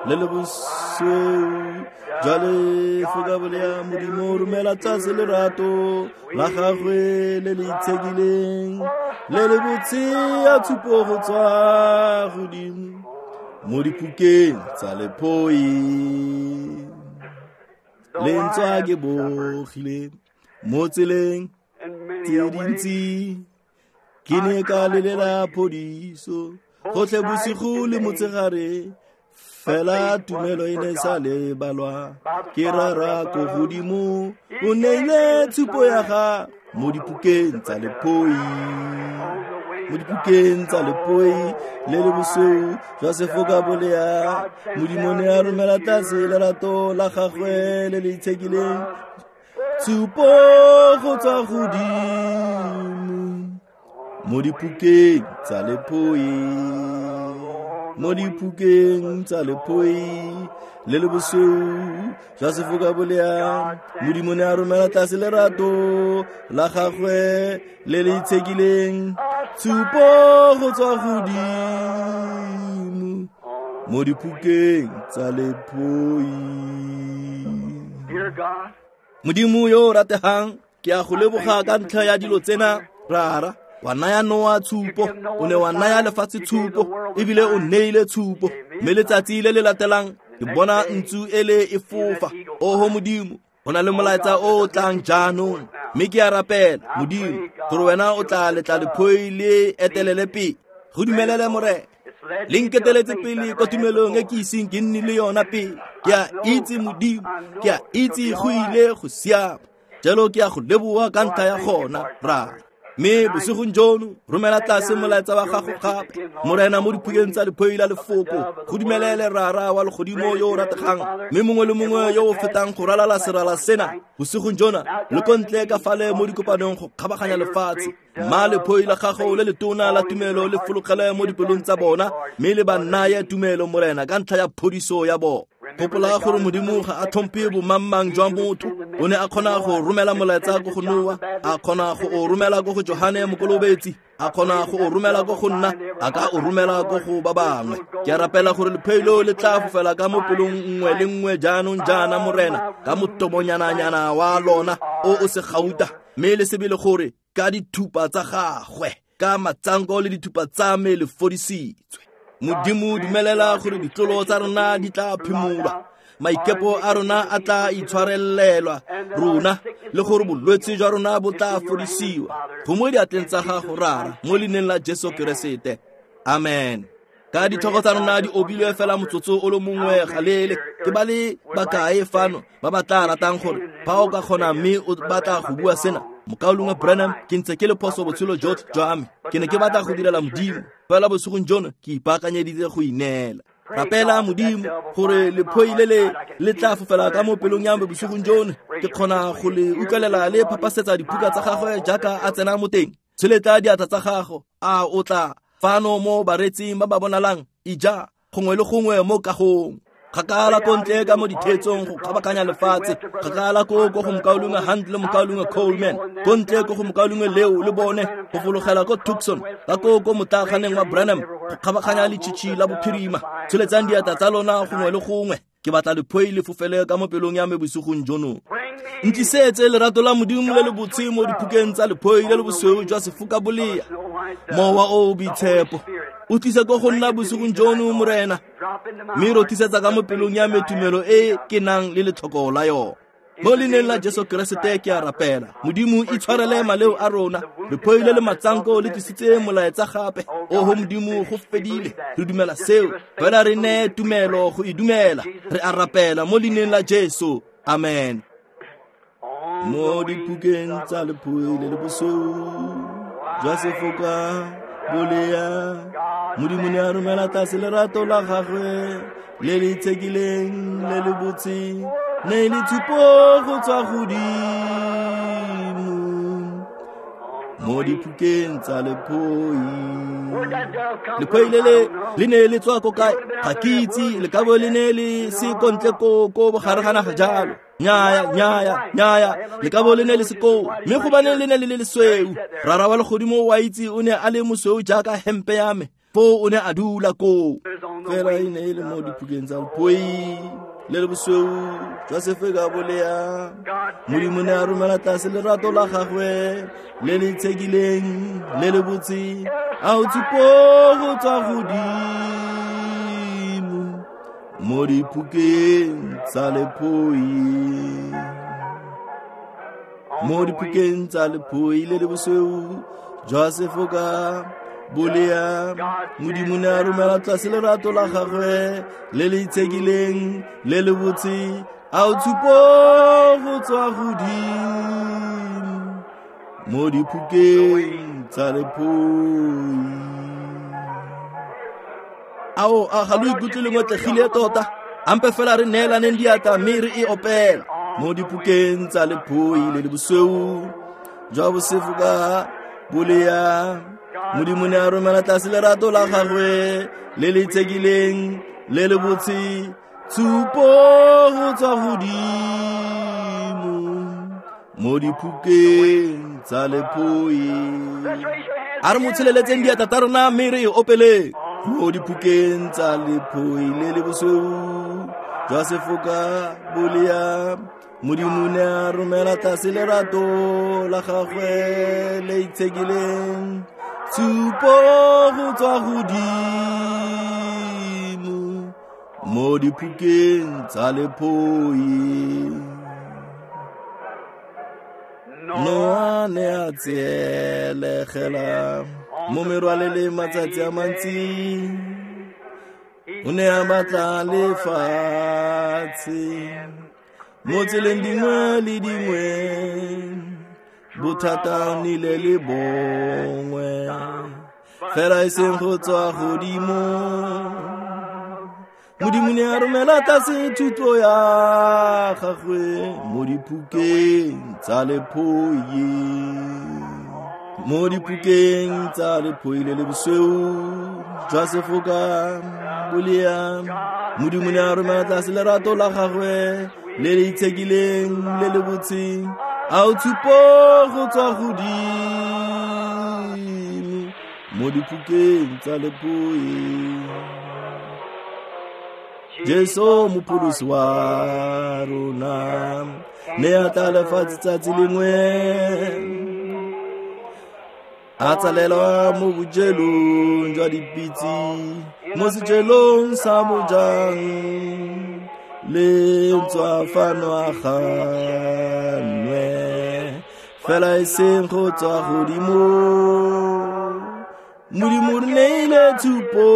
le le bosweu jwa lefoka bolea. Modimo romela tlase lerato la gagwe le le itshekileng, le le botse ya tshupo go tswa godimo mo diphukeng tsa lephoi. Lentswa ke bogile mo tseleng tse dintsi, ke ne ka lelela phodiso gotlhe bosigo le motshegare, Fela tumelo e ne sa lebalwa ke rara ko godimo o neile tshupo ya ga mo dipukeng tsa lephoi mo dipukeng tsa lephoi le le bosweu jwa sefoka bolea Modimo ne a romela tlase lerato la gagwe le le itshekileng tshupo go tswa godimo mo dipukeng tsa lephoi mo dipukeng tsa lephoi le le bosweu jwa sefoka bolea Modimo ne a romela tlase lerato la gagwe le le itshekileng tshupo go tswa godimo mo dipukeng tsa lephoi. Modimo yo o rategang ke a go leboga ka ntlha ya dilo tsena rara. Wa naya Noa tshupo, o ne wa naya lefatshe tshupo, ebile o neile tshupo. Mme letsatsi le le latelang ke bona ntsu ele e fofa. Oho Modimo, go na le molaetsa o o tlang jaanong. Mme ke a rapela Modimo gore wena o tla letla lephoi le etelele pele. Go dumelele Morena. Le nketeletse pele ko tumelong e ke iseng ke nne le yona pele. Ke a itse Modimo, ke a itse go ile go siama. Jalo ke a go leboga ka ntlha ya gona rara. Mme bosigong jono romela tlase molaetsa wa gago gape Morena mo diphukeng tsa lephoi la lefoko. Go dumelele rara wa legodimo yo o rategang mme mongwe le mongwe yo o fetang go ralala serala sena bosigong jona le ko ntle ka fale mo dikopanong go kgabaganya lefatshe. Mma lephoi la gago le letona la tumelo le fologele mo dipelong tsa bona mme le ba naye tumelo Morena ka ntlha ya phodiso ya bona. Gopola gore Modimo ga a tlhomphe bomangmang jwa motho. O ne a kgona go romela molaetsa ko go Noa, a kgona go o romela ko go Johane Mokolobetsi, a kgona go o romela ko go nna, a ka o romela ko go ba bangwe. Ke a rapela gore lephelo le tla fofela ka mo pelong nngwe le nngwe jaanong jaana Morena, ka motomonyana-nyana wa lona o o se gauta, mme le sebele gore ka dithupa tsa gagwe, ka matsanko le dithupa tsa me le fodisitswe. Modimo dumelela gore ditlolo tsa rona di tla phimolwa, maikepo a rona a tla itshwarelelwa rona, le gore bolwetse jwa rona bo tla fodisiwa. Go mo diatleng tsa gago rara, mo leineng la Jesu Keresete. Amen. Ka ditlhogo tsa rona di obilwe fela motsotso o le mongwe galele. Ke ba le bakae fano ba ba tla ratang gore fa o ka kgona mme o batla go bua sena, Mokaulengwe Branham, ke ntse ke le phoso botshelo jotlhe jwa me. Ke ne ke batla go direla Modimo, fela bosigong jono ke ipaakanyeditse go ineela. Rapela Modimo gore lephoi le le le tla fofela ka mo pelong ya me bosigong jono. Ke kgona go le utlwelela le phapasetsa diphuka tsa gagwe jaaka a tsena mo teng. Tsholetsa diatla tsa gago, a o tla fano mo baretsing ba ba bonalang ija gongwe le gongwe mo kagong. Kgakala ko ntle ka mo dithetsong go kgabakanya lefatshe, kgakala ko ko go mokaulengwe Hunt le mokaulengwe Coleman, ko ntle ko go mokaulengwe Leo le bone, go fologela ko Tucson, ka ko ko motlaganeng wa Branham, go kgabaganya letšhitšhi la bophirima. Tsholetsang diatla tsa lona gongwe le gongwe. Ke batla lephoi le fofele ka mo pelong ya me bosigong jono. Ntlisetse lerato la Modimo le le botse mo diphukeng tsa lephoi le le bosweu jwa sefoka bolea. Mowa o o boitshepo o tlise ko go nna bosigong jono Morena, mme rothisetsa ka mo pelong ya me tumelo e ke nang le letlhoko la yona. Mo leineng la Jesu Keresete ke a rapela. Modimo itshwarele maleo a rona. Lephoi le le matsanko le tlisitse molaetsa gape. Oho Modimo, go fedile. Re dumela seo. Fela re neye tumelo go e dumela. Re a rapela mo leineng la Jesu. Amen. Mo diphukeng tsa lephoi le le bosweu jwa sefoka bolea, Modimo ne a romela tlase lerato la gagwe le le itshekileng le le botse, ne le tshupo go tswa godimo mo diphukeng tsa lephoi. Lephoi le le le ne le tswa ko kae? Ga ke itse, le ka bo le ne le se ko ntle ko ko bogare ga naga jalo. Nyaya, nyaya, nyaya, le ka bo le ne le se koo, mme gobane le ne le le lesweu. Rara wa legodimo wa itse o ne a le mosweu jaaka hempe ya me, foo o ne a dula koo. Fela e ne e le mo diphukeng tsa lephoi le le bosweu jwa sefeka bolea, Modimo ne a romela tlase lerato la gagwe le le itshekileng le le botse, a o tshupo go tswa godimo mo diphukeng tsa lephoi. Mo diphukeng tsa lephoi le le bosweu jwa sefoka Bolea Modimo ne a romela tlase lerato la gagwe le le itshekileng le le botse a o tshupo go tswa godimo mo diphukeng tsa lephoi. Ao a ga lo ikutlwe le ngotlegile tota? Ampe fela re neelaneng diatla mme re e opela mo diphukeng tsa lephoi le le bosweu jwa bosefoka bolea. Modimo ne a romela tlase lerato la gagwe le le itshekileng le le botse tshupo go tswa godimo mo diphukeng tsa lephoi. A re mo tsheleletseng diatla tsa rona mme re e opeleng mo diphukeng tsa lephoi le le bosweu jwa sefoka bolea. Modimo ne a romela tlase lerato la gagwe le itshekileng tshupo go tswa godimo mo diphukeng tsa lephoi. Noa ne a tseelegela mo merwaleleng matsatsi a mantsi, o ne a batla lefatshe mo tseleng dingwe le dingwe, bothata nnile le bongwe fela e seng go tswa godimo. Modimo ne a romela tlase thuto ya gagwe mo diphukeng tsa lephoi, mo diphukeng tsa lephoi le le bosweu jwa sefoka bolea. Modimo ne a romela tlase lerato la gagwe le le itshekileng le le botse a o tshupo go tswa godimo mo diphukeng tsa lephoi. Jesu mopholosi wa rona ne a tla lefatshe tsatsi lengwe, a tsalelwa mo bojelong jwa dipitse mo sejelong sa bojang le tswa fano a ganwe fela e seng go tswa godimo. Modimo re neile tshupo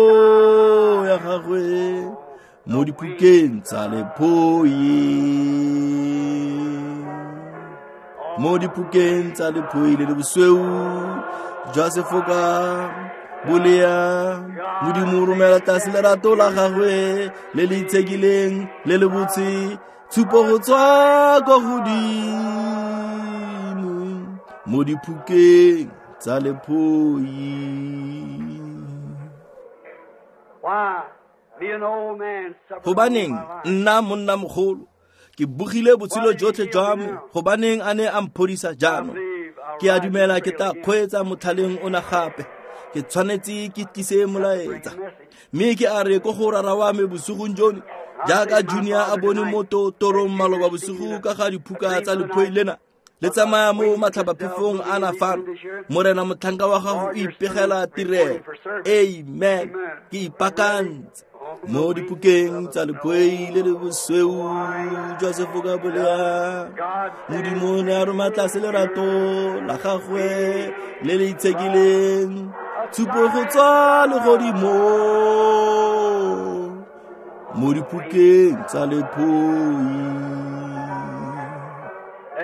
ya gagwe mo diphukeng tsa lephoi, mo diphukeng tsa lephoi le le bosweu jwa sefoka bolea. Modimo o romela tlase lerato la gagwe le le itshekileng le le botse tshupo go tswa kwa godimo mo diphukeng tsa lephoi. Gobaneng nna monna mogolo ke bogile botshelo jotlhe jwa me, gobaneng a ne a mphodisa jaanong? Ke a dumela ke tla kgweetsa motlhaleng ona gape, ke tshwanetse ke tlise molaetsa. Mme ke a re ko go rara wa me bosigong jono, jaaka Junior a bone mo torong maloba bosigo ka ga diphuka tsa lephoi lena le tsamaya mo matlhabaphefong a na fano. Morena motlhanka wa gago o ipegela tirelo. Amen. Ke ipaakantse mo diphukeng tsa lephoi le le bosweu jwa sefoka bolea. Modimo ne a roma tlase lerato la gagwe le le itshekileng tshupo go tswa legodimo mo diphukeng tsa lephoi.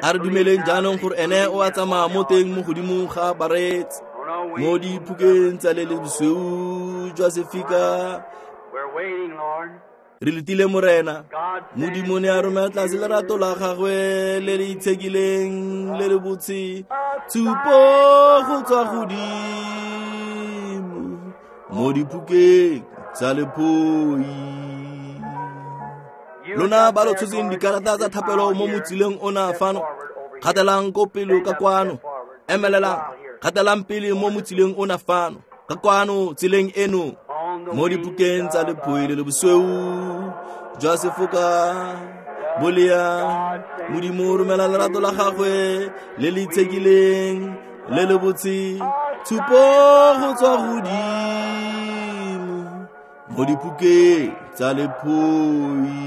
A re dumeleng jaanong gore ene o a tsamaya mo teng mo godimo ga bareetsi mo diphukeng tsa le le bosweu jwa sefika. Re letile Morena. Modimo ne a romela tlase lerato la gagwe le le itshekileng le le botse tshupo go tswa godimo mo diphukeng tsa lephoi. Lona ba lo tshotseng dikarata tsa thapelo mo motsileng ona fano, gatelang ko pele ka kwano, emelelang, gatelang pele mo motsileng ona fano ka kwano tseleng eno mo diphukeng tsa lephoi le le bosweu jwa sefoka bolea. Modimo o romela lerato la gagwe le le itshekileng le le botse tshupo go tswa godimo mo diphukeng tsa lephoi.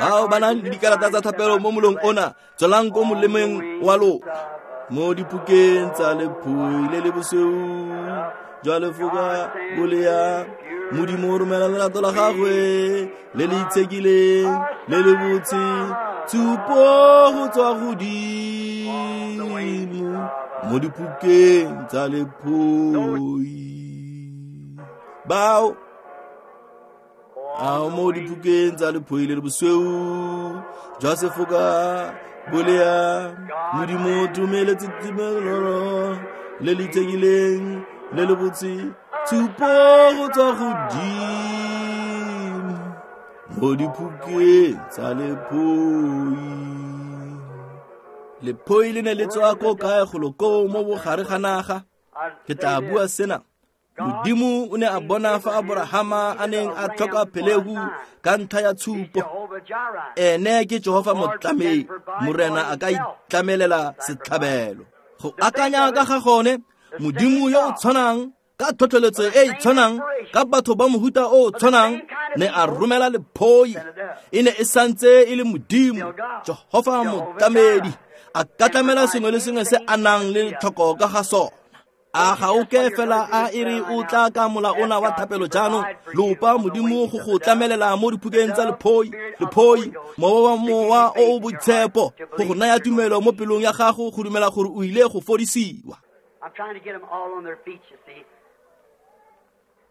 Bao ba nang le dikarata tsa thapelo mo molong ona, tswelang ko molemeng wa lona mo diphukeng tsa lephoi le le bosweu jwa lefoka bolea Modimo o romela lerato la gagwe le le itshekileng le le botse tshupo go tswa godimo mo diphukeng tsa lephoi bao a mo diphukeng tsa lephoi le le bosweu jwa sefoka bolea Modimo o dumeletse tumelelo le le itshekileng le le botse tshupo go tswa godimo mo diphukeng tsa lephoi. Lephoi le ne le tswa ko kae golo koo mo bogare ga naga? Ke tla bua sena. Modimo o ne a bona fa Aborahama a neng a tlhoka phelehu ka ntlha ya tshupo. Ene ke Jehofa motlamedi, Morena a ka itlamelela setlhabelo. Go akanya ka ga gone, Modimo yo o tshwanang ka tlhotlheletso e e tshwanang ka batho ba mohuta o o tshwanang ne a romela lephoi. E ne e santse e le Modimo, Jehofa motlamedi, a ka tlamela sengwe le sengwe se a nang le tlhoko ka ga sona. A ga o ke fela a e re o tla ka mola ona wa thapelo jaanong, lopa Modimo go go tlamelela mo diphukeng tsa lephoi, lephoi, mowa wa mowa o o boitshepo, go go naya tumelo mo pelong ya gago go dumela gore o ile go fodisiwa. I'm trying to get them all on their feet, you see.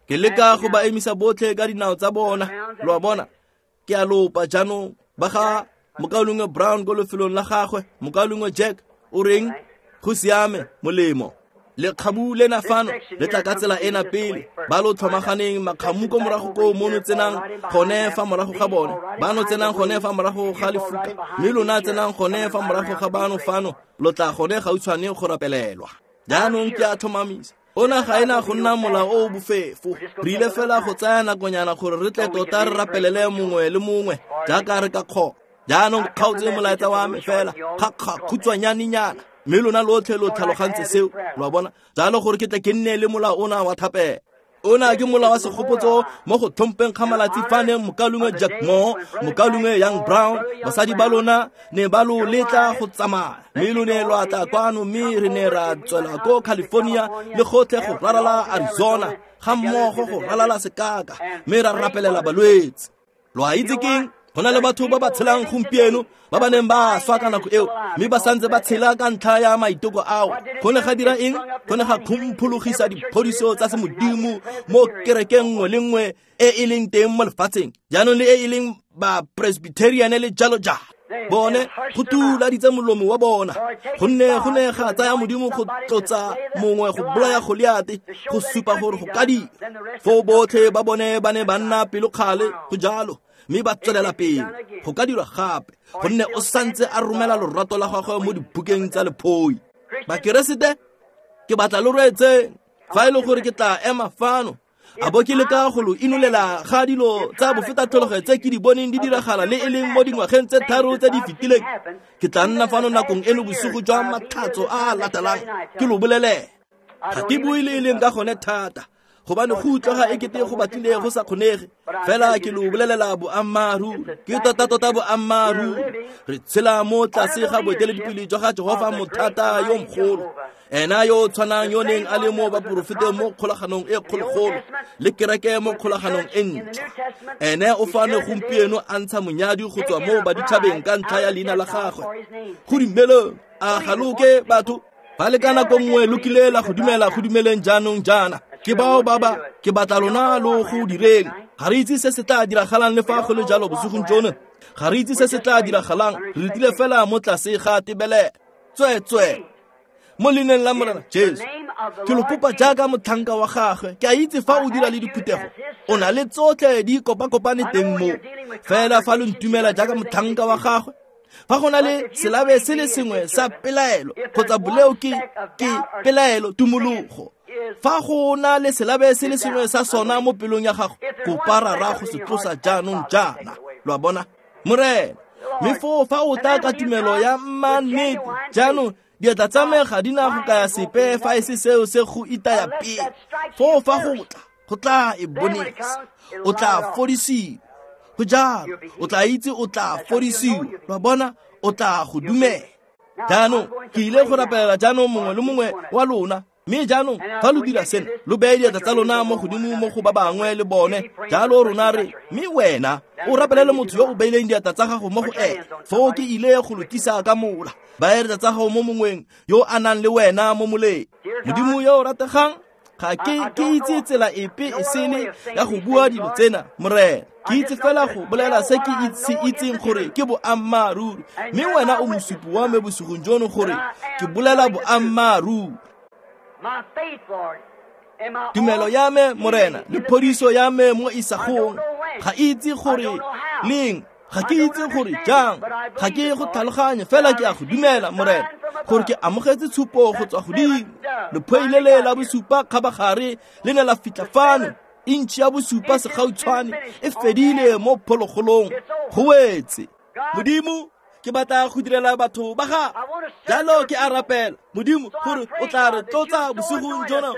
Ke leka go ba emisa botlhe ka dinao tsa bona, lo a bona. Ke a lopa jaanong ba ga mokaulengwe Brown ko lefelong la gagwe, mokaulengwe Jack o reng go siame molemo. Lekgabu lena fano le tla ka tsela ena pele, ba lo tlhomaganeng makgamu ko morago ko mono tsenang gone fa morago ga bone, bano tsenang gone fa morago ga lefuka, mme lona tsenang gone fa morago ga bano fano, lo tla gone gautshwane go rapelelwa. Jaanong ke a tlhomamisa, ona ga ena go nna mola o o bofefo. Re ile fela go tsaya nakonyana gore re tle tota re rapelele mongwe le mongwe jaaka re ka kgona. Jaanong kgaotse molaetsa wa me fela kgakhutshwanyanenyana, mme lona lotlhe lo tlhalogantse seo, lo a bona. Jalo gore ke tle ke nne le mola ona wa thapelo. Ona ke mola wa segopotso mo go tlhompeng ga malatsi fa neng mokaulengwe Jack Moore, mokaulengwe Young Brown, basadi ba lona ne ba lo letla go tsamaya, mme lo ne lwa tla kwano, mme re ne ra tswela ko California le gotlhe go ralala Arizona, ga mmogo go ralala sekaka, mme ra rapelela balwetse. Lo a itse keng? Go na le batho ba ba tshelang gompieno ba ba neng ba swa ka nako eo, mme ba santse ba tshela ka ntlha ya maiteko ao. Go ne ga dira eng? Go ne ga khumphulogisa diphodiso tsa semodimo mo kerekeng nngwe le nngwe e e leng teng mo lefatsheng, jaanong le e e leng ba Presbyterian le jalo jalo. Bone go tuladitse molomo wa bona, gonne go ne ga tsaya Modimo go tlotsa mongwe go bolaya Goliate go supa gore go ka dira. Foo botlhe ba bone ba ne ba nna pelokgale go jalo, mme ba tswelela pele go ka dirwa gape, gonne o santse a romela lorato la gagwe mo dibukeng tsa lephoi. Bakeresete, ke batla lo reetseng fa e le gore ke tla ema fano a bo ke leka go lo inolela ga dilo tsa bofetatlhologo tse ke di boneng di diragala le e leng mo dingwageng tse tharo tse di fetileng. Ke tla nna fano nakong eno bosigo jwa matlhatso a a latelang ke lo bolelele. Ga ke bue le e leng ka gone thata, gobane go utlwega e kete go batlile go sa kgonege, fela ke lo bolelela boammaaruri, ke tota-tota boammaaruri. Re tshela mo tlase ga boeteledipele jwa ga Jehofa mothata yo mogolo, ena yo o tshwanang yo neng a le mo baporofeteng mo kgolaganong e kgologolo le kereke mo kgolaganong e ntšhwa. Ene o fano gompieno a ntsha monyadi go tswa mo baditšhabeng ka ntlha ya leina la gagwe. Go dumeleng, a ga lo ke batho ba le ka nako nngwe lo kile la go dumela go dumeleng jaanong jaana. Ke bao ba ba ke batla lona lo go direng. Ga re itse se se tla diragalang le fa go le jalo bosigong jono. Ga re itse se se tla diragalang, re letile fela mo tlase ga tebelelo. Tsweetswee, mo leineng la Morena Jesu, ke lo kopa jaaka motlhanka wa gagwe. Ke a itse fa o dira le diphuthego, o na le tsotlhe di kopakopane teng mo. Fela fa lo ntumela jaaka motlhanka wa gagwe, fa go na le selabe se le sengwe sa pelaelo kgotsa boleo ke ke pelaelo tumologo, fa go na le selabe se le sengwe sa sona mo pelong ya gago, kopa Rara go se tlosa jaanong jaana. Lo a bona, Morena? Mme foo fa o tla ka tumelo ya mannete jaanong, diatla tsa me ga di na go kaya sepe fa e se seo se go itaya pele. Foo fa go tla, go tla e bonesa, o tla fodisiwa. Go jalo, o tla itse o tla fodisiwa. Lo a bona, o tla go dumela. Jaanong ke ile go rapelela jaanong mongwe le mongwe wa lona. Mme jaanong fa lo dira sena, lo beye diatla tsa lona mo godimo mo go ba bangwe le bone, jalo rona re, mme wena o rapelele motho yo o beileng diatla tsa gago mo go ene. Foo ke ile go lo tlisa ka mola. Baya diatla tsa gago mo mongweng yo a nang le wena mo moleng. Modimo yo o rategang, ga ke ke itse tsela epe e sele ya go bua dilo tsena, Morena. Ke itse fela go bolela se ke se itseng gore ke boammaaruri, mme wena o mosupi wa me bosigong jono gore ke bolela boammaaruri. Tumelo ya me, Morena, le phodiso ya me mo isagong, ga itse gore leng, ga ke itse gore jang, ga ke go tlhaloganye, fela ke a go dumela, Morena, gore ke amogetse tshupo go tswa godimo. Lephoi le le la bosupa kgabagare le ne la fitlha fano, intšhi ya bosupa segautshwane e fedile mo phologolong. Go wetse. Modimo, ke batla go direla batho ba gago. Jalo ke a rapela, Modimo, gore o tla re tlotsa bosigong jona,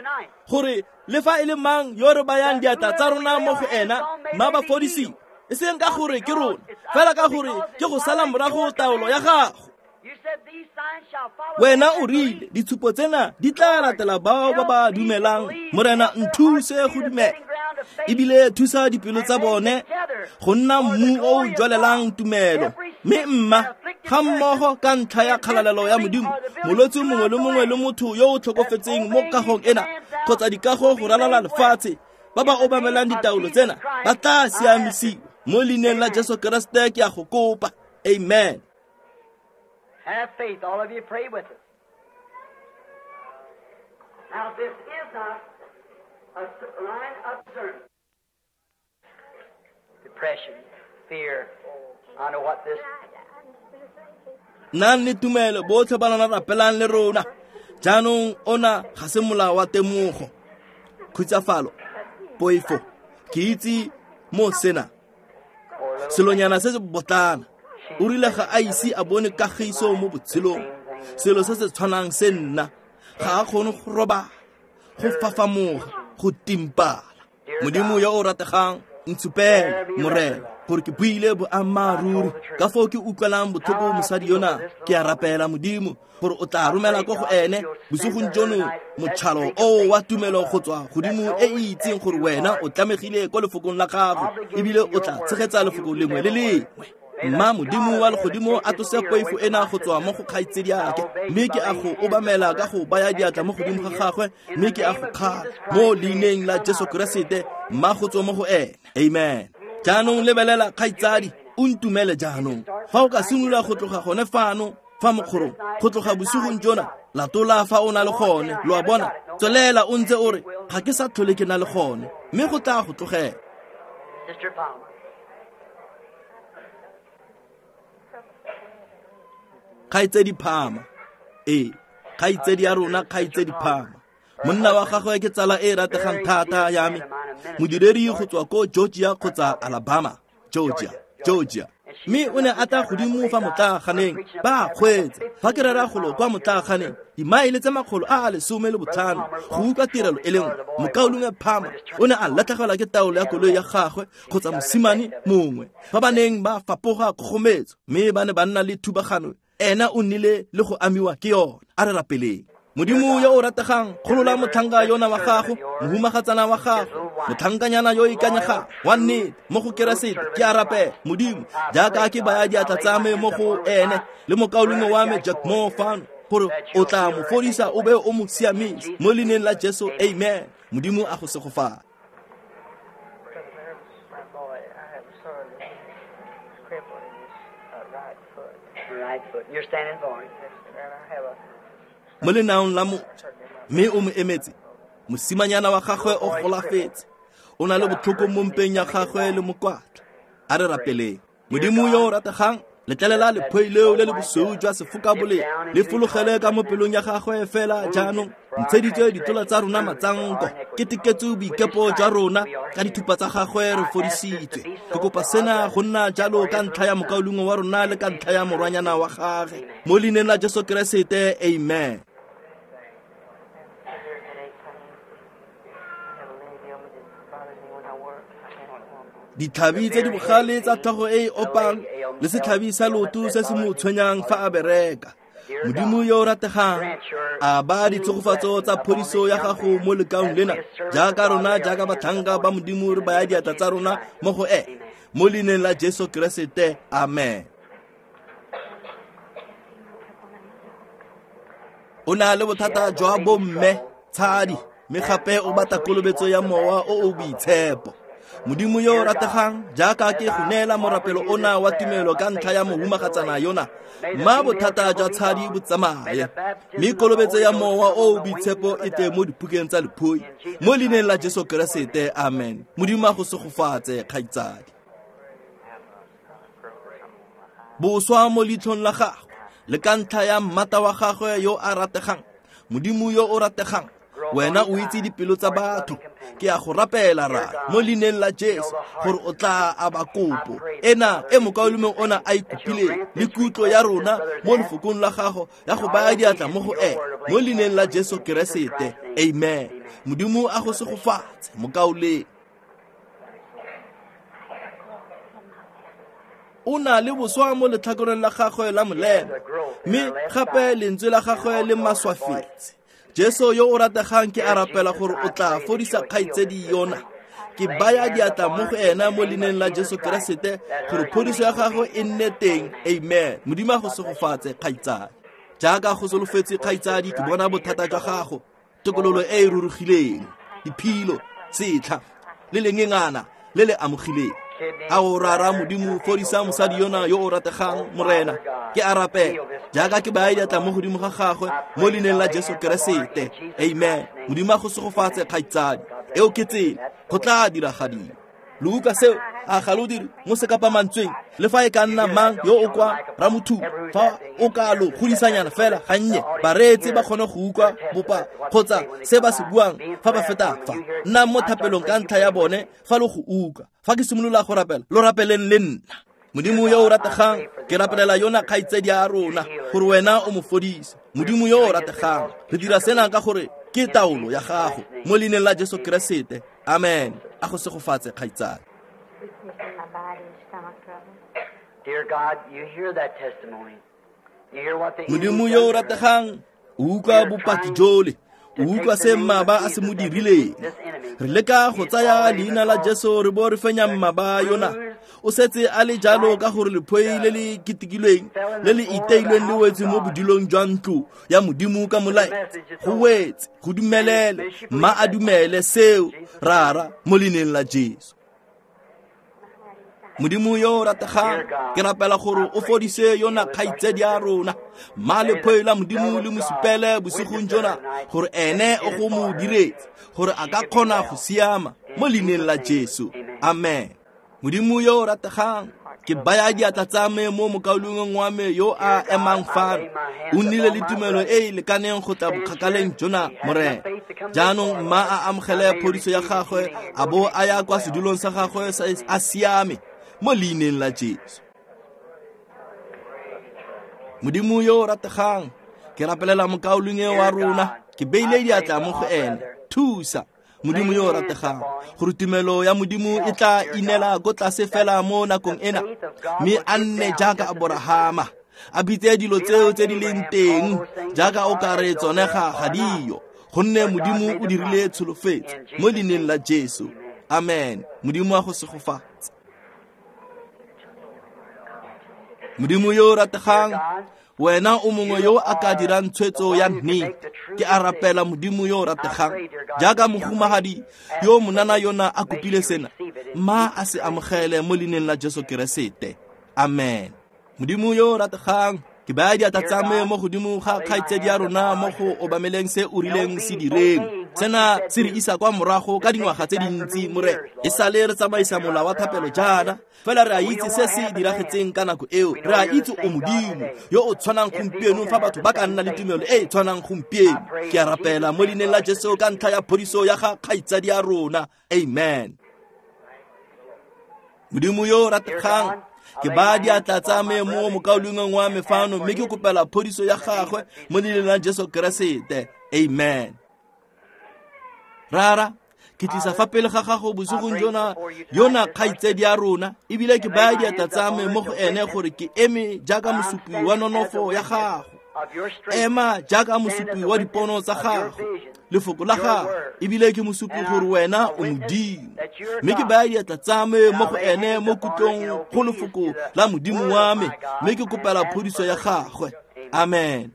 gore le fa e le mang yo re bayang diatla tsa rona mo go ena, mma ba fodisiwe, e seng ka gore ke rona, fela ka gore ke go sala morago taolo ya gago. Wena o rile ditshupo tsena di tla latela bao ba ba dumelang. Morena, nthuse go dumela, ebile thusa dipelo tsa bone go nna mmu o o jwalelang tumelo. Mme mma ga mmogo ka ntlha ya kgalalelo ya Modimo, molwetse mongwe le mongwe le motho yo o tlhokofetseng mo kagong ena kgotsa dikago go ralala lefatshe, ba ba obamelang ditaolo tsena ba tla siamisiwa. Mo leineng la Jesu Keresete ke a go kopa. Amen. Have faith, all of you pray with us. Now this is not a line of discernment. Depression, fear, I know what this. Nang le tumelo botlhe ba lona rapelang le rona. Jaanong ona ga se molao wa temogo, khutsafalo, poifo. Ke itse mo sena selonyana se se botlana. O rile ga a ise a bone kagiso mo botshelong. Selo se se tshwanang se nna, ga a kgone go robala, go fafamoga, go timpala. Modimo yo o rategang, ntshupele, Morena, gore ke buile boammaaruri. Ka foo ke utlwelang botlhoko mosadi yona, ke a rapela, Modimo, gore o tla romela ko go ene bosigong jono motšhalo o wa tumelo go tswa godimo e e itseng gore wena o tlamegile ko lefokong la gago, ebile o tla tshegetsa lefoko lengwe le lengwe. Mma Modimo wa legodimo a tlose poifo ena go tswa mo go kgaitsediake, mme ke a go obamela ka go baya diatla mo godimo ga gagwe, mme ke a go kgala mo leineng la Jesu Keresete, mma go tswa mo go ene. Amen. Jaanong lebelela kgaitsadi, o ntumele jaanong. Fa o ka simolola go tloga gone fano fa mokgorong, go tloga bosigong jona, latola fa o na le gone, lo a bona, tswelela o ntse o re, ga ke sa tlhole ke na le gone, mme go tla go tlogela. Kgaitsedi Phama, ee, kgaitsedi ya rona, kgaitsedi Phama. Monna wa gagwe ke tsala e rategang thata ya me, modiredi go tswa ko Georgia kgotsa Alabama, Georgia, Georgia. Mme o ne a tla godimo fa motlaaganeng, ba kgweetsa. Fa ke rera golo kwa motlaaganeng, dimaele tse makgolo a a lesome le botlhano go utlwa tirelo e le nngwe. Mokaulengwe Phama o ne a latlhegelwa ke taolo ya koloi ya gagwe kgotsa mosimane mongwe fa ba neng ba fapoga kgogometso, mme ba ne ba nna le thubagano. Ena o nnile le go amiwa ke yona. A re rapeleng. Modimo yo o rategang, golola motlhanka yona wa gago, mohumagatsana wa gago, motlhankanyana yo o ikanyegang wa nnete mo go Keresete. Ke a rapela, Modimo, jaaka ke baya diatla tsa me mo go ene le mokaulengwe wa me Jack Moore fano, gore o tla mo fodisa o be o mo siamise mo leineng la Jesu. Amen. Modimo a go segofatse. Mo lenaong la motho, mme o mo emetse. Mosimanyana wa gagwe o golafetse, o na le botlhoko mo mpeng ya gagwe le mokwatla. A re rapeleng. Modimo yo o rategang, letlelela lephoi leo le le bosweu jwa sefokabolea le fologele ka mo pelong ya gagwe fela jaanong. Ntsheditswe ditola tsa rona matsanko, keteketse boikepo jwa rona, ka dithupa tsa gagwe re fodisitswe. Ke kopa sena go nna jalo ka ntlha ya mokaulengwe wa rona le ka ntlha ya morwanyana wa gagwe. Mo leineng la Jesu Keresete, amen. Ditlhabi tse di bogale tsa tlhogo e e opang le setlhabi sa loto se se mo tshwenyang fa a bereka. Modimo yo o rategang, a ba ditshegofatso tsa phodiso ya gago mo lekaung lena, jaaka rona jaaka batlhanka ba Modimo re baya diatla tsa rona mo go ene, mo leineng la Jesu Keresete, amen. O na le bothata jwa bomme tshadi, mme gape o batla kolobetso ya mowa o o boitshepo. Modimo yo o rategang, jaaka ke go neela morapelo ona wa tumelo ka ntlha ya mohumagatsana yona, mma bothata jwa tshadi bo tsamaye, mme kolobetso ya mowa o o boitshepo e tle mo dipukeng tsa lephoi, mo leineng la Jesu Keresete, amen. Modimo a go segofatse, kgaitsadi. Boswa mo leitlhong la gagwe le ka ntlha ya mmata wa gagwe yo a rategang, Modimo yo o rategang, wena o itse dipelo tsa batho. Ke a go rapela ra mo leineng la Jesu gore o tla aba kopo ena e mokaulengwe ona a ikopileng, le kutlo ya rona mo lefokong la gago ya go baya diatla mo go ene, mo leineng la Jesu Keresete, amen. Modimo a go segofatse, mokaulengwe. O na le boswa mo letlhakoreng la gagwe la molema, mme gape lentswe la gagwe le maswafetse. Jesu yo o rategang, ke a rapela gore o tla fodisa kgaitsedi yona. Ke baya diatla mo go ena mo leineng la Jesu Keresete gore phodiso ya gagwe e nne teng, amen. Modimo a go segofatse, kgaitsadi. Jaaka go solofetse, kgaitsadi, ke bona bothata jwa gago, tokololo e e rurugileng, diphilo, setlha le lengengana le le amogileng. A o rara Modimo, fodisa mosadi yona yo o rategang, Morena. Ke a rapela jaaka ke baya diatla mo godimo ga gagwe mo leineng la Jesu Keresete, amen. Modimo a go segofatse, kgaitsadi. Eo ke tsela go tla diragadiwa. Lo utlwa seo? A ga lo dire mo sekapamantsweng, le fa e ka nna mang yo o kwa Ramothuba, fa o ka lo godisanyana fela gannye, bareetsi ba kgone go utlwa bopa kgotsa se ba se buang fa ba feta fa. Nnang mo thapelong ka ntlha ya bone fa lo go utlwa. Fa ke simolola go rapela, lo rapeleng le nna. Modimo yo o rategang, ke rapelela yona kgaitsedi ya rona gore wena o mo fodise. Modimo yo o rategang, re dira sena ka gore ke taolo ya gago, mo leineng la Jesu Keresete, amen. A go segofatse, kgaitsadi. Modimo yo o rategang, o utlwa bopaki jole, o utlwa se mmaba a se mo dirileng. Re leka go tsaya leina la Jesu re bo re fenya mmaba yona. O setse a le jalo ka gore lephoi le le ketekilweng le le iteilweng le wetse mo bodilong jwa ntlo ya Modimo ka molaetsa. Go wetse, go dumelele, mma a dumele seo, rara, mo leineng la Jesu. Modimo yo o rategang, ke rapela gore o fodise yona kgaitsedi ya rona. Mma lephoi la Modimo le mo supele bosigong jona gore ene o go mo diretse, gore a ka kgona go siama, mo leineng la Jesu, amen. Modimo yo o rategang, ke baya diatla tsa me mo mokaulengweng wa me yo a emang fano. O nnile le tumelo e e lekaneng go tla bokgakaleng jona, Morena. Jaanong mma a amogele phodiso ya gagwe, a bo a ya kwa sedulong sa gagwe a siame, mo leineng la Jesu. Modimo yo o rategang, ke rapelela mokaulengwe wa rona, ke beile diatla mo go ene. Thusa, Modimo yo o rategang, gore tumelo ya Modimo e tla inela ko tlase fela mo nakong ena, mme a nne jaaka Aborahama, a bitse dilo tseo tse di leng teng jaaka o ka re tsone ga ga diyo, gonne Modimo o dirile tsholofetso, mo leineng la Jesu, amen. Modimo a go segofatse. Modimo yo o rategang, wena o mongwe yo a ka dirang tshwetso ya nnete. Ke a rapela Modimo yo o rategang, jaaka mohumagadi yo monana yona a kopile sena, mma a se amogele mo leineng la Jesu Keresete, amen. Modimo yo o rategang, ke baya diatla tsa me mo godimo ga kgaitsedi ya rona mo go obameleng se o rileng se direng. Sena se re isa kwa morago ka dingwaga tse dintsi, Morena. E sale re tsamaisa mola wa thapelo jaana, fela re a itse se se diragetseng ka nako eo. Re a itse o Modimo yo o tshwanang gompieno fa batho ba ka nna le tumelo e e tshwanang gompieno. Ke a rapela mo leineng la Jesu ka ntlha ya phodiso ya ga kgaitsadi ya rona, amen. Modimo yo o rategang, ke ba diatla tsa me mo mokaulengweng wa me fano, mme ke kopela phodiso ya gagwe mo leineng la Jesu Keresete, amen. Rara, ke tlisa fa pele ga gago bosigong jona yona kgaitsedi ya rona, ebile ke baya diatla tsa me mo go ene gore ke eme jaaka mosupi wa nonofo ya gago. Ema jaaka mosupi wa dipono tsa gago, lefoko la gago, ebile ke mosupi gore wena o Modimo. Mme ke baya diatla tsa me mo go ene mo kutlong go lefoko la Modimo wa me, mme ke kopela phodiso ya gagwe. Amen.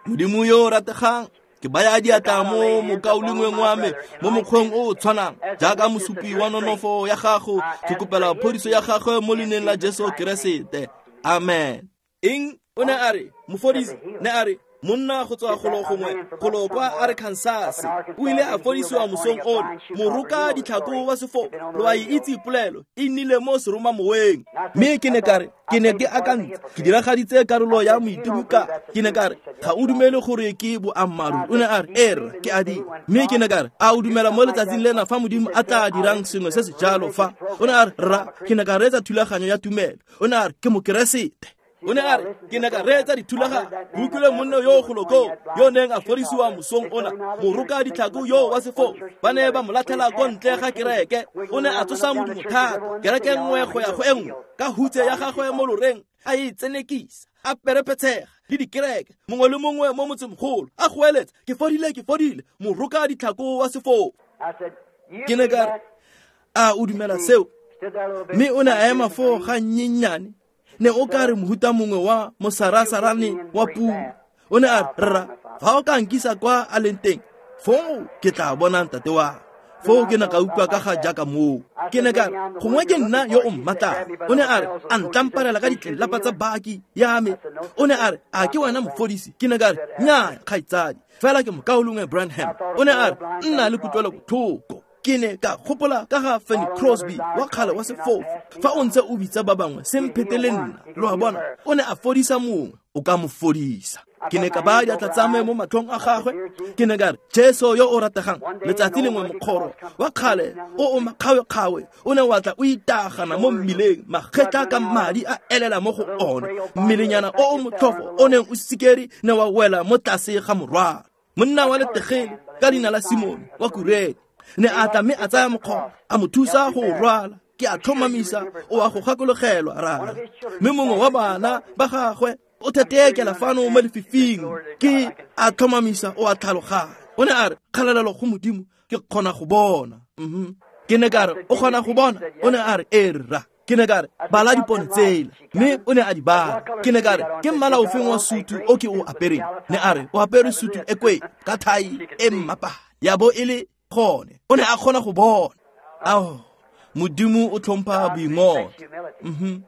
Modimo yo o rategang, ke baya diatla mo mokaulengweng wa me mo mokgweng o o tshwanang jaaka mosupi wa nonofo ya gago, ke kopela phodiso ya gagwe mo leineng la Jesu Keresete. Amen. Eng? O ne a re mofodisi ne a re monna go tswa golo gongwe golo kwa Arkansas o ile a fodisiwa mosong ono, moroka ditlhako wa sefo. Lo a e itse polelo e nnile mo seromamoweng. Mme ke ne ka re ke ne ke akantse ke diragaditse karolo ya moitimoka. Ke ne ka re ga o dumele gore ke boammaaruri. O ne a re er ke a di. Mme ke ne ka re a o dumela mo letsatsing lena fa Modimo a tla dirang sengwe se se jalo fa? O ne a re rra, ke ne ka reetsa thulaganyo ya tumelo. O ne a re ke mokeresete. O ne a re ke ne ka reetsa dithulaganyo, ke utlwile monna yo o golo koo yo neng a fodisiwa mosong ona, moroka ditlhako yo wa sefo. Ba ne ba mo latlhela ko ntle ga kereke. O ne a tsosa modumo thata, kereke nngwe go ya go e nngwe, ka hutse ya gagwe mo loreng a e tsenekisa, a perepetshega le dikereke, mongwe le mongwe mo motsemogolo a goeletsa, ke fodile, ke fodile, moroka ditlhako wa sefo. Ke ne ka re a o dumela seo? Mme o ne a ema foo ga nnyennyane, ne o ka re mohuta mongwe wa mosarasarane wa puo. O ne a re rra, fa o ka nkisa kwa a leng teng, foo ke tla bona ntate wa. Foo ke ne ka utlwa ka ga jaaka moo. Ke ne ka re gongwe ke nna yo o mmatlang. O ne a re a ntlamparela ka ditlelapa tsa baki ya me. O ne a re a ke wena mofodisi? Ke ne ka re nnyaa kgaitsadi, fela ke mokaulengwe Branham. O ne a re nna le kutlwelo botlhoko. Ke ne ka gopola ka ga Fanny Crosby wa kgale wa sefofu. Fa o ntse o bitsa ba bangwe, se mphetele nna. Lo a bona, o ne a fodisa mongwe, o ka mo fodisa. Ke ne ka baya diatla tsa me mo matlhong a gagwe. Ke ne ka re Jesu yo o rategang, letsatsi lengwe mokgoro wa kgale o o makgawekgawe o ne wa tla o itagana mo mmileng, magetla ka madi a elela mo go one, mmelenyana o o motlhofo o neng o sikere ne wa wela mo tlase ga morwalo. Monna wa letegele ka leina la Simone wa Kurene ne a tla mme a tsaya mokgoro a mo thusa go rwala. Ke a tlhomamisa o a go gakologelwa rara. Mme mongwe wa bana ba gagwe o thetekela fano mo lefifing, ke a tlhomamisa o a tlhaloganya. O ne a re kgalalelo go Modimo, ke kgona go bona. Mhm. Ke ne ka re o kgona go bona? O ne a re e rra. Ke ne ka re bala dipone tsela, mme o ne a di bala. Ke ne ka re ke mmala ofeng wa sutu o ke o apereng? Ne a re o apere sutu e kwe ka thai e mmapa ya bo e le gone. O ne a kgona go bona. Ao, Modimo o tlhompha boingotlo. Mhm.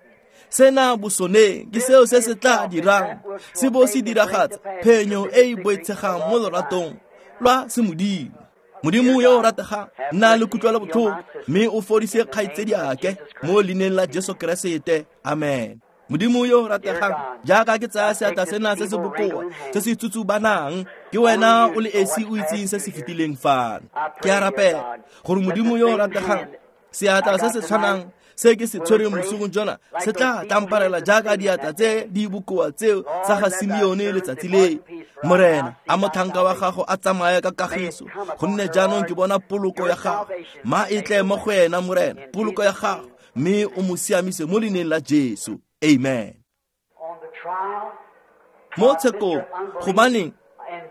Sena bosoneng ke seo se se tla dirang se bo se diragatsa phenyo e e boitshegang mo loratong lwa semodimo. Modimo yo o rategang, nna le kutlwelo botlhoko, mme o fodise kgaitsediake mo leineng la Jesu Keresete. Amen. Modimo yo o rategang, jaaka ke tsaya seatla sena se se bokoa se se tsutsubanang, ke wena o le esi o itseng se se fetileng fano. Ke a rapela gore Modimo yo o rategang, seatla se se tshwanang se ke se tshwereng bosigo jona se tla tlamparela jaaka diatla tse di bokoa tseo tsa ga Simeone letsatsi le. Morena, a motlhanka wa gago a tsamaye ka kagiso, gonne jaanong ke bona poloko ya gago. Ma e tle mo go ena, Morena, poloko ya gago, mme o mo siamise mo leineng la Jesu. Amen. Mo tshekong, gobaneng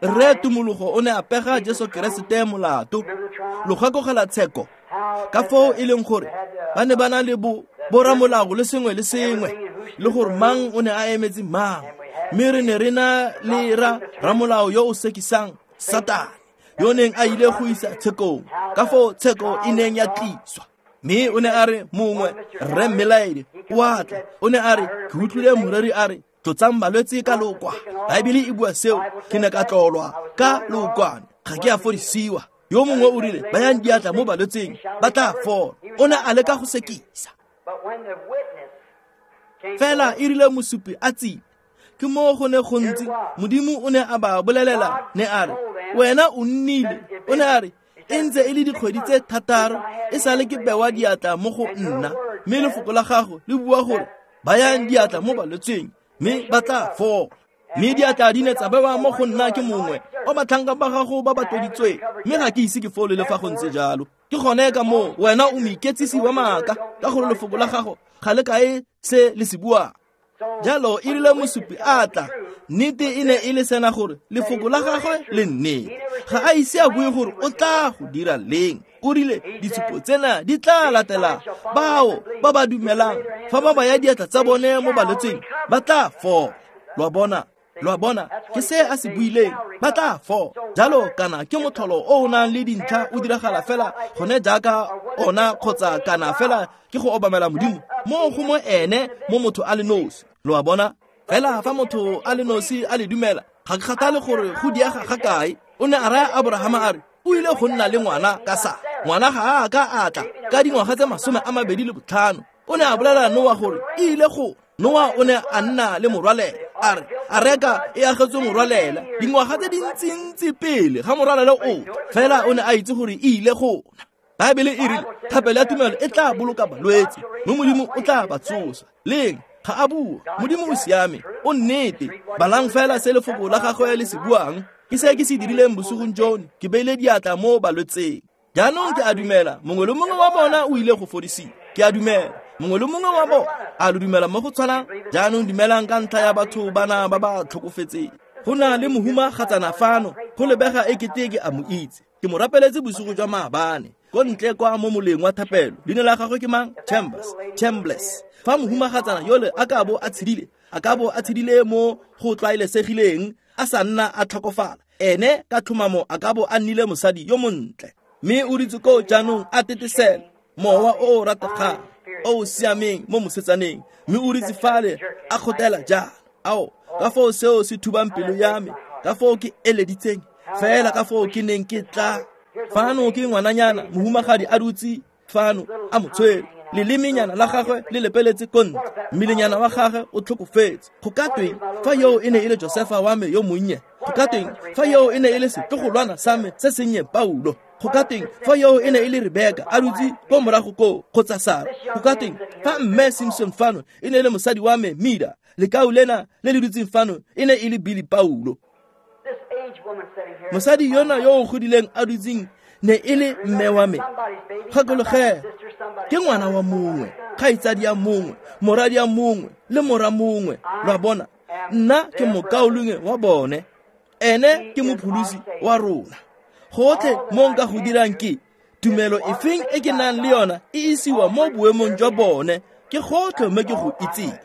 rre Tumologo o ne a pega Jesu Keresete molato. Lo gakogela tsheko ka foo e leng gore ba ne ba na le bo boramolao le sengwe le sengwe, le gore mang o ne a emetse mang. Mme re ne re na le ra ramolao yo o sekisang Satane, yo neng a ile go isa tshekong, ka foo tsheko e neng ya tliswa. Mme o ne a re mongwe rre Mmelaedi o a tla, o ne a re ke utlwile moreri a re tlotsang balwetse ka lokwa. Baebele e bua seo, ke ne ka tlolwa ka lokwane, ga ke a fodisiwa. Yo mongwe o rile bayang diatla mo balwetseng ba tla fola. O ne a leka go sekisa. Fela e rile mosupi a tsile, ke mo go ne gontsi Modimo o ne a ba bolelela, ne a re wena o nnile. O ne a re e ntse e le dikgwedi tse thataro e sale ke bewa diatla mo go nna, mme lefoko la gago le bua gore bayang diatla mo balwetseng mme ba tla fola. Mme diatla di ne tsa bewa mo go nna ke mongwe wa batlhanka ba gago ba ba tloditsweng, mme ga ke ise ke fole le fa go ntse jalo. Ke gone ka moo wena o moiketsisi wa maaka, ka gore lefoko la gago ga le kae se le se buang. Jalo e rile mosupi a tla Nnete e ne e le sena gore lefoko la gagwe le nnete. Ga a ise a bue gore o tla go dira leng. O rile ditshupo tsena di tla latela bao ba ba dumelang. Fa ba baya diatla tsa bone mo balwetseng ba tla fola. Lo a bona? Lo a bona? Ke se a se buileng, ba tla fola. Jalo kana ke motlholo o o nang le dintlha o diragala fela gone jaaka ona kgotsa kana fela ke go obamela Modimo mo go mo ene mo motho a le nosi. Lo a bona? Fela fa motho a le nosi a le dumela, ga ke kgathale gore go diega ga kae. O ne a raya Abrahama a re o ile go nna le ngwana ka sa. Ngwana ga a ka a tla ka dingwaga tse masome a mabedi le botlhano. O ne a bolela Noa gore e ile go. Noa o ne a nna le morwalela. A re areka e agetswe morwalela dingwaga tse dintsintsi pele ga morwalela o. Fela o ne a itse gore e ile go. Baebele e rile thapelo ya tumelo e tla boloka balwetse, mme Modimo o tla ba tsosa. Leng ga a bua, Modimo o siame, o nnete. Balang fela se lefoko la gagwe le se buang. Ke se ke se dirileng bosigong jono, ke beile diatla mo balwetseng. Jaanong ke a dumela mongwe le mongwe wa bona o ile go fodisiwa. Ke a dumela mongwe le mongwe wa bona. A lo dumela mo go tshwanang? Jaanong dumelang ka ntlha ya batho bana ba ba tlhokofetseng. Go na le mohumagatsana fano, go lebega ekete ke a mo itse. Ke mo rapeletse bosigo jwa maabane ko ntle kwa mo moleng wa thapelo. Leina la gagwe ke mang? Chambers. Chambliss. Fa mohumagatsana yole a ka bo a tshedile, a ka bo a tshedile mo go tlwaelesegileng, a sa nna a tlhokofala, ene ka tlhomamo a ka bo a nnile mosadi yo montle. Mme o ditse koo jaanong a tetesela mowa o o rategang o o siameng mo mosetsaneng, mme o ditse fale a kgotela jalo. Ao, ka foo seo se thubang pelo ya me, ka foo ke eleditseng fela ka foo ke neng ke tla. Fano ke ngwananyana mohumagadi a dutse fano a mo tshwere, lelemenyana la gagwe le lepeletse ko ntle, mmelenyana wa gagwe o tlhokofetse. Go ka tweng fa yo e ne e le Josefa wa me yo monnye? Go ka tweng fa yo e ne e le setlogolwana sa me se sennye Paulo? Go ka tweng fa yo e ne e le Rebeka a dutse ko morago koo kgotsa Sara? Go ka tweng fa mme Simpson fano e ne e le mosadi wa me Mida? Lekau lena le le dutseng fano e ne e le Billy Paulo. Mosadi yona yo o godileng a dutseng ne e le mme wa me. Gakologelwa, ke ngwana wa mongwe, kgaitsadi ya mongwe, moradi ya mongwe le mora mongwe. Lo a bona? Nna ke mokaulengwe wa bone, ene ke mopholosi wa rona. Gotlhe mo nka go dirang ke tumelo efeng e ke nang le yona e isiwa mo boemong jwa bone, ke gotlhe mo ke go itseng.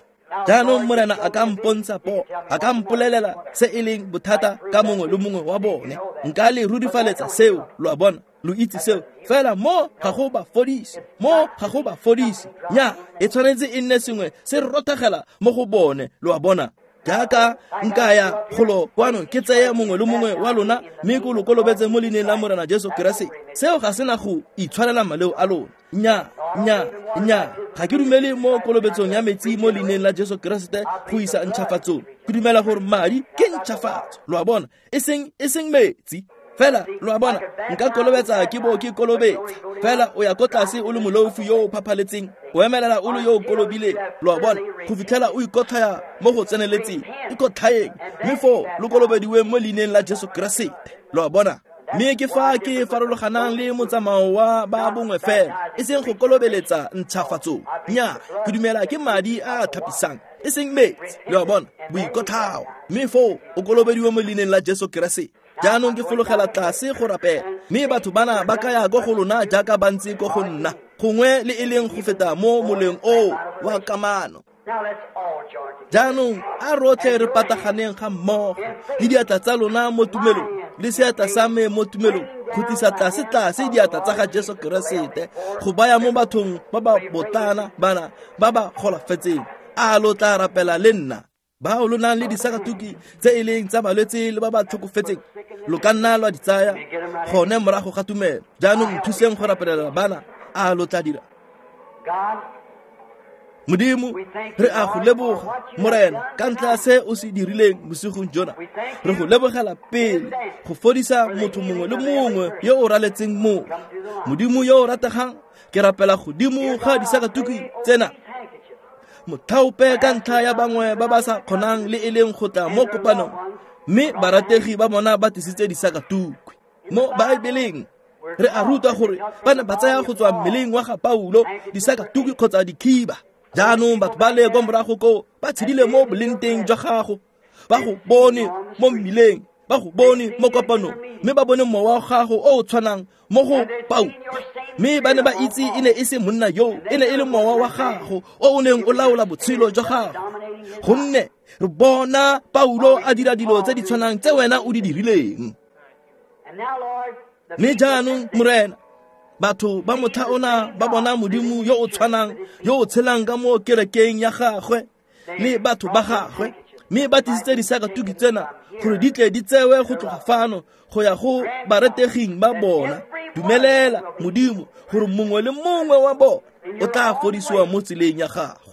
Jaanong Morena a ka mpontsha po, a ka mpolelela se e leng bothata ka mongwe le mongwe wa bone. Nka le rudifaletsa seo, lo a bona, lo itse seo. Fela mo ga go ba fodise, mo ga go ba fodise. Nya, e tshwanetse e nne sengwe se rothagela mo go bone, lo a bona. Jaaka nka ya golo kwano ke tseye mongwe le mongwe wa lona mme ko lo kolobetse mo leineng la Morena Jesu Keresete. Seo ga sena go itshwarela maleo a lona. Nya, nya, nya. Ga ke dumele mo kolobetsong ya metsi mo leineng la Jesu Keresete go isa ntšhafatsong. Ke dumela gore madi ke ntšhafatso. Lo a bona? E seng, e seng metsi. Fela, lo a bona, nka kolobetsa ke bo ke kolobetsa. Fela o ya ko tlase o le molofi yo o phaphaletseng, o emelela o le yo o kolobileng. Lo a bona, go fitlhela o ikotlhaya mo go tseneletseng, ikotlhaeng, mme foo lo kolobediwe mo leineng la Jesu Keresete. Lo a bona? Mme ke fa ke farologanang le motsamao wa ba bongwe fela, e seng go kolobeletsa ntšhafatsong. Nya, ke dumela ke madi a a tlhapisang, e seng metsi. Lo a bona, boikotlhao, mme foo o kolobediwe mo leineng la Jesu Keresete. Jaanong ke fologela tlase go rapela, mme batho bana ba ka ya ko go lona jaaka ba ntse ko go nna, gongwe le e leng go feta mo moleng oo wa kamano. Jaanong a rotlhe re pataganeng ga mmogo le diatla tsa lona mo tumelong le seatla sa me mo tumelong, go tlisa tlase-tlase diatla tsa ga Jesu Keresete go baya mo bathong ba ba botlana bana ba ba golafetseng. A lo tla rapela le nna? Bao lo nang le disakatuki tse e leng tsa balwetse le ba ba tlhokofetseng, lo ka nna lwa di tsaya gone morago ga tumelo. Jaanong nthuseng go rapelela bana. A lo tla dira? Modimo, re a go leboga Morena ka ntlha ya se o se dirileng bosigong jona. Re go lebogela pele go fodisa motho mongwe le mongwe yo o raletseng mo. Modimo yo o rategang, ke rapela godimo ga disakatuki tsena, mothaope ka ntlha ya bangwe ba ba sa kgonang le e leng go tla mo kopanong, mme barategi ba bona ba tlisitse disakatukwi. Mo Baebeleng re a rutwa gore ba ne ba tsaya go tswa mmeleng wa ga Paulo disakatukwi kgotsa dikhiba. Jaanong batho ba le kwa morago koo ba tshedile mo boleng teng jwa gago. Ba go bone mo mmileng, ba go bone mo kopanong, mme ba bone mowa wa gago o o tshwanang mo go Paulo. Mme ba ne ba itse e ne e se monna yo, e ne e le mowa wa gago o o neng o laola botshelo jwa gago. Gonne re bona Paulo a dira dilo tse di tshwanang tse wena o di dirileng. Mme jaanong Morena, batho ba motlha ona ba bona Modimo yo o tshwanang, yo o tshelang ka mo kerekeng ya gagwe le batho ba gagwe, mme ba tlisitse disakatuki tsena gore di tle di tsewe go tloga fano go ya go bareteging ba bona. Dumelela Modimo gore mongwe le mongwe wa bona o tla fodisiwa mo tseleng ya gago.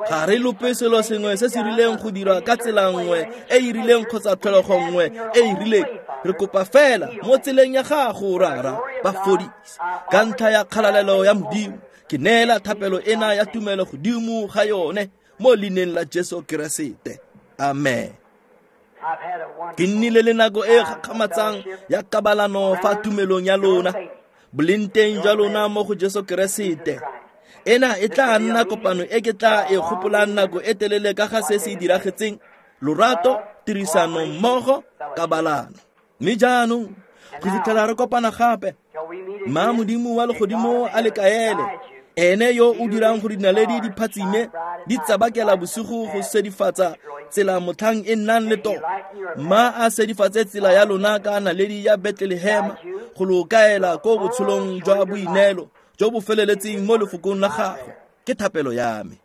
Ga re lope selo sengwe se se rileng go dirwa ka tsela nngwe e e rileng kgotsa tlholego nngwe e e rileng. Re kopa fela mo tseleng ya gago, Rara, ba fodise ka ntlha ya kgalalelo ya Modimo. Ke neela thapelo ena ya tumelo godimo ga yone mo leineng la Jesu Keresete. Amen. Ke nnile le nako e gakgamatsang ya kabalano fa tumelong ya lona, boleng jwa lona mo go Jesu Keresete. Ena e tla nna kopano e ke tla e gopolang nako e telele ka ga se se diragetseng, lorato, tirisano mmogo, kabalano. Mme jaanong go fitlhela re kopana gape, mma Modimo wa legodimo a le kaele, ene yo o dirang gore dinaledi di phatsime di tsabakela bosigo go sedifatsa tsela motlhang e nnang le tota. Mma a sedifatse tsela ya lona ka naledi ya Bethlehema go lo kaela ko botshelong jwa boineelo jo bo feleletseng mo lefokong la gagwe. Ke thapelo ya me.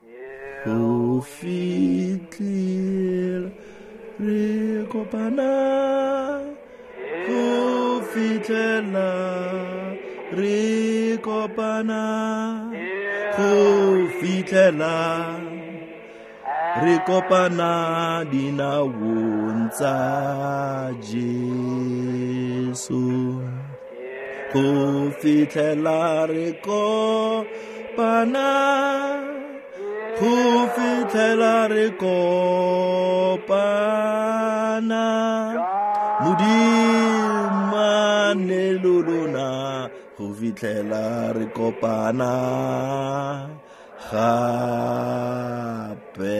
Go fitlhela re kopana, go fitlhela re kopana, go fitlhela re kopana dinaong tsa Jesu. Go fitlhela re kopana, go fitlhela re kopana, Modimo a nne le lona go fitlhela re kopana gape.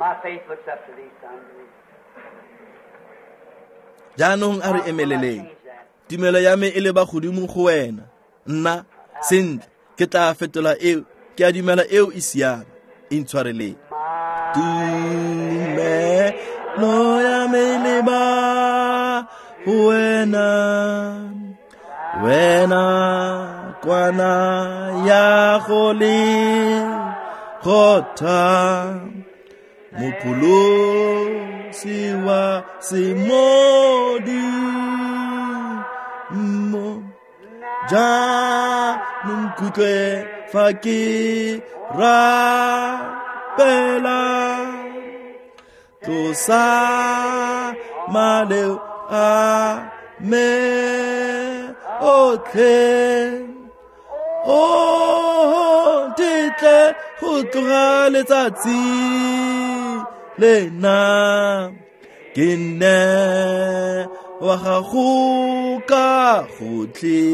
My faith looks up to thee, son. Jaanong a re emeleleng. Tumelo ya me e leba godimo go wena. Nna sentle ke tla fetola eo, ke a dumela eo e siame. Intshwareleng. Tumelo ya me e leba go wena, wena kwana ya go le kgotha, Mopholosi wa semodimo. Jaanong nkutlwe fa ke rapela, tlosa maleo a me otlhe, o ntetle go tloga letsatsi lena, ke nne wa gago ka gotlhe.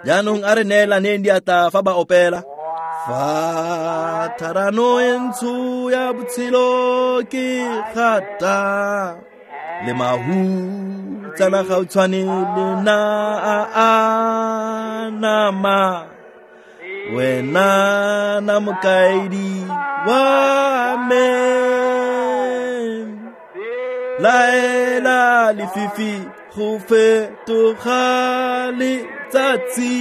Jaanong a re neelaneng diatla fa ba opela. Fa tharano e ntsho ya botshelo ke gata, le mahutsana ga o tshwane le na a a nama, wena na mokaedi wa me. Laela lefifi go fetoga letsatsi,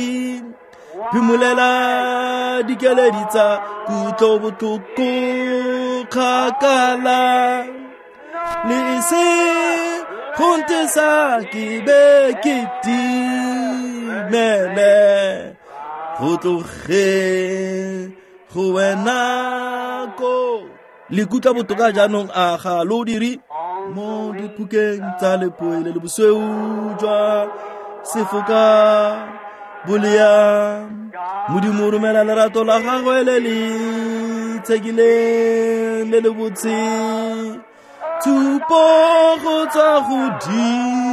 phimolela dikeledi tsa kutlobotlhoko kgakala, le se go ntesa ke be ke timele, go tlogeng go wena ko. Le ikutlwa botoka jaanong a ga lo dire? Mo diphukeng tsa lephoi le le bosweu jwa sefoka bolea, Modimo o romela lerato la gagwe le le tshekileng le le botse, tshupo go tswa godimo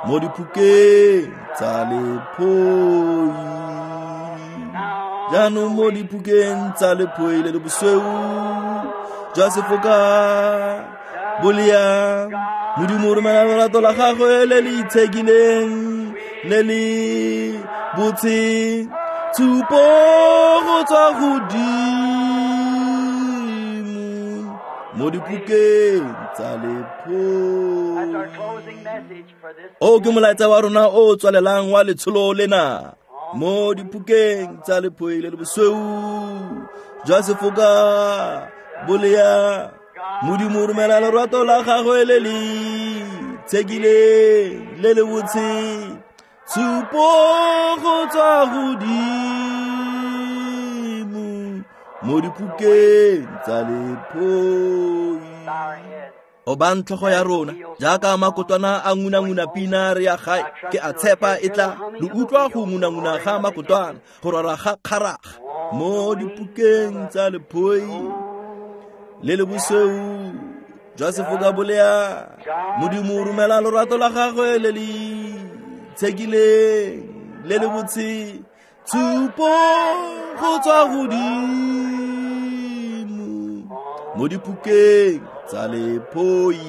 mo diphukeng tsa lephoi. Jaanong mo diphukeng tsa lephoi le le bosweu jwa sefoka bolea, Modimo o romela lorato la gagwe le le itshekileng le le botse, tshupo go tswa godimo mo diphukeng tsa lephoi. O ke molaetsa wa rona o tswalelang wa letsholo lena. Mo diphukeng tsa lephoi le le bosweu jwa sefoka bolea, Modimo o romela lorato la gagwe le le tshekileng le le botse, tshupo go tswa godimo mo diphukeng tsa lephoi. Obang tlhogo ya rona jaaka makotwana a ngunanguna pina re ya gae, ke a tshepa e tla lo utlwa go ngunanguna ga makotwana go rora ga kgaraga mo diphukeng tsa lephoi le le bosweu jwa sefoka bolea. Modimo o romela lorato la gagwe le le tshekileng le le botse, tshupo go tswa godimo mo diphukeng tsa lephoi.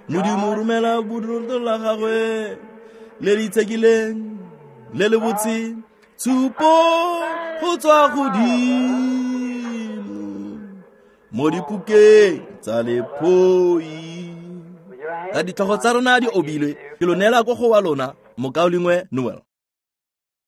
Modimo o romela lorato la gagwe le le itshekileng le le botse, tshupo go tswa godimo mo diphukeng tsa lephoi. Ka ditlhogo tsa rona di obilwe, ke lo neela ko go wa lona, mokaulengwe Noel.